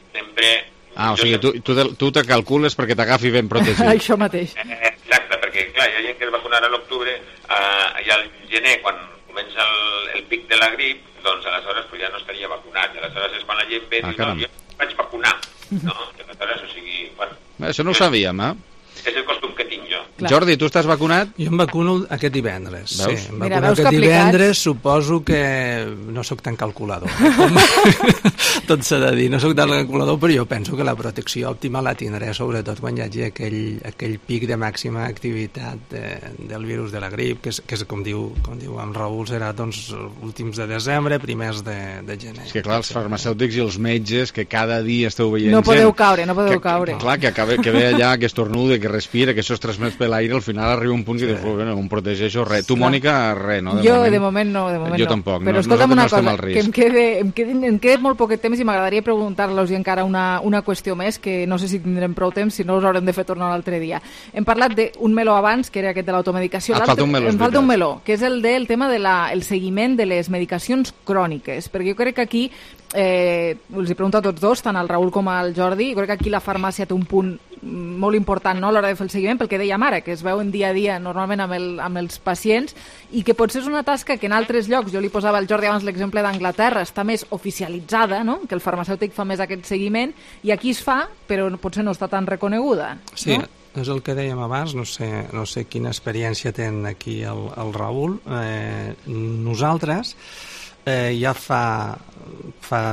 Speaker 18: sempre...
Speaker 3: Ah, o sigui, tu, tu, tu te calcules perquè t'agafi ben protegit.
Speaker 4: Això mateix.
Speaker 18: Eh, exacte, perquè, clar, hi ha gent que es vacunarà a l'octubre eh, i al gener, quan comença el, el pic de la grip, doncs aleshores pues, ja no estaria vacunat. I aleshores és quan la gent ve i ah, diu, no, jo vaig vacunar. No? Aleshores, o sigui... Bueno,
Speaker 3: això no ho sabíem, eh?
Speaker 18: És el costum que tinc jo.
Speaker 3: Clar. Jordi, tu estàs vacunat?
Speaker 17: Jo em vacuno aquest divendres.
Speaker 3: Veus?
Speaker 17: Sí, em vacuno Mira, aquest divendres, suposo que no sóc tan calculador. Tot s'ha de dir, no sóc tan calculador, però jo penso que la protecció òptima la tindré, sobretot quan hi hagi aquell, aquell pic de màxima activitat de, del virus de la grip, que és, que és com, diu, com diu en Raül, serà doncs, últims de desembre, primers de, de gener.
Speaker 3: És que clar, els farmacèutics i els metges, que cada dia esteu veient...
Speaker 4: No podeu caure, no podeu
Speaker 3: que,
Speaker 4: caure.
Speaker 3: Clar, que, acabe, que ve allà, que estornuda, que respira, que això es transmet per l'aire, al final arriba un punt que sí. dius, bueno, em protegeixo, res. Tu, Mònica, res, no?
Speaker 4: De jo, moment. de moment no, de moment
Speaker 3: jo
Speaker 4: no.
Speaker 3: tampoc.
Speaker 4: Però
Speaker 3: no,
Speaker 4: escolta'm una
Speaker 3: no
Speaker 4: cosa, que em quede, em, quede, em quede molt poquet temps i m'agradaria preguntar-los encara una, una qüestió més, que no sé si tindrem prou temps, si no us haurem de fer tornar l'altre dia. Hem parlat d'un meló abans, que era aquest de l'automedicació.
Speaker 3: Et falta un meló,
Speaker 4: em falta un meló, que és el del tema del de el seguiment de les medicacions cròniques, perquè jo crec que aquí, eh, els he preguntat a tots dos, tant al Raül com al Jordi, jo crec que aquí la farmàcia té un punt molt important, no?, a l'hora de fer el seguiment, pel que dèiem ara, que es veuen dia a dia normalment amb, el, amb els pacients, i que potser és una tasca que en altres llocs, jo li posava al Jordi abans l'exemple d'Anglaterra, està més oficialitzada, no?, que el farmacèutic fa més aquest seguiment, i aquí es fa, però potser no està tan reconeguda.
Speaker 17: Sí,
Speaker 4: no?
Speaker 17: És el que dèiem abans, no sé, no sé quina experiència ten aquí el, el Raül. Eh, nosaltres eh, ja fa, fa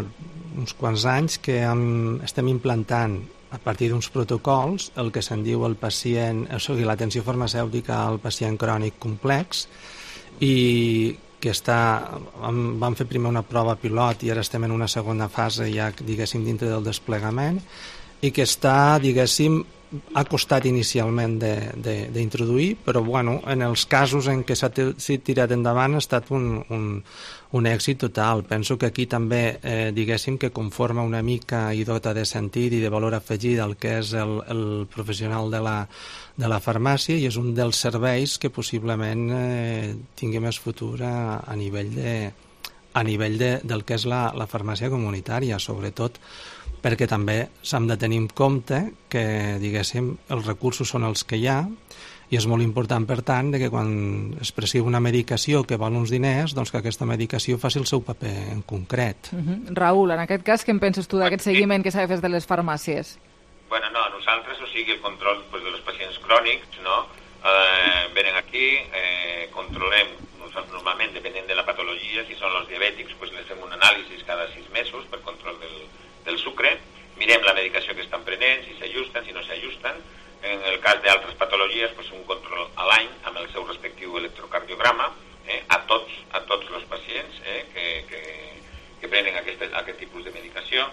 Speaker 17: uns quants anys que hem, estem implantant a partir d'uns protocols el que se'n diu el pacient, o sigui, l'atenció farmacèutica al pacient crònic complex, i que està, vam fer primer una prova pilot i ara estem en una segona fase ja, diguéssim, dintre del desplegament, i que està, diguéssim, ha costat inicialment d'introduir, però bueno, en els casos en què s'ha tirat endavant ha estat un, un, un èxit total. Penso que aquí també, eh, diguéssim, que conforma una mica i dota de sentit i de valor afegit el que és el, el professional de la, de la farmàcia, i és un dels serveis que possiblement eh, tingui més futur a, a nivell, de, a nivell de, del que és la, la farmàcia comunitària, sobretot perquè també s'han de tenir en compte que, diguéssim, els recursos són els que hi ha, i és molt important, per tant, que quan es prescriu una medicació que val uns diners, doncs que aquesta medicació faci el seu paper en concret.
Speaker 4: Uh-huh. Raül, en aquest cas, què en penses tu d'aquest seguiment que s'ha de fer de les farmàcies?
Speaker 18: Bueno, no, nosaltres, o sigui, el control pues, dels pacients crònics, no? Eh, venen aquí, eh, controlem, normalment, depenent de la patologia, elles, i són els diabètics, pues, les fem un anàlisi cada sis mesos per control del, del sucre, mirem la medicació que estan prenent, si s'ajusten, si no s'ajusten. En el cas d'altres patologies, pues, un control a l'any amb el seu respectiu electrocardiograma, eh, a tots a tots els pacients eh, que, que, que prenen aquest, aquest tipus de medicació,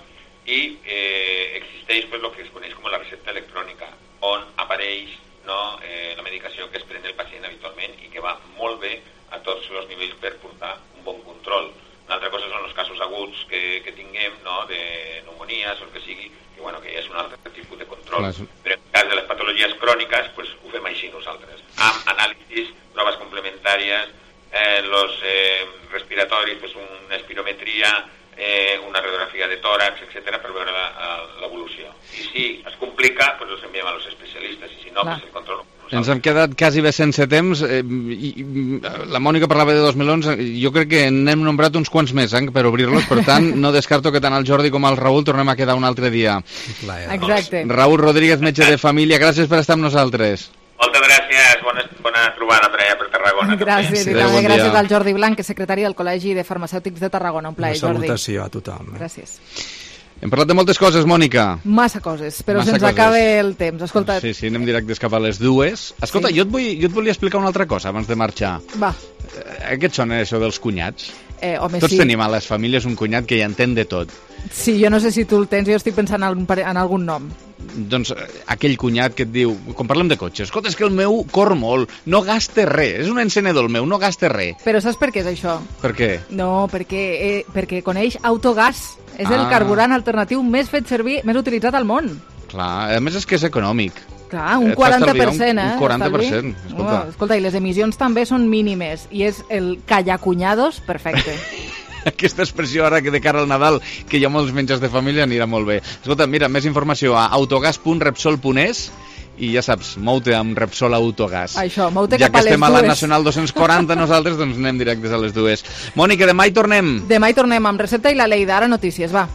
Speaker 18: i eh, existeix pues, el que es coneix com la recepta electrònica, on apareix no, eh, la medicació que es pren el pacient habitualment i que va molt bé a tots els nivells per portar un bon control. Una altra cosa són els casos aguts que, que tinguem, no, de pneumonies o el que sigui, que, bueno, que ja és un altre tipus de control. Clar. Però en el cas de les patologies cròniques, pues, ho fem així nosaltres, amb anàlisis, proves complementàries, eh, los eh, respiratoris, pues, una espirometria, eh, una radiografia de tòrax, etcètera, per veure l'evolució. I si es complica, pues els enviem a los especialistes, i si no, pues el control.
Speaker 3: Ens hem quedat quasi bé sense temps. Eh, i, i, la Mònica parlava de dos melons. Jo crec que n'hem nombrat uns quants més eh, per obrir-los. Per tant, no descarto que tant el Jordi com el Raül tornem a quedar un altre dia.
Speaker 4: Exacte.
Speaker 3: Raül Rodríguez, metge de família, gràcies per estar amb nosaltres.
Speaker 18: Moltes gràcies. Bona, bona trobada per allà per Tarragona.
Speaker 4: Gràcies.
Speaker 3: Sí,
Speaker 4: I també bon gràcies al Jordi Blanc, que és secretari del Col·legi de Farmacèutics de Tarragona. Un plaer, Jordi.
Speaker 17: Una salutació a tothom.
Speaker 4: Eh? Gràcies.
Speaker 3: Hem parlat de moltes coses, Mònica.
Speaker 4: Massa coses, però
Speaker 3: Massa
Speaker 4: se'ns
Speaker 3: coses.
Speaker 4: acaba el temps. Escolta...
Speaker 3: Sí, sí, anem directes cap a les dues. Escolta, sí. jo, et vull, jo et volia explicar una altra cosa abans de marxar.
Speaker 4: Va.
Speaker 3: Eh, què et sona això dels cunyats?
Speaker 4: Eh, home,
Speaker 3: Tots
Speaker 4: sí.
Speaker 3: tenim a les famílies un cunyat que hi entén de tot.
Speaker 4: Sí, jo no sé si tu el tens, jo estic pensant en, en algun nom.
Speaker 3: Doncs aquell cunyat que et diu, quan parlem de cotxes, escolta, és que el meu cor molt, no gasta res, és un encenedor el meu, no gasta res.
Speaker 4: Però saps per què és això?
Speaker 3: Per què?
Speaker 4: No, perquè, eh, perquè coneix Autogas. És
Speaker 3: Ah.
Speaker 4: el carburant alternatiu més fet servir, més utilitzat al món.
Speaker 3: Clar, a més és que és econòmic.
Speaker 4: Clar, un
Speaker 3: Et fa
Speaker 4: quaranta per
Speaker 3: estalviar
Speaker 4: cent,
Speaker 3: un-
Speaker 4: eh?
Speaker 3: un quaranta per
Speaker 4: d'estalvi.
Speaker 3: cent, escolta.
Speaker 4: Oh, escolta, i les emissions també són mínimes, i és el callacuñados perfecte.
Speaker 3: Aquesta expressió ara que de cara al Nadal, que hi ha molts menjars de família, anirà molt bé. Escolta, mira, més informació a autogas punt repsol punt es i ja saps, mou-te amb Repsol Autogas.
Speaker 4: Això, mou-te
Speaker 3: Ja
Speaker 4: cap
Speaker 3: que
Speaker 4: a les
Speaker 3: estem a la
Speaker 4: dues.
Speaker 3: Nacional dos-cents quaranta nosaltres, doncs anem directes a les dues. Mònica, demà hi tornem.
Speaker 4: Demà hi tornem amb Recepta i la Lleida. Ara notícies, va.